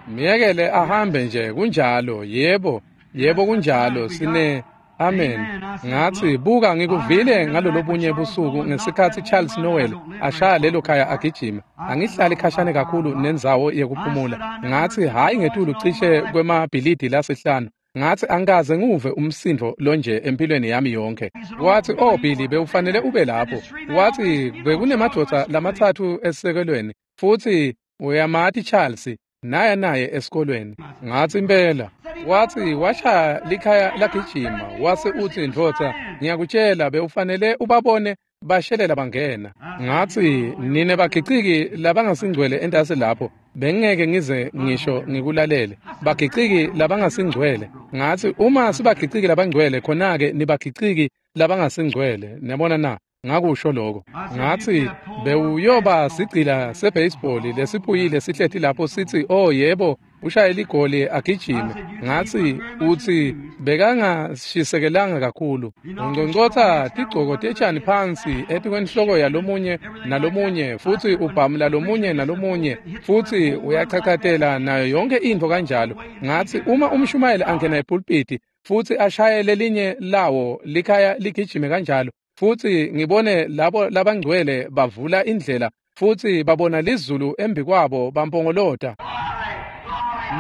Miyekele ahambe nje, kunjalo. Yebo, yebo kunjalo. Sine amen. Ngatsi buka ngikuvile ngalolobunye busuku ngesikhatsi Charles Noel ashaya lelo khaya agijima. Angihlali khashane kakhulu nendzawo yekuphumula. Ngatsi hayi ngetulu cishe kwemabhilidi lasihlanu. Ngatsi angikaze nguve umsindvo lonje empilweni yami yonke. Watsi oh Billy, bewufanele ube lapho. Watsi bekunemadvodza lamatsatfu esisekelweni, futsi uyamati Charles naya naye esikolweni. Ngatsi impela. Watsi washaya likhaya lagijima. Wase utsi ndvodza, ngiyakutshela bewufanele ubabone bashelela bangena. Ngatsi nine bagiciki labangasingcwele entasi lapho, Bengeke ngize ngisho ngikulalele. Bagiciki labangasingcwele. Ngathi uma sibagiciki labangcwele khona-ke nibagiciki labangasingcwele. Niyabona na? Ngakusho lokho. Ngathi bewuyoba sigcila sebaseball lesiphuyile sihleti lapho sithi oh yebo ushayela igoli agijime. Ngathi uthi bekangashisekelanga kakhulu. Ungconcotha tigcoko tetshani phansi etikwenhloko yalomunye nalomunye futhi ubhamula lomunye nalomunye futhi uyachachatela nayo yonke into kanjalo. Ngathi uma umshumayeli angena epulpiti futhi ashaye lelinye lawo likhaya ligijime kanjalo futhi ngibone labo labangcwele bavula indlela futhi babona lizulu embi kwabo bampongolota.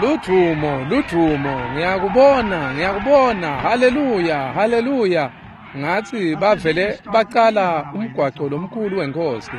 Ludumo, ludumo, ngiyakubona, ngiyakubona, haleluya, haleluya. Ngathi bavele baqala umgwaco lomkhulu wenkosi.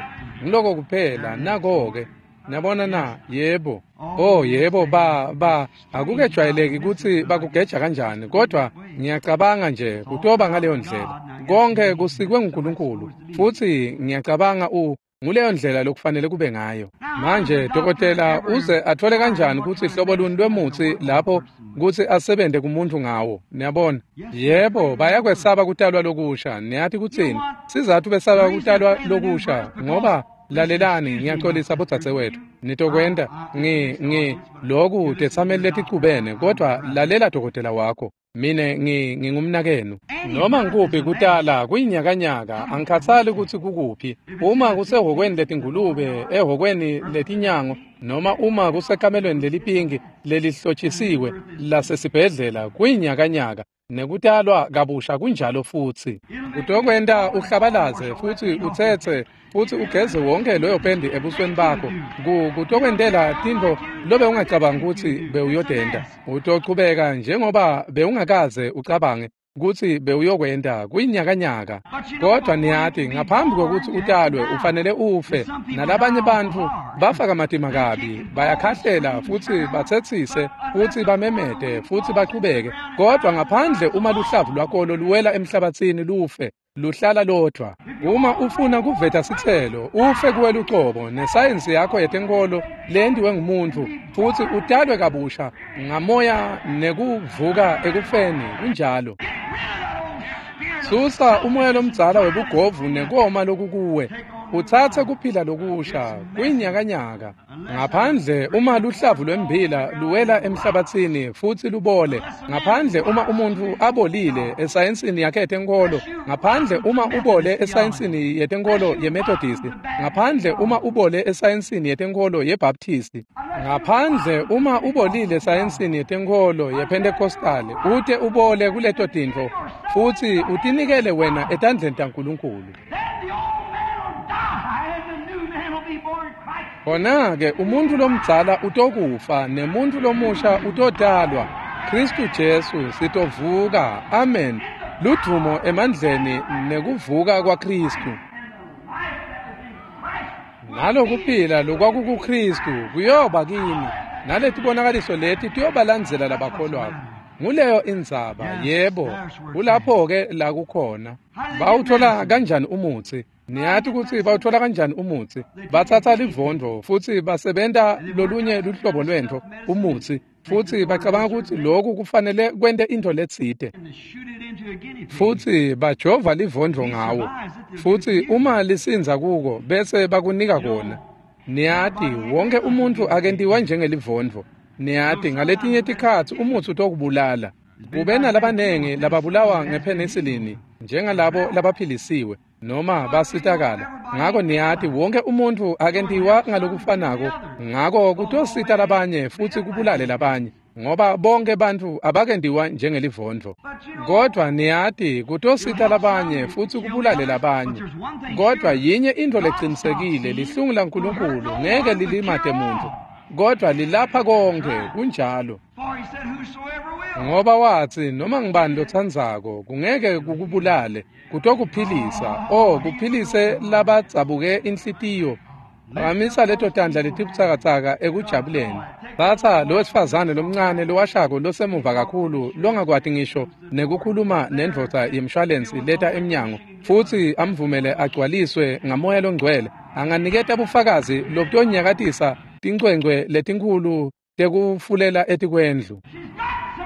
Ngiloko kuphela, nako-ke. Niyabona na? Yebo. Oh yebo, ba ba akukejwayeleki ukuthi bakugeja kanjani, kodwa ngiyacabanga nje kutoba ngaleyo ndlela. Konke kusikwe nguNkulunkulu futhi ngiyacabanga u nguleyo ndlela lokufanele kube ngayo. Manje dokotela uze athole kanjani ukuthi hlobo luni lwemuthi lapho ukuthi asebente kumuntu ngawo? Niyabona? Yebo, bayakwesaba kutalwa lokusha. Niyathi kuthini? Sizathu besaba kutalwa lokusha ngoba lalelani, ngiyaxolisa bodzadzewethu. Nitokwenta ngi ngi lokhu tetsameli leticubene, kodwa lalela dokotela wakho. Mine ngi ngingumnakenu. Noma ngikuphi kutala kuyinyakanyaka, angikhathali ukuthi kukuphi. Uma kusehhokweni letingulube, ehhokweni letinyango, noma uma kusekamelweni lelipinki lelihlotshisiwe lasesibhedlela, kuyinyakanyaka. Nekutalwa kabusha kunjalo futhi. Utokwenta uhlabalaze futhi utsetse futhi ugeze wonke loyo pendi ebusweni bakho. Kutokwentela tintfo lobe ungacabanga ukuthi bewuyodenda. Utochubeka njengoba bewungakaze ucabange ukuthi bewuyokwenta kuyinyakanyaka. Kodwa niyathi ngaphambi kokuthi utalwe ufanele ufe. Nalabanye bantfu bafa kamatima kabi, bayakhahlela futhi bathethise futhi bamemete futhi bachubeke. Kodwa ngaphandle uma luhlavu lwakolo luwela emhlabathini lufe, luhlala lodwa. Uma ufuna kuveta sitselo, ufe kuwe lucobo nesayensi yakho yetenkolo lendiwe ngumuntu futhi utalwe kabusha ngamoya nekuvuka ekufeni. Kunjalo. Susa umoya lomdzala webugovu nekoma lokukuwe, utsatse kuphila lokusha kuyinyakanyaka. Ngaphandle uma luhlavu lwembila luwela emhlabathini futhi lubole, ngaphandle uma umuntu abolile esayensini yakhe yetenkolo, ngaphandle uma ubole esayensini yetenkolo yeMethodist, ngaphandle uma ubole esayensini yetenkolo yeBaptist, ngaphandle uma ubolile esayensini yetenkolo yePentecostal, ute ubole kuleto tintfo futhi utinikele wena etandleni taNkulunkulu. Khona-ke umuntu lomdzala utokufa nemuntu lomusha utotalwa. Kristu Jesu sitovuka. Amen. Ludvumo emandleni nekuvuka kwaKristu. Nalokuphila lokwakukuKristu kuyoba kini, naletibonakaliso leti tiyobalandzela labakholwako. Nguleyo indzaba. Yebo, kulapho-ke la kukhona. Bawuthola kanjani umutsi? Niyathi ukuthi bawuthola kanjani umutsi? Batsatsa livondvo futhi basebenta lolunye luhlobo lwentfo umutsi, futhi bacabanga ukuthi lokhu kufanele kwente into letsite, futhi bajova livondvo ngawo, futhi uma lisinza kuko bese bakunika kona. Niyathi wonke umuntu akentiwa njengelivondvo. Niyathi ngaletinye tikhatsi umutsi utokubulala. Kube nalabanengi lababulawa ngepenicillin njengalabo labaphilisiwe noma basitakala. Ngako niyathi wonke umuntu akentiwa ngalokufanako, ngako kutosita labanye futhi kubulale labanye, ngoba bonke bantfu abakentiwa njengelivondvo. Kodwa niyathi kutosita labanye futhi kubulale labanye. Kodwa yinye into lecinisekile, lihlungu laNkulunkulu ngeke lilimate muntu, kodwa lilapha konke. Kunjalo. Ngoba wathi noma ngibani lotsandzako kungeke kukubulale, kutokuphilisa. Oh, kuphilise labadzabuke inhlitiyo. Phakamisa leto tandla letibutsakatsaka ekujabuleni. Tsatsa lo wesifazane lomncane lowashako losemuva kakhulu longakwati ngisho nekukhuluma nendvodza yemshwalensi leta emnyango, futhi amvumele agcwaliswe ngamoya longcwele. Anganiketa bufakazi lobutonyakatisa netincwencwe letinkhulu tekufulela etikwendlu.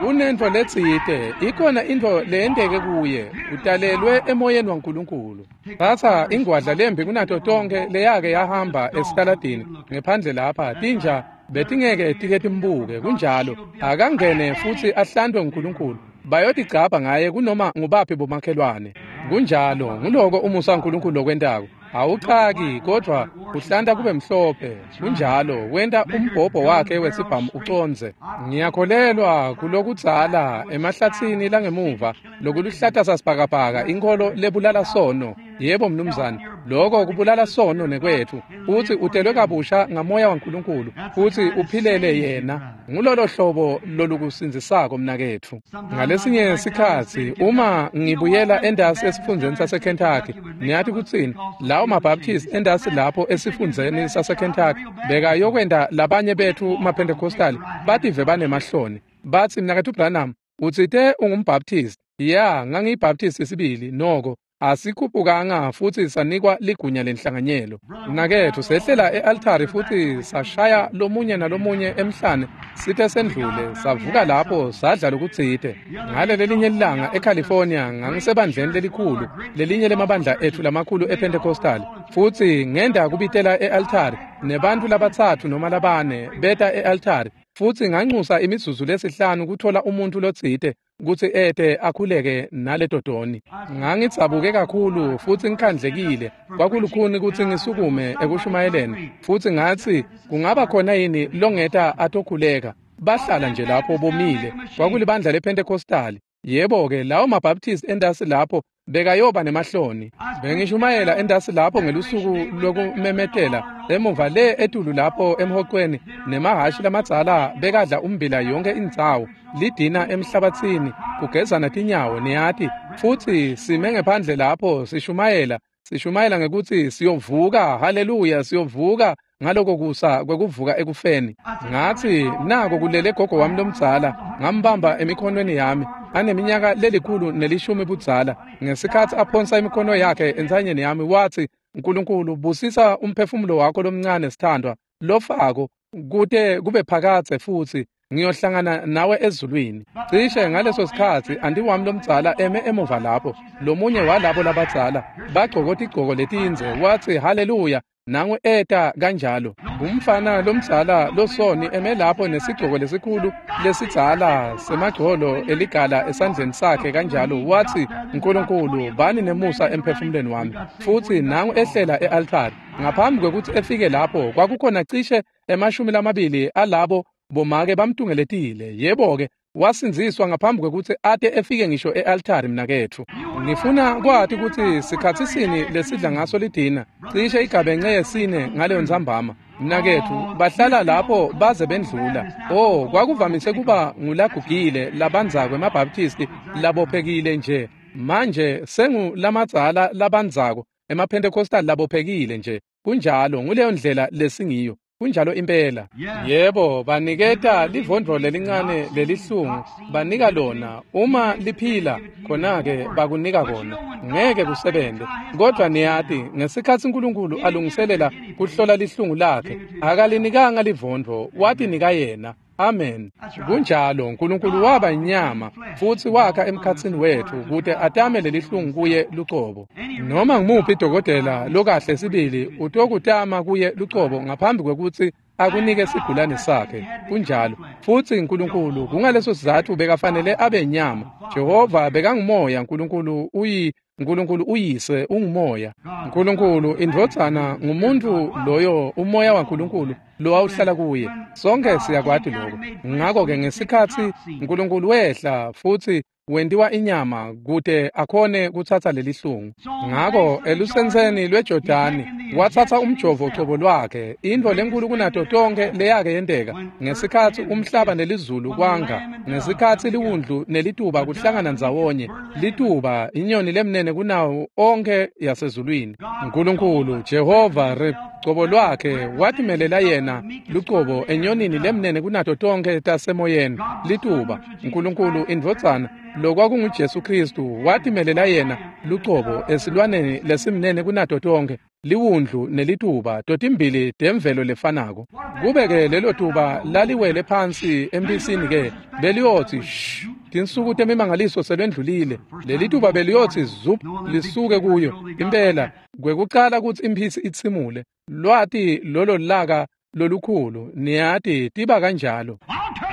Unentfo letsite, ikhona intfo leyenteke kuye, utalelwe emoyeni waNkulunkulu. Tsatsa ingwadla lembi kunato tonkhe leyake yahamba esitaladini ngephandle lapha, tinja betingeke tike timbuke, kunjalo. Akangene futsi ahlantwe nguNkulunkulu. Bayotigcabha ngaye kunoma ngubaphi bomakhelwane. Kunjalo, nguloko umusa waNkulunkulu lokwentako. Awuchaki kodvwa uhlanta kube mhlophe. Kunjalo, wenta umbhobho wakhe wesibhamu ucondze. Ngiyakholelwa kulokudzala emahlatsini langemuva lokuluhlata sasibhakabhaka, inkholo lebulala sono. Yebo mnumzane, loko kubulala sono nekwetfu. Futsi utelwe kabusha ngamoya waNkulunkulu, futsi uphilele yena. Ngulolo hlobo lolukusindzisako mnaketfu. Ngalesinye sikhatsi uma ngibuyela endasi esifundzeni saseKentucky, niyati kutsini? Lawo maBaptist endasi lapho esifundzeni saseKentucky bekayokwenta labanye betfu maPentecostal bative banemahloni. Batsi, mnaketfu Branham, utsite ungumbaptist. Ya, ngangiyibaptist sibili noko. Asikhuphukanga futsi sanikwa ligunya lenhlanganyelo. Mnaketfu, sehlela e-altari futsi sashaya lomunye nalomunye emhlane site sendlule, savuka lapho sadla lokutsite. Ngale lelinye lilanga eCalifornia ngangisebandleni lelikhulu, lelinye lemabandla etfu lamakhulu ePentecostal, futsi ngenda kubitela e-altari nebantfu labatsatfu noma labane beta e-altari, futsi nganxusa imizuzu lesihlanu kuthola umuntfu lotsite kutsi ete akhuleke naleto toni. Ngangidzabuke kakhulu futsi ngikhandlekile, kwakulukhuni kutsi ngisukume ekushumayeleni, futsi ngatsi kungaba khona yini longeta atokhuleka. Bahlala nje lapho bomile. Kwakulibandla lePentecostal. Yebo-ke, lawo maBaptist endasi lapho bekayoba nemahloni. Bengishumayela endasi lapho ngelusuku lokumemetela emuva le etulu lapho emhoqweni, nemahhashi lamadzala bekadla umbila yonke indzawo, lidina emhlabatsini, kugezana tinyawo, niyati. Futsi sime ngephandle lapho sishumayela, sishumayela ngekutsi siyovuka, haleluya, siyovuka ngaloko kusa kwekuvuka ekufeni. Ngatsi nako kulele gogo wami lomdzala, ngambamba emikhonweni yami, aneminyaka lelikhulu nelishumi budzala. Ngesikhatsi aphonsa imikhono yakhe entsanyeni yami, watsi, Nkulunkulu busisa umphefumulo wakho lomncane sithandwa, lofako kute kube phakadze, futsi ngiyohlangana nawe ezulwini. Cishe ngaleso sikhatsi anti wami lomdzala eme emuva lapho, lomunye walabo labadzala bagcoka tigcoko letindze, watsi haleluya, nangu eta kanjalo. Umfana lomdzala losoni eme lapho nesigcoko lesikhulu lesidzala semagcolo eligala esandleni sakhe kanjalo, watsi Nkulunkulu bani nemusa emphefumulweni wami. Futsi nangu ehlela e-altari. Ngaphambi kwekutsi efike lapho kwakukhona cishe emashumi lamabili alabo bomake bamtungeletile. Yebo-ke, wasindziswa ngaphambi kwekutsi ate efike ngisho e-altari mnaketfu. Ngifuna kwati kutsi sikhatsi sini lesidla ngaso lidina, cishe igabence yesine ngaleyo ntsambama. Mnaketfu, bahlala lapho baze bendlula. Oh, kwakuvamise kuba ngulagugile labandzako emaBaptisti labophekile nje. Manje sengulamadzala labandzako emaPentecostal labophekile nje. Kunjalo, nguleyo ndlela lesingiyo. Kunjalo impela. Yebo, baniketa livondvo lelincane lelihlungu, banika lona. Uma liphila, khona-ke bakunika kona. Ngeke kusebente. Kodwa niyati, ngesikhatsi Nkulunkulu alungiselela kuhlola lihlungu lakhe, akalinikanga livondvo, watinika yena. Amen. Kunjalo, Nkulunkulu waba inyama futsi wakha emkhatsini wetfu kute atame lelihlungu kuye lucobo. Noma ngumuphi dokotela lokahle sibili utokutama kuye lucobo ngaphambi kwekutsi akunike sigulane sakhe. Kunjalo. Futsi Nkulunkulu kungaleso sizatfu bekafanele abe inyama. Jehova bekangumoya, Nkulunkulu uyi Nkulunkulu uyise ungumoya. Nkulunkulu indvodzana ngumuntu loyo umoya waNkulunkulu lowawuhlala kuye. Sonke siyakwati lokho. Ngakho-ke ngesikhatsi Nkulunkulu wehla futsi wentiwa inyama kute akhone kutsatsa lelihlungu. Ngakho elusenseni lweJordani watsatsa umjovo cobo lwakhe, intfo lenkulu kunato tonkhe leyake yenteka ngesikhatsi umhlaba nelizulu kwanga, ngesikhatsi liwundlu nelituba kuhlangana ndzawonye, lituba inyoni lemnene kunawo onke yasezulwini. Nkulunkulu Jehova Cobo lwakhe watimelela yena lucobo enyonini lemnene kunato tonke tasemoyeni lituba. Nkulunkulu indvodzana lokwakunguJesu Kristu watimelela yena lucobo esilwaneni lesimnene kunato tonke liwundlu nelituba totimbili temvelo lefanako. Kube-ke lelo tuba laliwele phansi emphisini ke beliyotsi shh, tinsuku temimangaliso selwendlulile. Lelituba beliyotsi zup lisuke kuyo impela kwekucala kutsi imphisi itsimule. Lwati lolo laka lolukhulu niyati tiba kanjalo.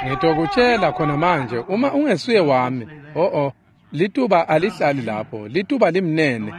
Ngitokutshela khona manje uma ungesuye wami oh oh lituba alihlali lapho, lituba limnene,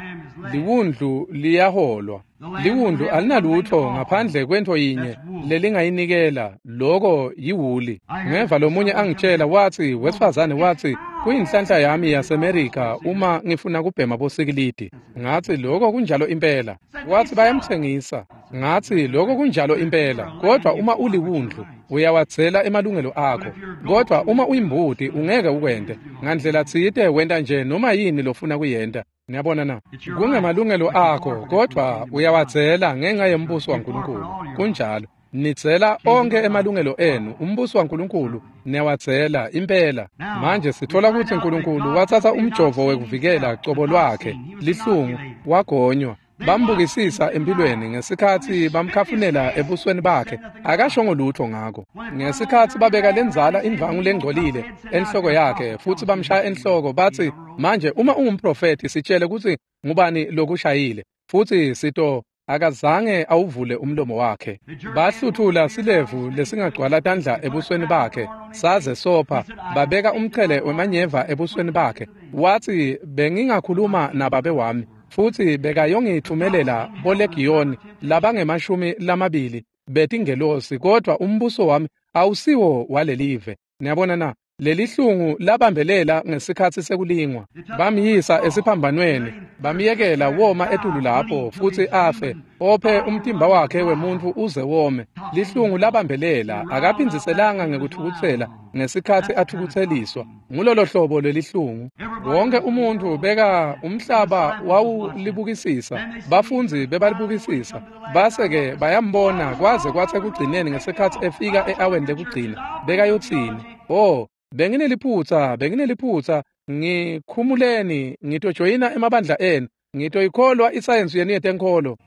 liwundlu liyaholwa. Liwundlu alinalutho ngaphandle kwento yinye lelingayinikela, loko yiwuli. Ngeva lomunye angitshela wathi wesifazane wathi kuyinhlanhla yami yaseMerika uma ngifuna kubhema bosikilidi. Ngathi lokho kunjalo impela. Wathi bayamthengisa. Ngathi lokho kunjalo impela, kodwa uma uliwundlu uyawathela emalungelo akho. Kodwa uma uyimbuti ungeke ukwente. Ngandlela tsite wenta nje noma yini lofuna kuyenta. Niyabona na? Kungemalungelo akho kodwa uyawathela ngenxa yembuso waNkulunkulu. Kunjalo. Nitsela onke emalungelo enu umbuso waNkulunkulu niyawathela impela. Manje sithola ukuthi uNkulunkulu wathatha umjovo wekuvikela cobo lwakhe lihlungu wagonywa. Bambukisisa empilweni ngesikhathi bamkhafunela ebusweni bakhe akashongo lutho ngako. Ngesikhathi babeka lenzala indvangu lengcolile enhloko yakhe futhi bamshaya enhloko bathi manje uma ungumprofeti sitshele ukuthi ngubani lokushayile futhi sito akazange awuvule umlomo wakhe. Bahluthula silevu lesingagcwala tandla ebusweni bakhe saze sopha babeka umqhele wemanyeva ebusweni bakhe. Wathi bengingakhuluma nababe wami futhi bekayongithumelela bolegiyoni labangemashumi lamabili betingelosi kodwa umbuso wami awusiwo walelive. Niyabona na? Lelihlungu labambelela ngesikhathi sekulingwa. Bamyisa esiphambanweni, bamyekela woma etulu lapho futhi afe, ophe umtimba wakhe wemuntu uze wome. Lihlungu labambelela akaphindiselanga ngekuthukuthela ngesikhathi athukutseliswa. Ngulolo hlobo lelihlungu. Wonke umuntu beka umhlaba wawulibukisisa, bafundzi bebalibukisisa. Base-ke bayambona kwaze kwathi ekugcineni ngesikhathi efika e-aweni lekugcina bekayotsini? Oh, bengineliphutha, bengineliphutha, ngikhumuleni, ngitojoyina emabandla enu, ngitoyikholwa isayensi yenu yetenkholo.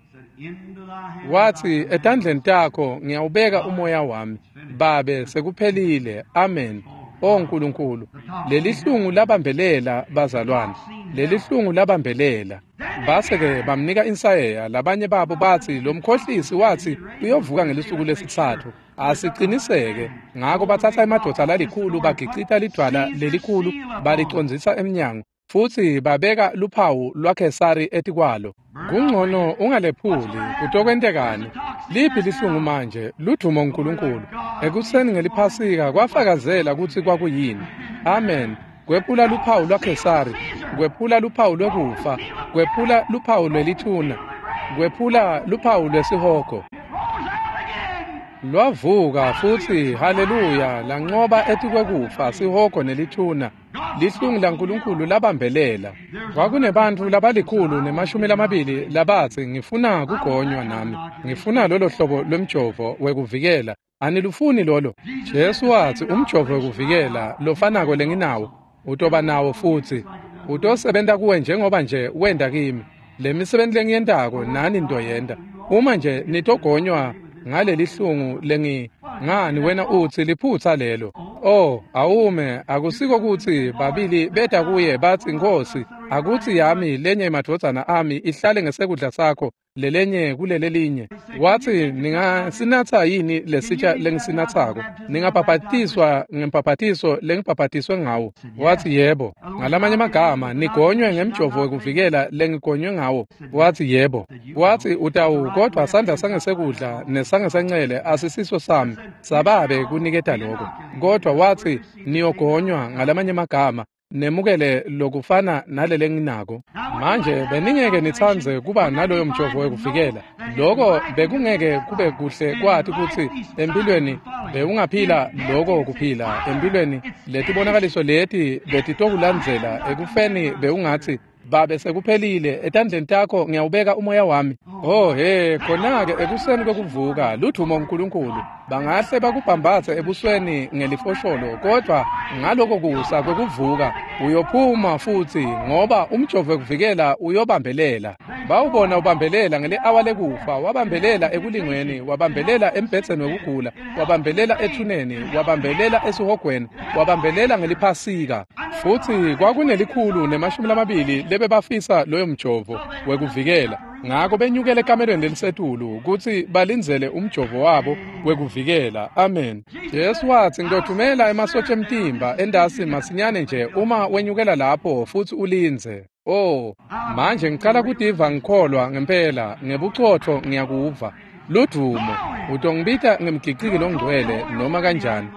Wathi etandleni takho ngiyawubeka umoya wami. Babe sekuphelile. Amen. O Nkulunkulu, lelihlungu labambelela bazalwane, lelihlungu labambelela. Base-ke bamnika insayeya. Labanye babo bathi lo mkhohlisi wathi uyovuka ngelisuku lesithathu. Asiqiniseke. Ngakho bathatha emadoda lalikhulu bagicita lidwala lelikhulu balicondzisa emnyango futhi babeka luphawu lwaKhesari etikwalo. Kungcono ungalephuli kutokwentekani? Liphi lihlungu manje? Ludumo uNkulunkulu. Ekuseni ngeliphasika kwafakazela ukuthi kwakuyini. Amen. Kwephula luphawu lwaKhesari, kwephula luphawu lwekufa, kwephula luphawu lwelithuna, kwephula luphawu lwesihogo. Lwavuka futhi haleluya lanqoba etikwekufa sihogo nelithuna. Lihlungu laNkulunkulu labambelela. Kwakunebantfu labalikhulu nemashumi lamabili labatsi ngifuna kugonywa nami, ngifuna lolo hlobo lwemjovo wekuvikela. Anilufuni lolo? Jesu wathi umjovo wekuvikela lofanako lenginawo utoba nawo futhi utosebenta kuwe njengoba nje wenda kimi. Lemisebenti lengiyentako nani ntoyenta. Uma nje nitogonywa ngalelihlungu lengi ngani wena uthi liphutha lelo. Oh, awume akusiko ukuthi babili beta kuye bathi Nkosi akuthi yami lenye emadvodzana ami ihlale ngesekudla sakho lelenye kulelelinye. Wathi ningasinatha yini lesitsha lengisinathako? Ningabhabhatiswa ngembhabhatiso lengibhabhatiswe ngawo? Wathi yebo. Ngalamanye amagama nigonywe ngemjovo wekuvikela lengigonywe ngawo. Wathi yebo. Wathi utawu kodwa sandla sangesekudla nesangesencele asisiso sami sababe kuniketa lokho. Kodwa wathi niyogonywa ngalamanye amagama nemukele lokufana nalele nginako. Manje beningeke nitsandze kuba naloyo mjovo wekuvikela. Lokho bekungeke kube kuhle kwathi kutsi empilweni bewungaphila lokho kuphila empilweni letibonakaliso leti betitokulandzela ekufeni bewungathi Babe sekuphelile, etandleni takho ngiyawubeka umoya wami. Oh he, khona-ke ekuseni kwekuvuka, ludvumo uNkulunkulu. Bangahle bakubhambathe ebusweni ngelifosholo, kodwa ngaloko kusa kwekuvuka uyophuma futhi, ngoba umjovo wekuvikela uyobambelela. Bawubona ubambelela ngele-awa lekufa, wabambelela ekulingweni, wabambelela embhedzeni wekugula, wabambelela ethuneni, wabambelela esihogweni, wabambelela ngeliphasika. Futhi kwakunelikhulu nemashumi lamabili lebebafisa loyo mjovo wekuvikela. Ngako benyukele ekamelweni lelisetulu kutsi balindzele umjovo wabo wekuvikela. Amen. Jesu watsi, ngitothumela emasotsha emtimba endasi masinyane nje uma wenyukela lapho futsi ulindze. Oh, manje ngicala kutiva ngikholwa ngempela, ngebucotfo ngiyakuva. Ludvumo, utongibita ngemgiciki longcwele noma kanjani.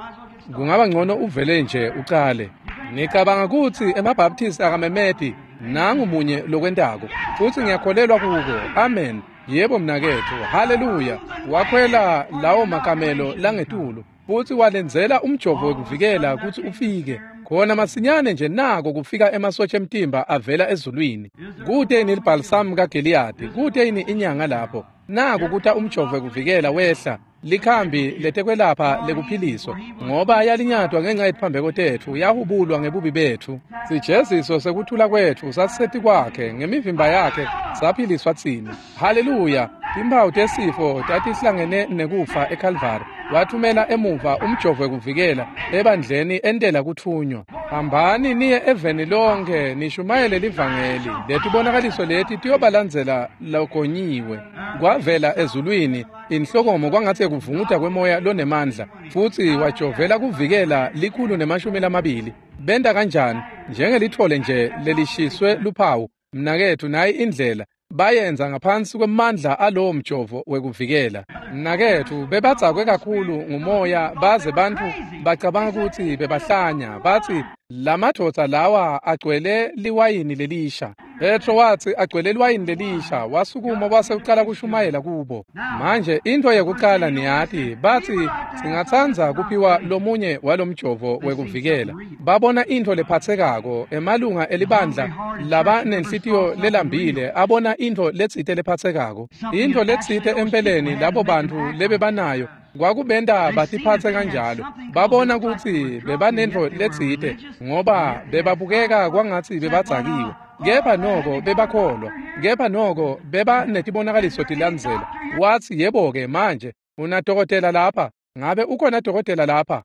Kungaba ngcono uvele nje ucale. Ngicabanga kutsi emaBaptist akamemeti, nangu munye lokwentako, futsi ngiyakholelwa kuko. Amen. Yebo mnaketfu, haleluya. Wakhwela lawo makamelo langetulu futsi walenzela umjovo wekuvikela kutsi ufike. Khona masinyane nje nako kufika emasotsha emtimba avela ezulwini. Kute yini libhalisamu kaGiliyadi, kute yini inyanga lapho. Naku kuta umjovo wekuvikela wehla, likhambi letekwelapha lekuphiliswa, ngoba yalinyatwa ngenxa yetiphambeko tetfu, yahubulwa ngebubi betfu. Sijeziso sekuthula kwetfu sasiseti kwakhe, ngemivimba yakhe saphiliswa tsine. Haleluya! Timphawu tesifo tatihlangene nekufa eKalvari. Wathumela emuva umjovo wekuvikela ebandleni entela kuthunywa. Hambani niye eveni lonke nishumayele livangeli. Letibonakaliso leti tiyobalandzela logonyiwe. Kwavela ezulwini inhlokomo kwangatsi kuvunguta kwemoya lonemandla, futsi wajovela kuvikela likhulu nemashumi lamabili. Benta kanjani? Njengelitfole nje lelishiswe luphawu. Mnaketfu, nayi indlela bayenza ngaphansi kwemandla alowo mjovo wekuvikela. Mnaketfu, bebadzakwe kakhulu ngumoya baze bantfu bacabanga kutsi bebahlanya, batsi lamadvodza lawa agcwele liwayini lelisha. Petro watsi agcwele liwayini lelisha, wasukuma wase ucala kushumayela kubo. Manje into yekucala niyati, batsi singatsandza kuphiwa lomunye walomjovo wekuvikela. Babona into lephatsekako, emalunga elibandla laba nenhlitiyo lelambile abona into letsite lephatsekako. Into letsite empeleni labo bantfu lebebanayo kwakubenta batiphatse kanjalo. Babona kutsi bebanentfo letsite ngoba bebabukeka kwangatsi bebadzakiwe. Kepha noko bebakholwa, kepha noko beba netibonakaliso tilandzela. Watsi, yebo-ke manje unadokotela lapha, ngabe ukhona dokotela lapha?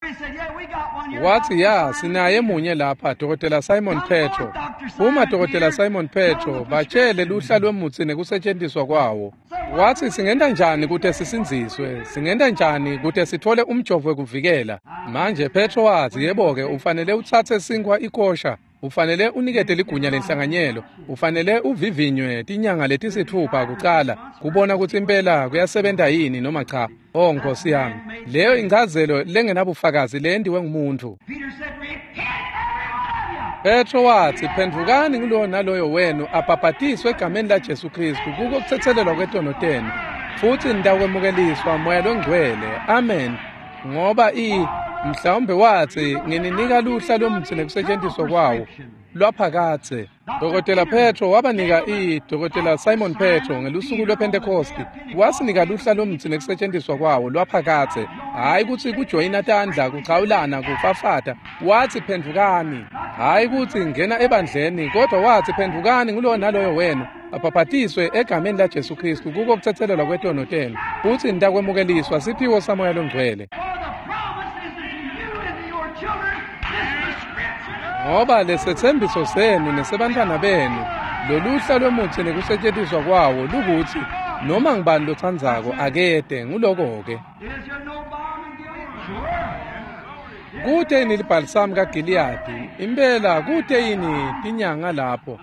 Watsi, ya, sinaye munye lapha, Dokotela Simon Petro. Uma Dokotela Simon Petro batshele luhla lwemutsi nekusetjentiswa kwawo. Watsi, singenta njani kute sisindziswe? Singenta njani kute sitfole umjovo wekuvikela? Manje Petro watsi, yebo-ke ufanele utsatse sinkhwa ikosha, ufanele unikete ligunya lenhlanganyelo, ufanele uvivinywe tinyanga letisitfupha kucala kubona kutsi impela kuyasebenta yini noma cha. Oh Nkosi yami, leyo inchazelo lengenabufakazi leyentiwe ngumuntu. Petro watsi, phendvukani ngulowo naloyo wenu abhabhatiswe egameni la Jesu Kristu kuko kutsetselelwa kwetono tenu, futsi nitawukwemukeliswa Moya Longcwele. Amen. Ngoba i mhlawumbe watsi ngininika luhla lomutsi nekusetjentiswa kwawo lwaphakadze. Dokotela Petro wabanika i Dokotela Simon Petro ngelusuku lwePhentekosti wasinika luhla lomutsi nekusetjentiswa kwawo lwaphakadze. Hhayi kutsi kujoyina tandla, kuchawulana, kufafata. Watsi phendvukani. Hhayi kutsi ngena ebandleni, kodwa watsi phendvukani ngulowo naloyo wenu abhabhatiswe egameni la Jesu Kristu kuko kutsetselelwa kwetono tenu, futsi nitakwemukeliswa siphiwo saMoya Longcwele. Ngoba lesetsembiso senu nesebantfwana benu, loluhla lwemutsi nekusetjentiswa kwawo lukutsi noma ngubani lotsandzako akete. Nguloko-ke. Kute yini libhalisamu kaGiliyadi? Impela kute yini tinyanga lapho?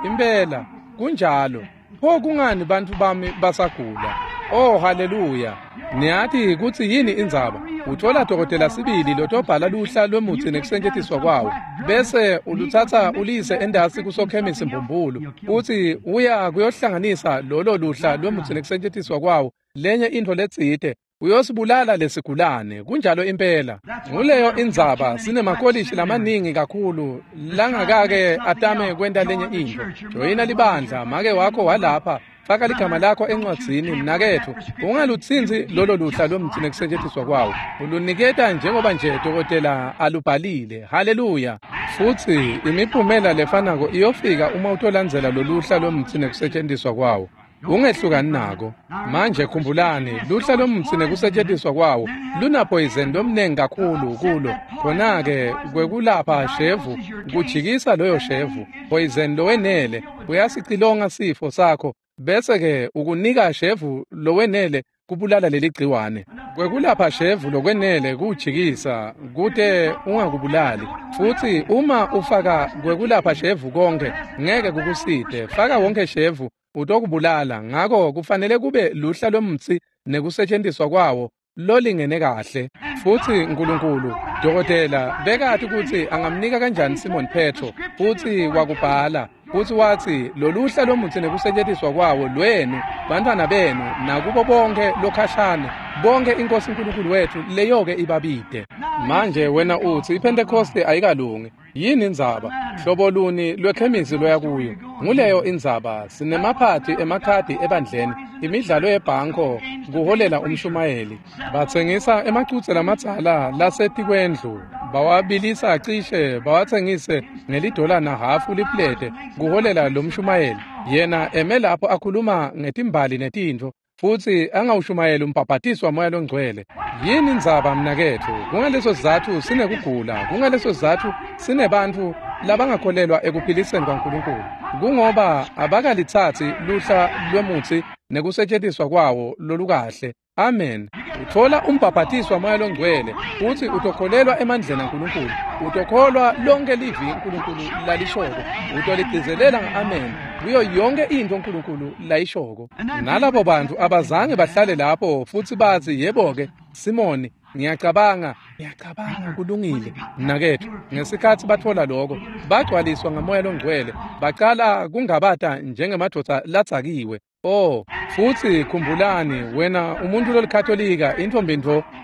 Impela kunjalo. Pho kungani bantfu bami basagula? Oh haleluya. Niyati kutsi yini indzaba? Uthola dokotela sibili lotobhala luhla lwemutsi nekusetjentiswa kwawo, bese ulutsatsa uliyise endasi kusokhemisi mbumbulu, utsi uya kuyohlanganisa lolo luhla lwemutsi nekusetjentiswa kwawo lenye intfo letsite, Uyosibulala lesigulane. Kunjalo impela. Nguleyo indzaba sinemakolishi lamaningi kakhulu langakake atame kwenta lenye intfo. Joyina libandla, make wakho walapha. Faka ligama lakho encwadzini mnaketfu. Ungalutsintsi lolo luhla lomtsi nekusetjentiswa kwawo. Uluniketa njengoba nje dokotela alubhalile. Haleluya. Futsi imiphumela lefanako iyofika uma utolandzela loluhla lomtsi nekusetjentiswa kwawo. Ungehlukani nako. Manje khumbulani, luhla lomtsi nekusetjentiswa kwawo lunaphoyizeni lomnengi kakhulu kulo. Khona-ke kwekulapha shevu, kujikisa loyo shevu, poison lowenele, uyasicilonga sifo sakho, bese-ke ukunika shevu lowenele kubulala leli gciwane. Kwekulapha shevu lokwenele kujikisa kute ungakubulali. Futsi uma ufaka kwekulapha shevu konke, ngeke kukusite. Faka wonke shevu utokubulala. Ngako kufanele kube luhla lomtsi nekusetjentiswa kwawo lolingene kahle. Futsi Nkulunkulu, dokotela, bekati kutsi angamnika kanjani Simon Petro, futsi wakubhala, futsi watsi loluhla lomutsi nekusetjentiswa kwawo lwenu, bantfwana benu, nakubo bonke lokhashane, bonke iNkosi uNkulunkulu wethu leyoke ibabide. Manje wena utsi iPhentekoste ayikalungi. Yini indzaba? Hlobo luni lwekhemisi loya kuyo? Nguleyo indzaba. Sinemaphathi emakhadi ebandleni, imidlalo yebhanko kuholela umshumayeli. Batsengisa emacutse lamadzala lasetikwendlu, bawabilisa cishe bawatsengise ngelidola nahhafu liplete kuholela lo mshumayeli. Yena eme lapho akhuluma ngetimbali netintfo, futsi angawushumayeli umbhabhatiso waMoya loNgcwele. Yini indzaba mnaketfu? Kungaleso sizatfu sinekugula, kungaleso sizatfu sinebantfu labangakholelwa ekuphiliseni kwaNkulunkulu. Kungoba abakalitsatsi luhla lwemutsi nekusetjentiswa kwawo lolukahle. Amen. Uthola umbhabhatiso waMoya loNgcwele futsi utokholelwa emandleni aNkulunkulu. Utokholwa lonke livi uNkulunkulu lalishoko. Utoligcizelela nga-amen kuyo yonke intfo uNkulunkulu layishoko. Nalabo bantfu abazange bahlale lapho futsi batsi, yebo-ke Simoni, ngiyacabanga, ngiyacabanga kulungile mnaketfu. Ngesikhatsi batfola loko, bagcwaliswa ngaMoya loNgcwele, bacala kungabata njengemadvodza ladzakiwe. Oh, futsi khumbulani, wena umuntu lolikatolika, intfombi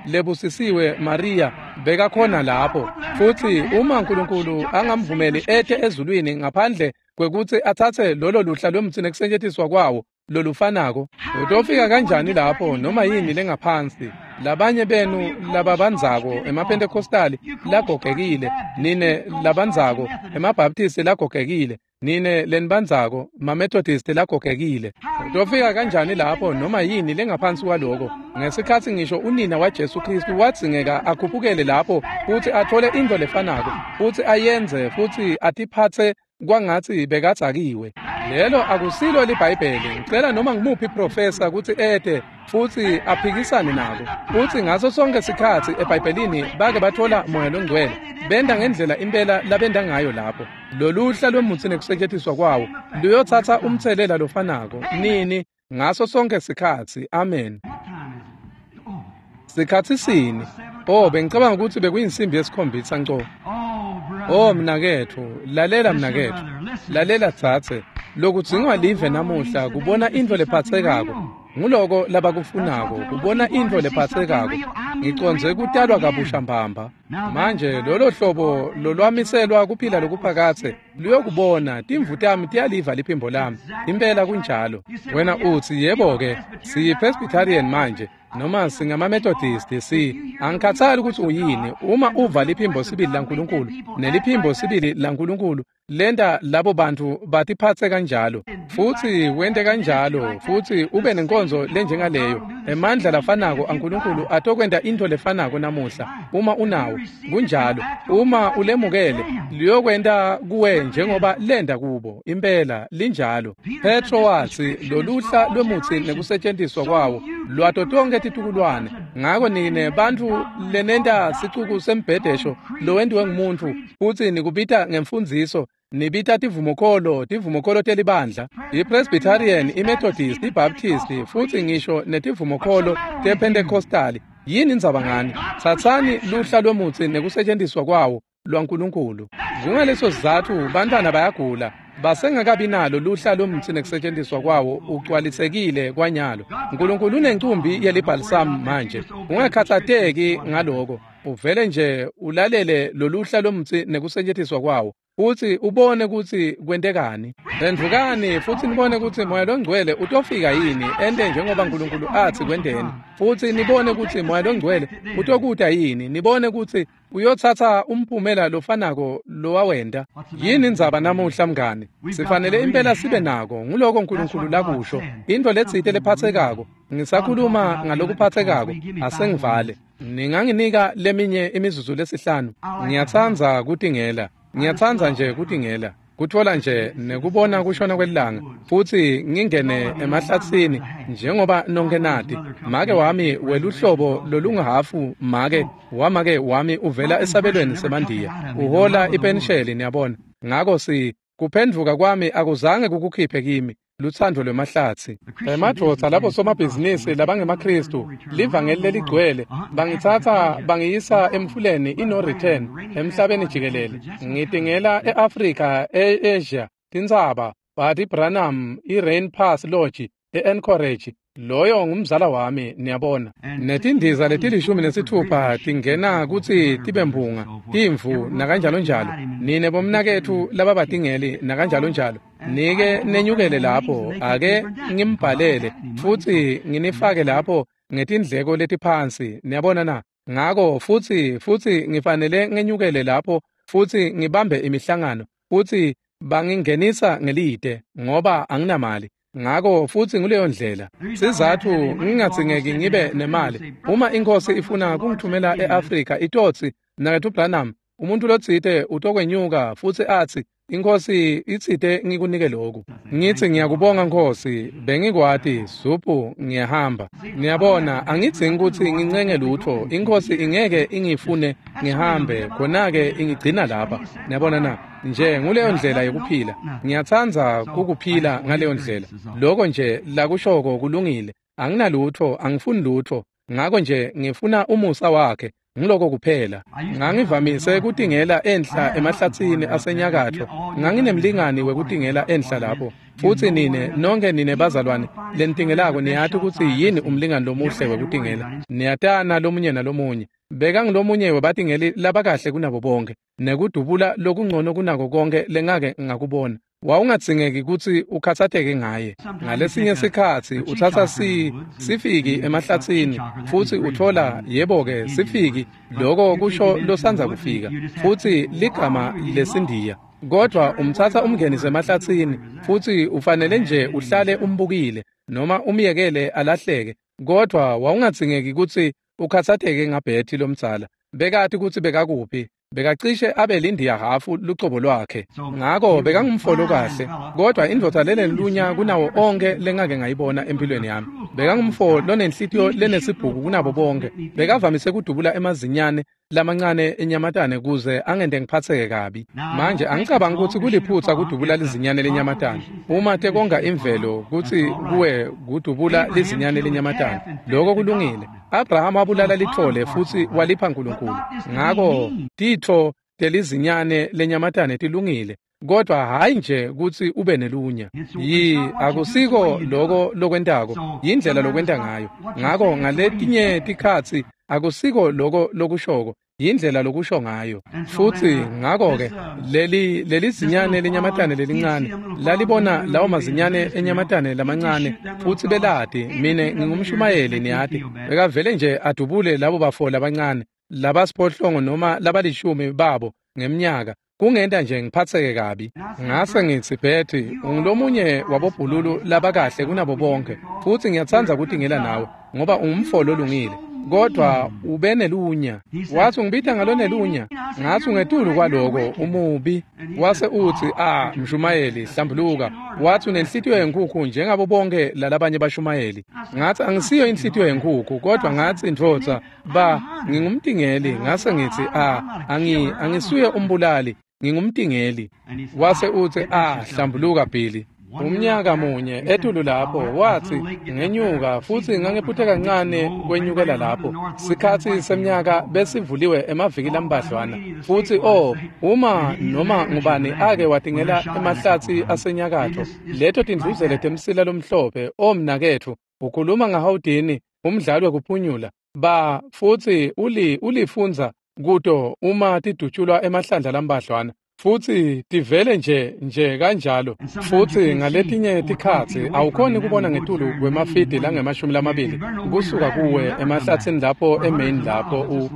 lebusisiwe Maria bekakhona lapho. Futsi uma uNkulunkulu angamvumeli ete ezulwini ngaphandle kwekutsi atsatse lolo luhla lwemtsi nekusetjentiswa kwawo lolufanako, utofika kanjani lapho noma yini lengaphansi? Labanye benu lababandzako emaPhentekostali lagogekile, nine labandzako emaBaptisti lagogekile, nine lenibandzako maMethodist lagogekile. Utofika kanjani lapho noma yini lengaphansi kwaloko? Ngesikhatsi ngisho unina waJesu Kristu wadzingeka akhuphukele lapho futsi athole intfo lefanako, futsi ayenze futsi atiphatse kwangatsi bekadzakiwe. Lelo akusilo liBhayibheli. Ngicela noma ngimuphi professor kutsi ete futsi aphikisane nako. Futsi ngaso sonke sikhatsi eBhayibhelini bake bathola Moya loNgcwele, benda ngendlela impela labenda ngayo lapho. Loluhla lwemutsi nekusetjentiswa kwawo luyotsatsa umtselela lofanako nini ngaso sonke sikhatsi. Amen. Sikhatsi sini? Oh, bengicabanga kutsi bekuyinsimbi yesikhombisa nco. Oh mnaketfu, lalela mnaketfu, lalela dzadze. Lokudzingwa live namuhla kubona intfo lephatsekako. Nguloko labakufunako, kubona intfo lephatsekako. Ngicondze kutalwa kabusha mbamba. Manje lolo hlobo lolwamiselwa kuphila lokuphakatse luyokubona. Timvu tami tiyaliva liphimbo lami. Impela kunjalo. Wena utsi, yebo-ke, siyi-Presbyterian manje, noma singama-Methodist, si angikhathali ukuthi uyini. Uma uva liphimbo sibili laNkulunkulu, neliphimbo sibili laNkulunkulu lenta labo bantu batiphatse kanjalo, futsi wente kanjalo, futsi ube nenkonzo lenjengaleyo, emandla lafanako aNkulunkulu atokwenta intfo lefanako namuhla. Uma unawo, kunjalo. Uma ulemukele, liyokwenta kuwe njengoba lenda kubo. Impela linjalo. Petro watsi loluhla lwemutsi nekusetjentiswa kwawo lwato tonke titukulwane. Ngako nine bantfu lenenta sicuku sembhedesho lowentiwe ngumuntfu, futsi nikubita ngemfundziso, nibita tivumokolo, tivumokolo telibandla, iPresbyterian, iMethodist, iBaptist, futsi ngisho netivumokolo tePentecostali. Yini indzaba ngani? Tsatsani luhla lwemutsi nekusetjentiswa kwawo lwaNkulunkulu. Kungaleso sizatfu bantfwana bayagula. Basengakabi nalo luhla lomtsi nekusetjentiswa kwawo ugcwalisekile kwanyalo. Nkulunkulu unencumbi yelibhalisamu manje. Ungakhathateki ngaloko. Uvele nje ulalele loluhla lomtsi nekusetjentiswa kwawo, futsi ubone kutsi kwentekani. Phendvukani futsi nibone kutsi Moya Longcwele utofika yini ente njengoba Nkulunkulu atsi kwenteni, futsi nibone kutsi Moya Longcwele utokuta yini, nibone kutsi uyotsatsa umphumela lofanako lowawenta. Yini indzaba namuhla mngani? Sifanele impela sibe nako. Nguloko Nkulunkulu lakusho, intfo letsite lephatsekako. Ngisakhuluma ngalokuphatsekako, asengivale. Ninganginika leminye imizuzu lesihlanu. Ngiyatsandza kutingela. Ngiyatsandza nje kutingela, kutfola nje nekubona kushona kwelilanga, futsi ngingene emahlatsini njengoba nonke nati. Make wami weluhlobo lolunguhafu make wamake wami uvela esabelweni semandiya, uhola ipensheli, niyabona. Ngako si kuphendvuka kwami akuzange kukukhiphe kimi lutsandvo lwemahlatsi. Emadvodza labo somabhizinisi labangemaKhristu, livangeli leligcwele, bangitsatsa bangiyisa emfuleni i-no return emhlabeni jikelele. Ngitingela e-Afrika, e-Asia, tintsaba, Buddy Branham, i-Rain Pass Lodge, e-Anchorage. Loyo ngumzala wami, niyabona. Netindiza letilishumi nesithupha tingena kutsi tibe mphunga, timvu nakanjalonjalo. Nine bomnaketfu lababatingeli nakanjalonjalo. Nike nenyukele lapho, ake ngimbhalele futsi nginifake lapho ngetindleko letiphansi, niyabona na. Ngako futsi futsi ngifanele ngenyukele lapho futsi ngibambe imihlangano, futsi bangingenisa ngelide ngoba anginamali. Ngako futsi nguleyo ndlela. Sizatfu ngingadzingeki ngibe nemali. Uma iNkhosi ifuna kungithumela e-Afrika itotsi Mnaketfu Branham, umuntu lotsite utokwenyuka futsi atsi iNkhosi itsite ngikunike lokhu. Ngitsi ngiyakubonga Nkhosi, bengikwati zuphu ngiyahamba. Niyabona, angidzingi kutsi ngincenge lutfo. INkhosi ingeke ingifune ngihambe, khona-ke ingigcina lapha. Niyabona na? Nje nguleyo ndlela yokuphila. Ngiyatsandza kukuphila ngaleyo ndlela. Loko nje lakushoko kulungile. Anginalutfo, angifuni lutfo. Ngako nje ngifuna umusa wakhe. Ngiloko kuphela. Ngangivamise kutingela enhla emahlatsini asenyakatfo. Nganginemlingani wekutingela enhla lapho. Futsi nine nonke nine bazalwane lenitingelako niyati kutsi yini umlingani lomuhle wekutingela. Niyatana lomunye nalomunye. Bekangulomunye webatingeli labakahle kunabo bonke, nekudubula lokungcono kunako konke lengake ngakubona. Wawungadzingeki kutsi ukhatsateke ngaye. Ngalesinye sikhatsi utsatsa si sifiki emahlatsini futsi utfola yebo-ke sifiki, loko kusho losandza kufika, futsi ligama lesindiya. Kodwa umtsatsa umngenise emahlatsini futsi ufanele nje uhlale umbukile noma umyekele alahleke. Kodwa wawungadzingeki kutsi ukhatsateke ngaBhethi lomdzala. Bekati kutsi bekakuphi. Bekacishe abe lindiya hafu lucobo lwakhe. Ngako bekangumfolo kahle, kodwa indvodza lenelunya kunawo onke lengake ngayibona empilweni yami. Bekangumfo lonenhlitiyo lenesibhuku kunabo bonke. Bekavamise kudubula emazinyane lamancane enyamatane kuze angente ngiphatseke kabi. Manje angicabangi kutsi kuliphutsa kudubula lizinyane lenyamatane. Uma tekonga imvelo kutsi kuwe kudubula lizinyane lenyamatane, loko kulungile. Abraham wabulala litfole futsi walipha Nkulunkulu. Ngako titfo telizinyane lenyamatane tilungile, kodwa hayi nje kutsi ube nelunya. Yi akusiko loko lokwentako, yindlela lokwenta ngayo. Ngako ngaletinye tikhatsi akusiko loko lokushoko, yindlela lokusho ngayo. Futsi ngako-ke leli lelizinyane lenyamatane lelincane lalibona lawo mazinyane enyamatane lamancane, futsi belati mine ngingumshumayeli, niyati. Bekavele nje adubule labo bafo labancane labasiphohlongo noma labalishumi babo ngemnyaka, kungenta nje ngiphatseke kabi. Ngase ngitsi, Bhethi, ungulomunye wabobhululu labakahle kunabo bonke, futsi ngiyatsandza kutingela nawe ngoba ungumfo lolungile, kodwa ube nelunya. Watsi ungibita ngalonelunya. Ngatsi ungetulu kwaloko umubi. Wase utsi, ah, mshumayeli, hlambuluka. Watsi unenhlitiyo yenkhukhu njengabo bonke lalabanye bashumayeli. Ngatsi angisiyo inhlitiyo yenkhukhu, kodwa ngatsi ndvodza ba ngingumtingeli. Ngase ngitsi, ah, angi angisuye umbulali, ngingumtingeli. Wase utsi, ah, hlambuluka Billy. Umnyaka munye etulu lapho wathi ngenyuka futsi ngangiphuthe kancane kwenyukela lapho. Sikhatsi semnyaka besivuliwe emaviki lambadlwana. Futsi oh uma noma ngubani ake watingela emahlatsi asenyakatfo leto tindluzele temsila lomhlophe omnaketfu ukhuluma ngahawudini umdlalo wekuphunyula ba futsi uli ulifundza kuto uma tidutshulwa emahlandla lambadlwana futsi tivele nje nje kanjalo. Futsi ngaletinye tikhatsi awukhoni kubona ngetulu kwemafidi langemashumi lamabili kusuka kuwe emahlatsini lapho eMaine lapho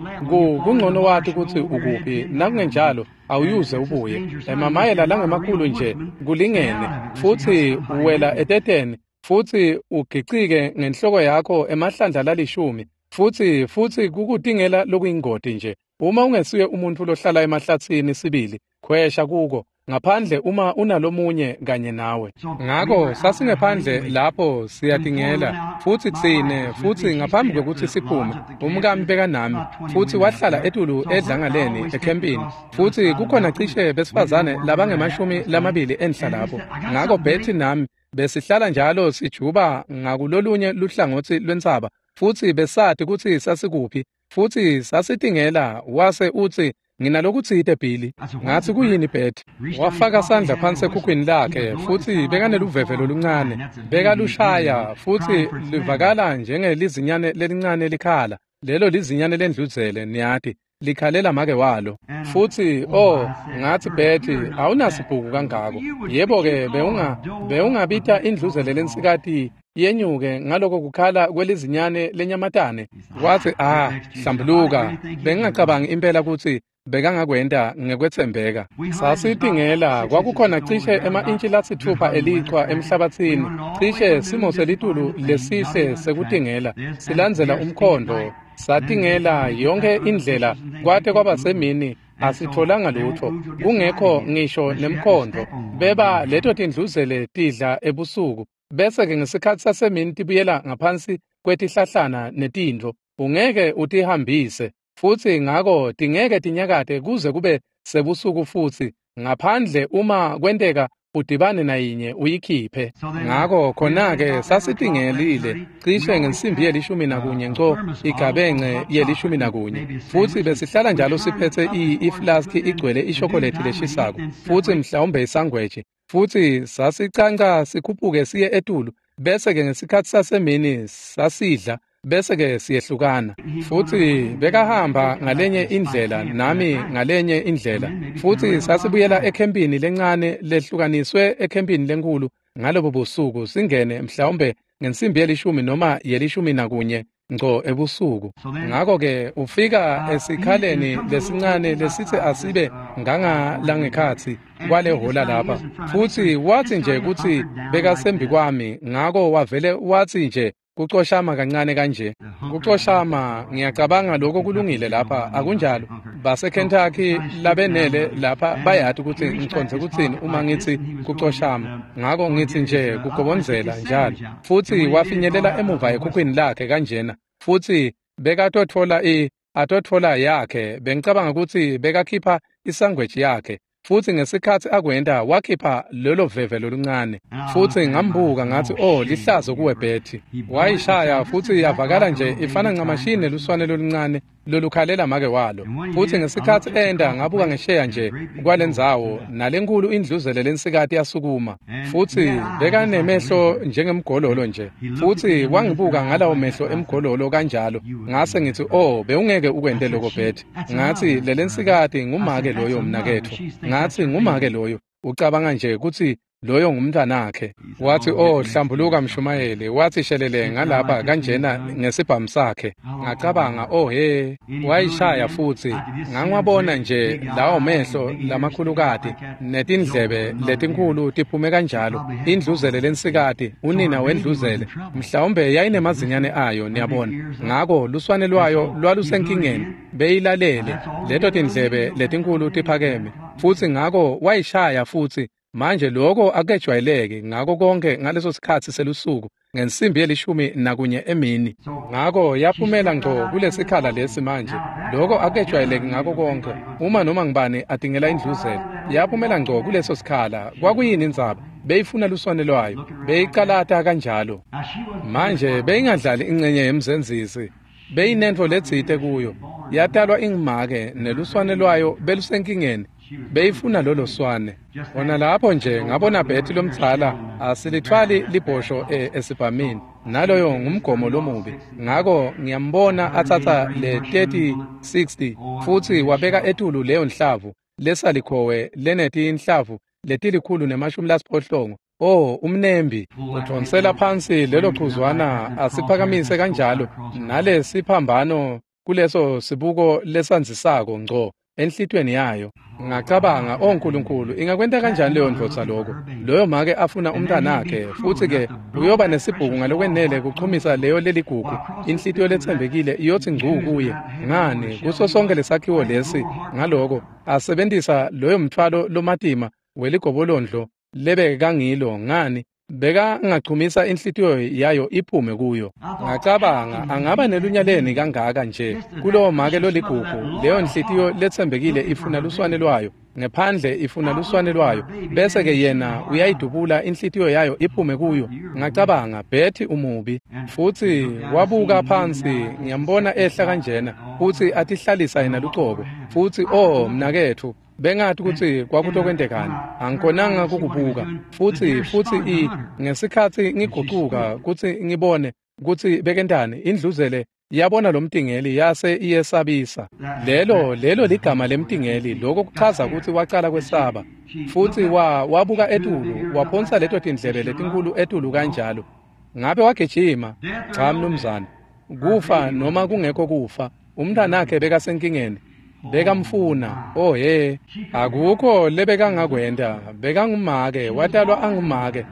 kungcono wati kutsi ukuphi nakungenjalo awuyuze ubuye emamayela langemakhulu nje kulingene futsi uwela eteteni futsi ugicike ngenhloko yakho emahlandla lalishumi futsi futsi kukutingela lokuyingoti nje. Uma ungesuye umuntu lohlala emahlatsini sibili khwesha kuko ngaphandle uma unalomunye kanye nawe. Ngako sasingephandle lapho siyatingela futsi tsine futsi ngaphambi kwekutsi siphume umkami bekanami futsi wahlala etulu edlangaleni ekhempini futsi kukhona cishe besifazane labangemashumi lamabili enhla lapho. Ngako Betty nami besihlala njalo sijuba ngakulolunye luhlangotsi lwentsaba futsi besati kutsi sasikuphi futsi sasitingela. Wase utsi nginalokutsite Billy. Ngathi kuyini Betty? Wafaka sandla phansi ekhukhwini lakhe futsi bekaneluveve loluncane bekalushaya futsi livakala njengelizinyane lelincane likhala. Lelo lizinyane lendluzele niyati likhalela make walo. Futsi oh ngathi Betty awunasibhuku kangako. Yebo ke bewunga bewungabita indluzele lensikati yenyuke ngaloko kukhala kwelizinyane lenyamatane. Wathi ah hlambuluka bengingacabangi impela kutsi bekangakwenta ngekwetsembeka. Sasitingela kwakukhona cishe ema-intshi lasitfupha elichwa emhlabatsini cishe simo selitulu lesihle sekutingela silandzela umkhondo satingela yonke indlela kwate kwaba semini asitholanga lutho kungekho ngisho nemkhondo. Beba leto tindluzele tidla ebusuku bese ke ngesikhatsi sasemini tibuyela ngaphansi kwetihlahlana netintfo ungeke utihambise futsi ngako tingeke tinyakate kuze kube sebusuku futsi ngaphandle uma kwenteka udibane nayinye uyikhiphe. Ngako khona-ke sasitingelile cishe ngensimbi yelishumi nakunye nco igabence yelishumi nakunye futsi besihlala njalo siphetse iflaski igcwele ishokolethi leshisako futsi mhlawumbe isangweji futsi sasicanca sikhuphuke siye etulu bese-ke ngesikhatsi sasemini sasidla bese-ke siyehlukana. Futsi bekahamba ngalenye indlela nami ngalenye indlela futsi sasibuyela ekhempini lencane lehlukaniswe ekhempini lenkulu ngalobo busuku singene mhlawumbe ngensimbi yelishumi noma yelishumi nakunye ngco ebusuku. Ngako-ke ufika esikhaleni lesincane lesitsi asibe ngangalangekhatsi kwale hola lapha futsi watsi nje kutsi bekasembi kwami ngako wavele watsi nje kucoshama kancane kanje. Kucoshama ngiyacabanga lokho kulungile lapha akunjalo? BaseKentucky labenele lapha bayati kutsi ngicondze kutsini uma ngitsi kucoshama. Ngako ngitsi nje kugobondzela njalo. Futsi wafinyelela emuva ekhukhwini lakhe kanjena futsi bekatotfola i atotfola yakhe bengicabanga kutsi bekakhipha isangweji yakhe futsi ngesikhatsi akwenta wakhipha lelo veve loluncane. Futsi ngambuka ngathi oh lihlazo kuwe Betty. Wayishaya futsi yavakala nje ifana ncamashini neluswane loluncane lolukhalela make walo. Futsi ngesikhatsi enda ngabuka ngesheya nje kwalendzawo nalenkulu indluzele lensikati yasukuma futsi bekanemehlo njengemgololo nje futsi wangibuka ngalawo mehlo emgololo kanjalo. Ngase ngithi oh bewungeke ukwente lokho Betty. Ngathi lelensikati ngumake loyo mnaketfu. Ngathi ngumake loyo ucabanga nje kutsi loyo ngumntwanakhe. Wathi oh hlambuluka mshumayeli. Wathi shelele ngalapha kanjena ngesibhamu sakhe. Ngacabanga oh he wayishaya futsi ngangiwabona nje lawo mehlo lamakhulukati netindlebe letinkhulu tiphume kanjalo. Indluzele lensikati unina wendluzele mhlawumbe yayinemazinyane ayo niyabona. Ngako luswane lwayo lwalusenkingeni beyilalele leto tindlebe letinkulu tiphakeme futsi ngako wayishaya futsi. Manje lokho akejwayeleki ngako konke ngaleso sikhatsi selusuku ngensimbi yelishumi nakunye emini. Ngako yaphumela ngco kulesikhala lesi manje. Lokho akejwayeleki ngako konke uma noma ngibani atingela indluzele. Yaphumela ngco kuleso sikhala. Kwakuyini indzaba? Beyifuna luswane lwayo, beyicalata kanjalo. Manje beyingadlali incenye yemzenzisi, beyinentfo letsite kuyo. Yatalwa ingumake neluswane lwayo belusenkingeni, beyifuna lolo swane. Khona lapho nje ngabona Betty lomdzala asilithwali libhosho esibhamini, naloyo ngumgomo lomubi. Ngako ngiyambona atsatsa le thirty sixty futsi wabeka etulu leyo nhlavu lesalikhowe lenetinhlavu letilikhulu nemashumi lasiphohlongo. Oh, umnembi udvonsela phansi lelo chuzwana asiphakamise kanjalo nalesiphambano kuleso sibuko lesandzisako ngco enhlitweni yayo. Ngacabanga, oh Nkulunkulu, ingakwenta kanjani leyo ndvodza lokho? Loyo make afuna umntanakhe, futsi ke uyoba nesibhuku ngalokwenele kuchumisa leyo leligugu. Inhlitiyo letsembekile iyothi ngcu kuye. Ngani, kuso sonke lesakhiwo lesi ngaloko asebentisa loyo mthwalo lomatima weligobolondlo lebekangilo. Ngani, bekangachumisa inhlitiyo yayo iphume kuyo. Ngacabanga, angaba nelunyaleni kangaka nje kulowo make loligugu. Leyo nhlitiyo letsembekile ifuna luswane lwayo ngephandle, ifuna luswane lwayo, bese ke yena uyayidubula inhlitiyo yayo iphume kuyo. Ngacabanga, Betty umubi. Futsi wabuka phansi, ngiyambona ehla kanjena futsi atihlalisa yena lucobo. Futsi oh mnaketfu, bengathi kutsi kwakutokwentekani, angikhonanga kukubuka. Futsi futsi i ngesikhatsi ngigucuka kutsi ngibone kutsi bekentani, indluzele yabona lomtingeli yase iyesabisa. Lelo lelo ligama lemtingeli, lokho kuchaza kutsi wacala kwesaba. Futsi wa wabuka etulu, waphonsa leto tindlebe letinkulu etulu kanjalo. Ngabe wagijima? Cha mnumzane. Kufa noma kungekho kufa, umntanakhe bekasenkingeni, bekamfuna. Oh he, akukho lebekangakwenta. Bekangumake, watalwa angumake,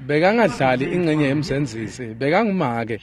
bekangadlali incenye yemzenzisi, bekangumake.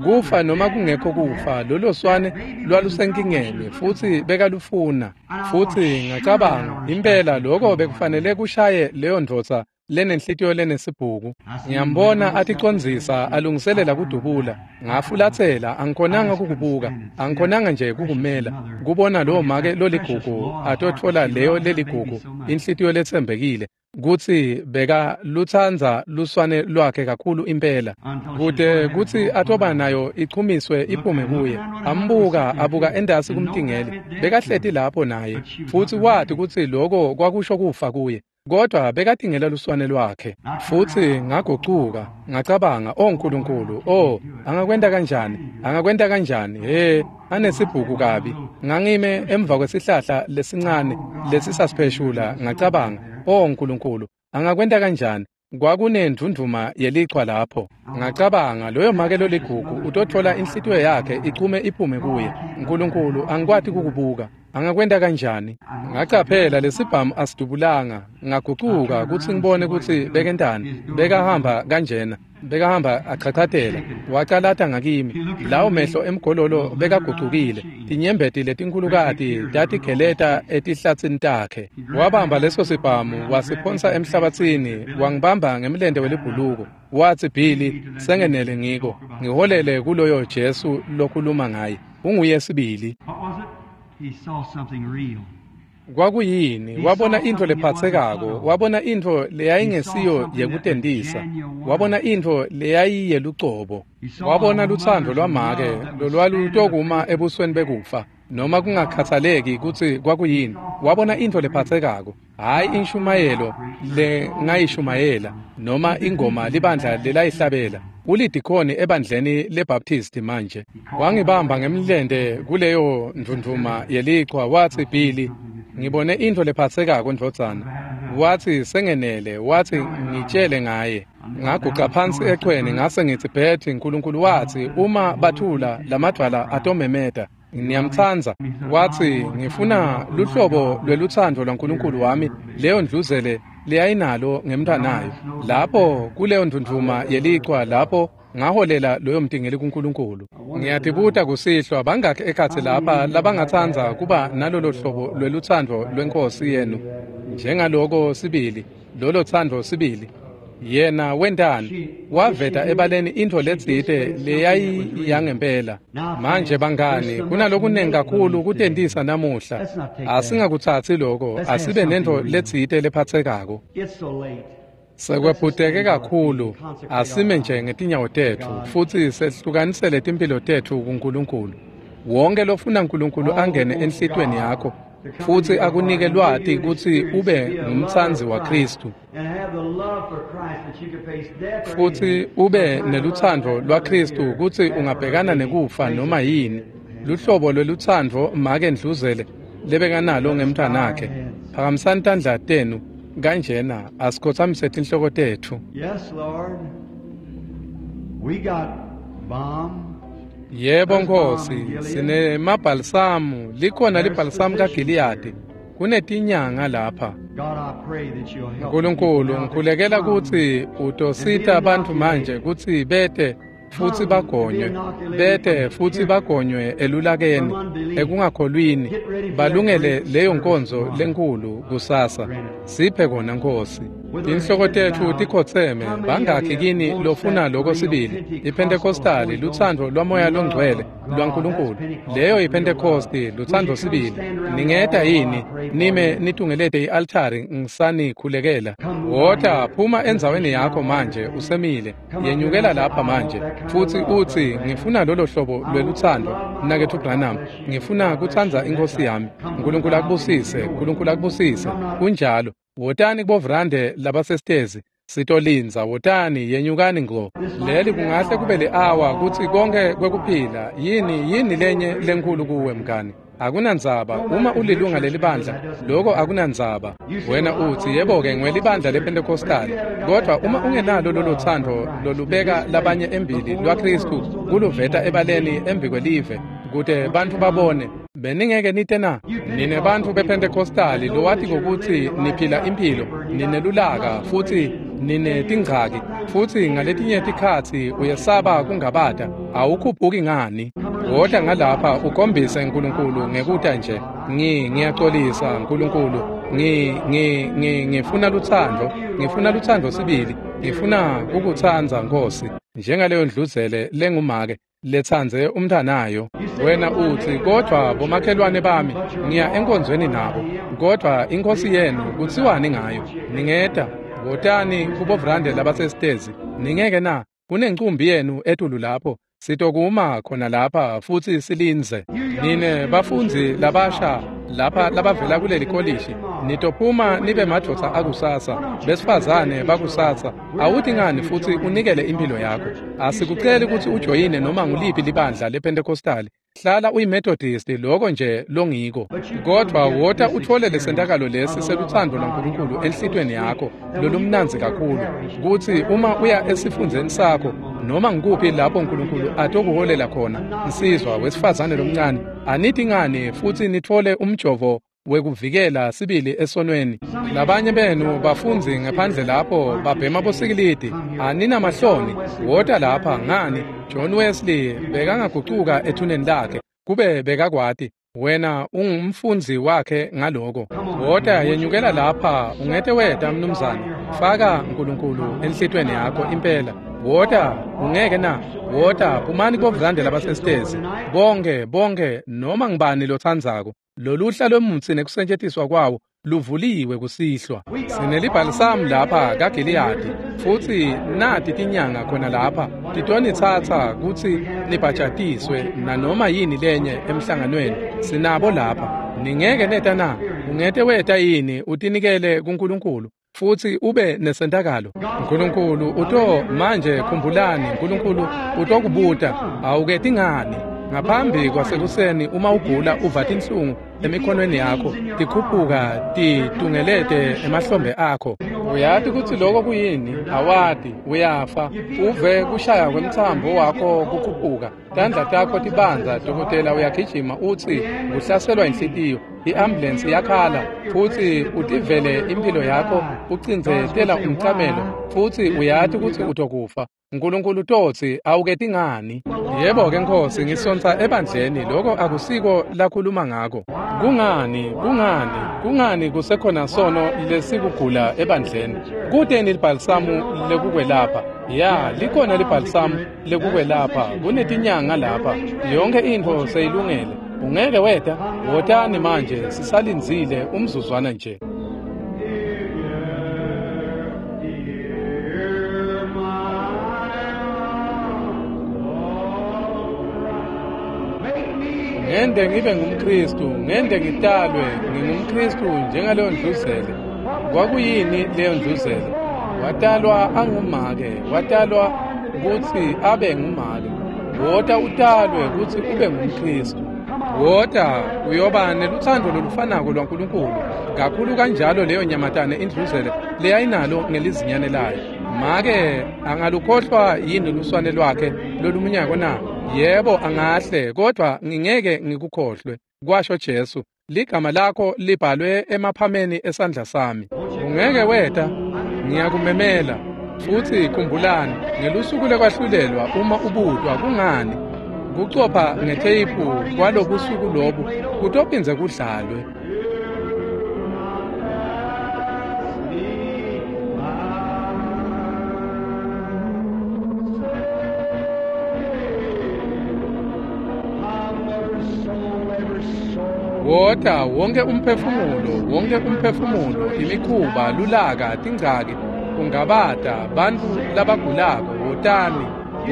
Kufa noma kungekho kufa, lolo swane lwalusenkingeni futsi bekalufuna. Futsi ngacabanga, impela lokho bekufanele kushaye leyo ndvodza lenenhlitiyo lenesibhuku. Ngiyambona aticondzisa alungiselela kudubula. Ngafulatsela, angikhonanga kukubuka, angikhonanga nje kukumela kubona lowo make loligugu atotfola leyo leligugu, inhlitiyo letsembekile, kutsi beka lutsandza luswane lwakhe kakhulu impela, kute kutsi atoba nayo ichumiswe iphume kuye. Ambuka abuka endasi kumtingeli, bekahleti lapho naye, futsi wati kutsi lokho kwakusho kufa kuye, kodwa bekatingela luswane lwakhe. Futsi ngagucuka, ngacabanga, oh Nkulunkulu, oh angakwenta kanjani, angakwenta kanjani? He, anesibhuku kabi. Ngangime emva kwesihlahla lesincane lesisasipheshula, ngacabanga, oh Nkulunkulu, angakwenta kanjani? Kwakunendvundvuma yelichwa lapho. Ngacabanga, loyo make loligugu utotfola inhlitiyo yakhe ichume iphume kuye. Nkulunkulu, angikwati kukubuka, angakwenta kanjani? Ngacaphela lesibhamu asidubulanga. Ngagucuka kutsi ngibone kutsi bekentani. Bekahamba kanjena, bekahamba achachatela, wacalata ngakimi. Lawo mehlo emgololo bekagucukile, tinyembeti letinkhulukati tatigeleta etihlatsini takhe. Wabamba leso sibhamu wasiphonsa emhlabatsini, wangibamba ngemlente welibhuluko. Watsi, Billy, sengenele ngiko, ngiholele kuloyo Jesu lokhuluma ngaye, unguye sibili. He saw something real. Kwakuyini? Wabona intfo lephatsekako, wabona intfo leyayingesiyo yekutentisa, wabona intfo leyayiyelucobo, wabona lutsandvo lwamake lolwalutokuma ebusweni bekufa, noma kungakhathaleki kutsi kwakuyini. Wabona intfo lephatsekako, hhayi inshumayelo lengayishumayela noma ingoma libandla lelayihlabela. Ulidikhoni ebandleni leBaptist manje. Wangibamba ngemlente kuleyo ndvundvuma yelichwa, watsi, Billy, ngibone intfo lephatsekako ndvodzana. Watsi, sengenele. Watsi, ngitshele ngaye. Ngaguca phansi echweni, ngase ngitsi, Betty, Nkulunkulu watsi uma bathula lamadvwala atomemeta. Ngiyamtsandza. Watsi, ngifuna luhlobo lwelutsandvo lwaNkulunkulu wami leyo ndluzele leyayinalo ngemntfwanayo. Lapho kuleyo ndvundvuma yelichwa lapho ngaholela loyo mtingeli kuNkulunkulu. Ngiyatibuta kusihlwa, bangakhi ekhatsi lapha labangatsandza kuba nalolo hlobo lwelutsandvo lweNkosi yenu njengaloko sibili, lolo tsandvo sibili? Yena wentani? Waveta ebaleni intfo letsite leyayiyangempela. Manje bangani, kunalokunengi kakhulu kutentisa namuhla. Asingakutsatsi lokho, asibe nentfo letsite lephatsekako. It's so late. Sekwephuteke kakhulu, asime nje ngetinyawo tetfu futsi sehlukanisele timphilo tetfu kuNkulunkulu. Wonke lofuna uNkulunkulu angene enhlitiyweni yakho futsi akunike lwati kutsi ube ngumtsandzi waKhristu futsi ube nelutsandvo lwaKhristu kutsi ungabhekana nekufa noma yini, luhlobo lwelutsandvo make Ndluzele lebekanalo ngemntwanakhe. Phakamisani tandla tenu kanjena, asikhotsamise tinhloko tetfu. Yes, Lord. We got balm. Yebo Nkosi, sinemabhalisamu, likhona libhalisamu kaGiliyadi, kunetinyanga lapha. God, I pray that you'll help Nkulunkulu, ngikhulekela kutsi utosita bantfu manje kutsi bete futsi bagonywe, bete futsi bagonywe elulakeni, ekungakholwini, balungele leyo nkonzo lenkhulu kusasa. Siphe kona Nkosi. Tinhloko tetfu tikhotseme, bangakhi kini lofuna loko sibili? IPhentekostali, lutsandvo lwaMoya loNgcwele lwaNkulunkulu. Leyo iPhentekosti, lutsandvo sibili. Ningeta yini nime nitungelete i-altari ngisanikhulekela? Wota, phuma endzaweni yakho manje usemile. Yenyukela lapha manje futsi utsi, ngifuna lolo hlobo lwelutsandvo, Mnaketfu Branham. Ngifuna kutsandza iNkhosi yami. Nkulunkulu akubusise, Nkulunkulu akubusise. Kunjalo. Wotani kubovrande labasesitezi, sitolindza. Wotani, yenyukani ngco. Leli kungahle kube li-awa kutsi konke kwekuphila. Yini yini lenye lenkhulu kuwe mngani? Akunandzaba uma ulilunga lelibandla, loko akunandzaba. Wena utsi, yebo-ke ngiwelibandla lePhentekostali, kodvwa uma ungenalo lolo tsandvo lolubeka labanye embili lwaKhristu kuluveta ebaleni embikwelive kute bantfu babone, beningeke nite na? Nine bantfu bePhentekostali lowati kutsi niphila imphilo, ninelulaka futsi ninetingcaki, futsi ngaletinye tikhatsi uyesaba kungabata, awukhuphuki ngani? Wota ngalapha ukhombise Nkulunkulu ngekuta nje. Ngi ngiyacolisa Nkulunkulu, ngi ngi ngi ngifuna lutsandvo, ngifuna lutsandvo sibili, ngifuna kukutsandza Nkosi, njengaleyo ndluzele lengumake letsandze umntanayo. Wena utsi, kodvwa bomakhelwane bami ngiya enkonzweni nabo, kodvwa iNkhosi yenu kutsiwani ngayo? Ningeta, wotani kubovrande labasesitezi. Ningeke na? Kunencumbi yenu etulu lapho. Sitokuma khona lapha futsi silindze. Nine bafundzi labasha lapha labavela kuleli kolishi, nitophuma nibe madvodza akusasa, besifazane bakusasa. Awuthi ngani futsi unikele impilo yakho? Asikuceli kutsi ujoyine noma nguliphi libandla lePhentekostali. Hlala uyiMethodist, loko nje longiko. Kodvwa wota utfole lesentakalo lesi selutsandvo lwaNkulunkulu enhlitiyweni yakho lolumnandzi kakhulu, kutsi uma uya esifundzeni sakho noma ngikuphi lapho Nkulunkulu atokuholela khona, nsizwa wesifazane lomncane, anithi ngani futsi nitfole umjovo wekuvikela sibili esonweni. Labanye benu bafundzi ngephandle lapho babhema bosikilidi, aninamahloni. Wota lapha ngani? John Wesley bekangagucuka ethuneni lakhe kube bekakwati. Wena ungumfundzi wakhe ngaloko. Wota, yenyukela lapha, ungete weta mnumzane. Faka Nkulunkulu enhlitiyweni yakho impela. Wota, ungeke na? Wota, phumani kubovrande labasesitezi. Bonke, bonke, noma ngibani lotsandzako. Loluhla lwemutsi nekusetjentiswa kwawo luvuliwe kusihlwa. Sinelibhalisamu lapha kaGiliyadi, futsi nati tinyanga khona lapha titonitsatsa kutsi nibhajatiswe nanoma yini lenye emhlanganweni. Sinabo lapha. Ningeke neta na? Ungete weta yini utinikele kuNkulunkulu futsi ube nesentakalo? Nkulunkulu uto manje, khumbulani, Nkulunkulu utokubuta, awuketi ngani? Ngaphambi kwasekuseni uma ugula uva tinhlungu emikhonweni yakho tikhuphuka titungelete emahlombe akho, uyati kutsi loko kuyini? Awati, uyafa. Uve kushaya kwemtsambo wakho kukhuphuka, tandla takho tibandza, dokotela uyagijima utsi kuhlaselwa inhlitiyo, i-ambulensi iyakhala, futsi utivele impilo yakho ucindzetela umcamelo, futsi uyati kutsi utokufa. Nkulunkulu totsi, awuketi ngani? Yebo-ke Nkosi, ngisonsa ebandleni, loko akusiko lakhuluma ngako. Kungani, kungani, kungani kusekhona sono lesikugula ebandleni? Kuteni libhalisamu lekukwelapha? Ya, likhona libhalisamu lekukwelapha, kunetinyanga lapha. Yonke intfo seyilungele. Ungeke weta? Wotani manje, sisalindzile umzuzwana nje. Ngende ngibe ngumKristu, ngende ngitalwe ngingumKristu njengaleyo ndluzele. Kwakuyini leyo ndluzele? Watalwa angumake, watalwa kutsi abe ngumake. Wota utalwe kutsi ube ngumKristu. Wota uyoba nelutsandvo lolufanako lwaNkulunkulu kakhulu kanjalo leyo nyamatane indluzele leyayinalo ngelizinyane layo. Make angalukhohlwa yini luswane lwakhe lolumunyako na? Yebo angahle, kodwa ngingeke ngikukhohlwe, kwasho Jesu. Ligama lakho libhalwe emaphameni esandla sami. Ungeke weta, ngiyakumemela. Futsi khumbulani, ngelusuku lekwahlulelwa uma ubutwa kungani kucopha ngetheyiphu kwalobusuku lobu kutophindze kudlalwe. Wota wonke umphefumulo, wonke umphefumulo, imikhuba, lulaka, tingcaki, kungabata, bantfu labagulako, wotani.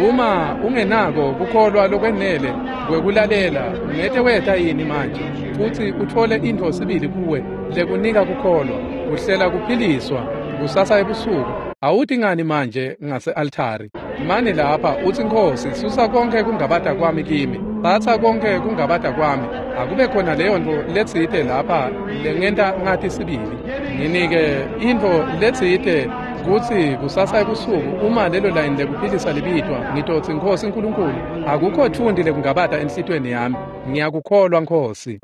Uma ungenako kukholwa lokwenele kwekulalela, ungete weta yini manje futsi utfole intfo sibili kuwe lekunika kukholwa, kuhlela kuphiliswa kusasa ebusuku. Awuti ngani manje ngase-altari? Mani lapha utsi, Nkhosi, susa konkhe kungabata kwami kimi, tsatsa konkhe kungabata kwami, akube khona leyo ntfo letsite lapha lengenta ngati sibili. Nginike intfo letsite kutsi kusasa ebusuku uma lelo layini lekuphilisa libitwa, ngitotsi, Nkhosi Nkulunkulu, akukho tfundi lekungabata enhlitiyweni yami. Ngiyakukholwa, Nkhosi.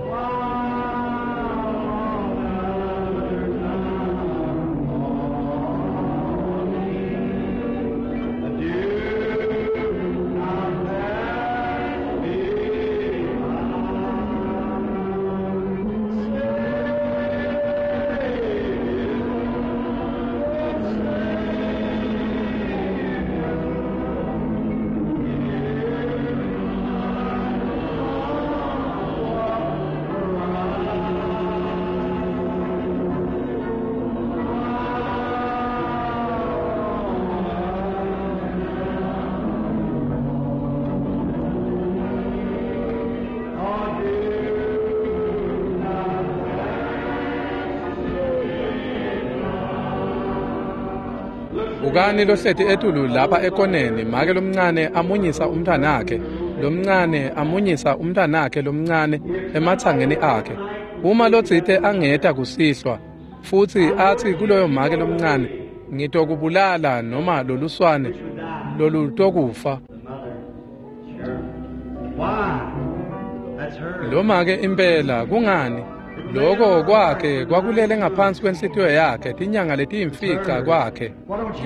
Bukani lohleti etulu lapha ekoneni, make lomncane amunyisa umntwanakhe, lomncane amunyisa umntwanakhe lomncane ematsangeni akhe. Uma lotsite angeta kusihlwa futsi atsi kuloyo make lomncane, ngitokubulala noma loluswane lolutokufa. Lo make impela kungani? Loko kwakhe kwakulele ngaphansi kwenhlitiyo yakhe tinyanga letiyimfica kwakhe.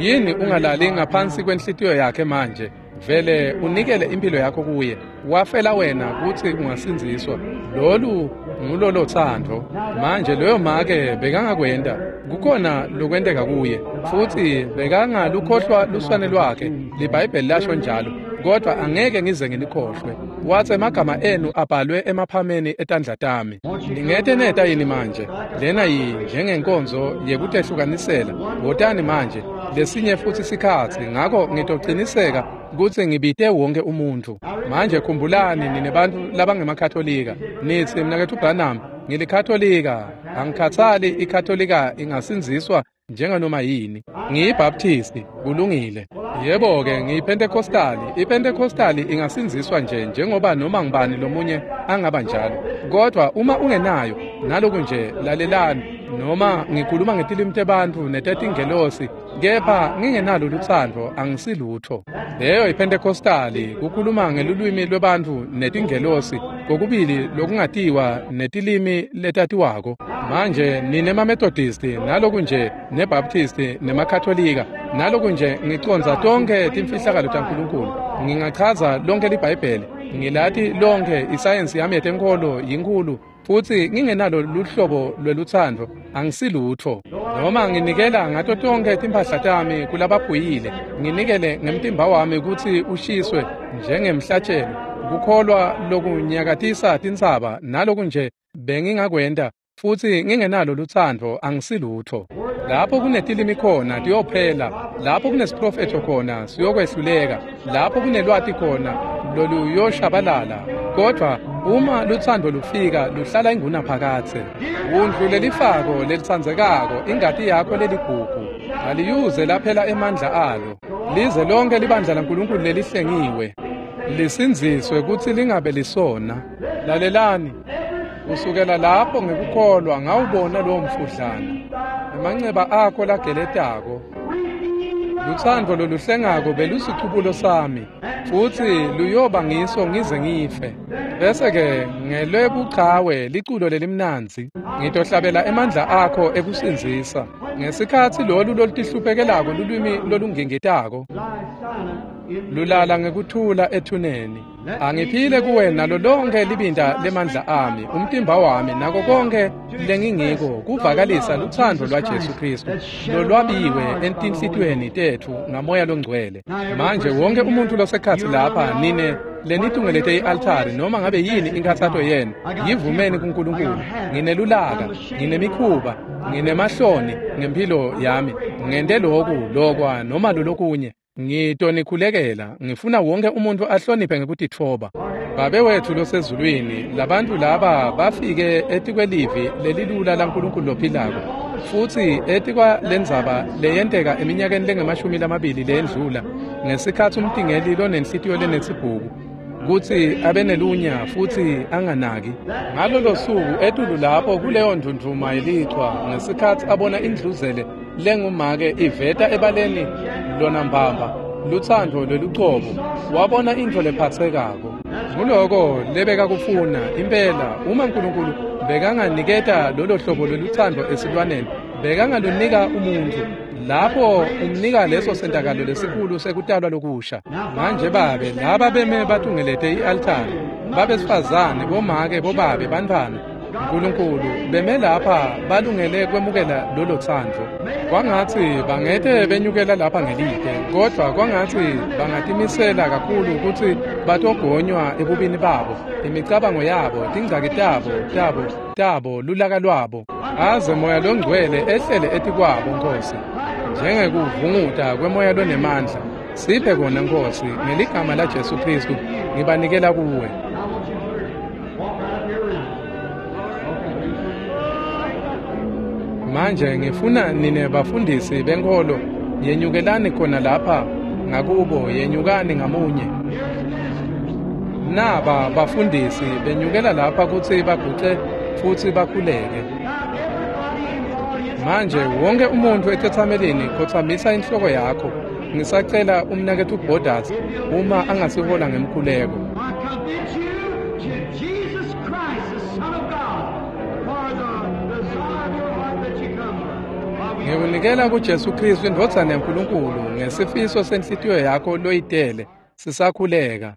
Yini ungalali ngaphansi kwenhlitiyo yakhe manje? Vele unikele impilo yakho kuye. Wafela wena kutsi ungasindziswa. Lolu ngulolo thando. Manje loyo make bekangakwenta. Kukhona lokwenteka kuye. Futsi bekangalukhohlwa luswane lwakhe. LiBhayibheli lasho njalo. Kodwa angeke ngize nginikhohlwe. Watsi emagama enu abhalwe emaphameni etandla tami. Ningete neta yini manje? Lena yini njengenkonzo yekutehlukanisela. Wotani manje lesinye futsi sikhatsi, ngako ngitociniseka kutsi ngibite wonke umuntfu. Manje khumbulani nine bantfu labangemakatholika. Nitsi, mnaketfu Branham, ngilikatholika. Angikhatsali ikatholika ingasindziswa njenganoma yini. Ngiyibaptisti, kulungile. Yebo-ke, ngiyiPentecostali. IPentecostali ingasindziswa nje njengoba noma ngubani lomunye angaba njalo. Kodwa uma ungenayo, naloku nje lalelani, noma ngikhuluma ngetilimi tebantfu netetingelosi, kepha ngingenalo lutsandvo, angisilutho. Leyo iPentecostali, kukhuluma ngelulwimi lwebantfu netingelosi, kokubili lokungatiwa netilimi letatiwako. Manje nine maMethodisti, naloku nje neBaptisti nemaKatholika, naloku nje ngicondza tonkhe timfihlakalo taNkulunkulu. Ngingachaza lonke liBhayibheli, ngilati lonke isayensi yami yetenkholo yinkhulu, futsi ngingenalo luhlobo lwelutsandvo, angisilutho. Noma nginikela ngato tonkhe timphahla tami kulabaphuyile, nginikele ngemtimba wami kutsi ushiswe njengemhlatshelo, kukholwa lokunyakatisa tintsaba, naloku nje bengingakwenta, futsi ngingenalo lutsandvo, angisilutho. Lapho kunetilimi khona tiyophela, lapho kunesiprofetho khona siyokwehluleka, lapho kunelwati khona loluyoshabalala. Kodvwa uma lutsandvo lufika luhlala ingunaphakadze. Wundlu lelifako lelitsandzekako ingati yakho leligugu aliyuze laphela emandla alo. Lize lonke libandla laNkulunkulu lelihlengiwe lisindziswe kutsi lingabe lisona. Lalelani, kusukela lapho ngekukholwa ngawubona lowo mfudlana, emanceba akho lageletako. Lutsandvo loluhlengako belusicubulo sami, futsi luyoba ngiso ngize ngife. Bese-ke ngelwebuchawe liculo lelimnandzi, ngitohlabela emandla akho ekusindzisa. Ngesikhatsi lolu lolutihluphekelako lulwimi lolungingitako lulala ngekuthula ethuneni. Angiphile kuwe nalo lonke libinda lemandla ami, umtimba wami nako konke lengingiko kuvakalisa lutsandvo lwaJesu Kristu lolwabiwe entinhlitiyweni tetfu ngamoya longcwele. Manje wonke umuntu losekhatsi lapha nine lenitungelete i-altari noma ngabe yini inkhatsato yenu, yivumeni kuNkulunkulu. Nginelulaka, nginemikhuba, nginemahloni ngempilo yami, ngente loku lokwa noma lolokunye. Ngitonikhulekela, ngifuna wonke umuntu ahloniphe ngekutitfoba. Babe wethu losezulwini, labantu laba bafike etikwelivi lelilula laNkulunkulu lophilako, futsi etikwa lendzaba leyenteka eminyakeni lengemashumi lamabili leyendlula, ngesikhatsi umtingeli lonenhlitiyo lenesibhuku kutsi abenelunya futsi anganaki. Ngalolo suku etulu lapho kuleyo ndvundvuma yelichwa, ngesikhatsi abona indluzele lengumake iveta ebaleni lona mbamba lutsandvo lwelucobo, wabona intfo lephatsekako. Nguloko lebekakufuna impela. Uma Nkulunkulu bekanganiketa lolo hlobo lwelutsandvo esilwaneni, bekangalunika umuntfu lapho umnika leso sentakalo lesikhulu sekutalwa lokusha. Manje babe, laba beme batungelete i-altari, babesifazane, bomake, bobabe, bantfwana, Nkulunkulu beme lapha balungele kwemukela lolo tsandvo. Kwangatsi bangete benyukela lapha ngelide, kodvwa kwangatsi bangatimisela kakhulu kutsi batogonywa ebubini babo, imicabango yabo, tingcaki tabo, tabo, tabo, lulaka lwabo, aze moya longcwele ehlele etikwabo, Nkosi, njengekuvunguta kwemoya lonemandla. Siphe kona, Nkosi, ngeligama laJesu Kristu ngibanikela kuwe. Manje ngifuna nine bafundisi benkholo yenyukelani khona lapha ngakubo, yenyukani ngamunye. Naba bafundisi benyukela lapha kutsi baguce futsi bakhuleke. Manje wonke umuntu etetsamelini khotsamisa inhloko yakho. Ngisacela umnaketfu Borders uma angasihola ngemkhuleko. Ngikunikela kuJesu Kristu indvodzana yaNkulunkulu ngesifiso senhlitiyo yakho loyitele sisakhuleka.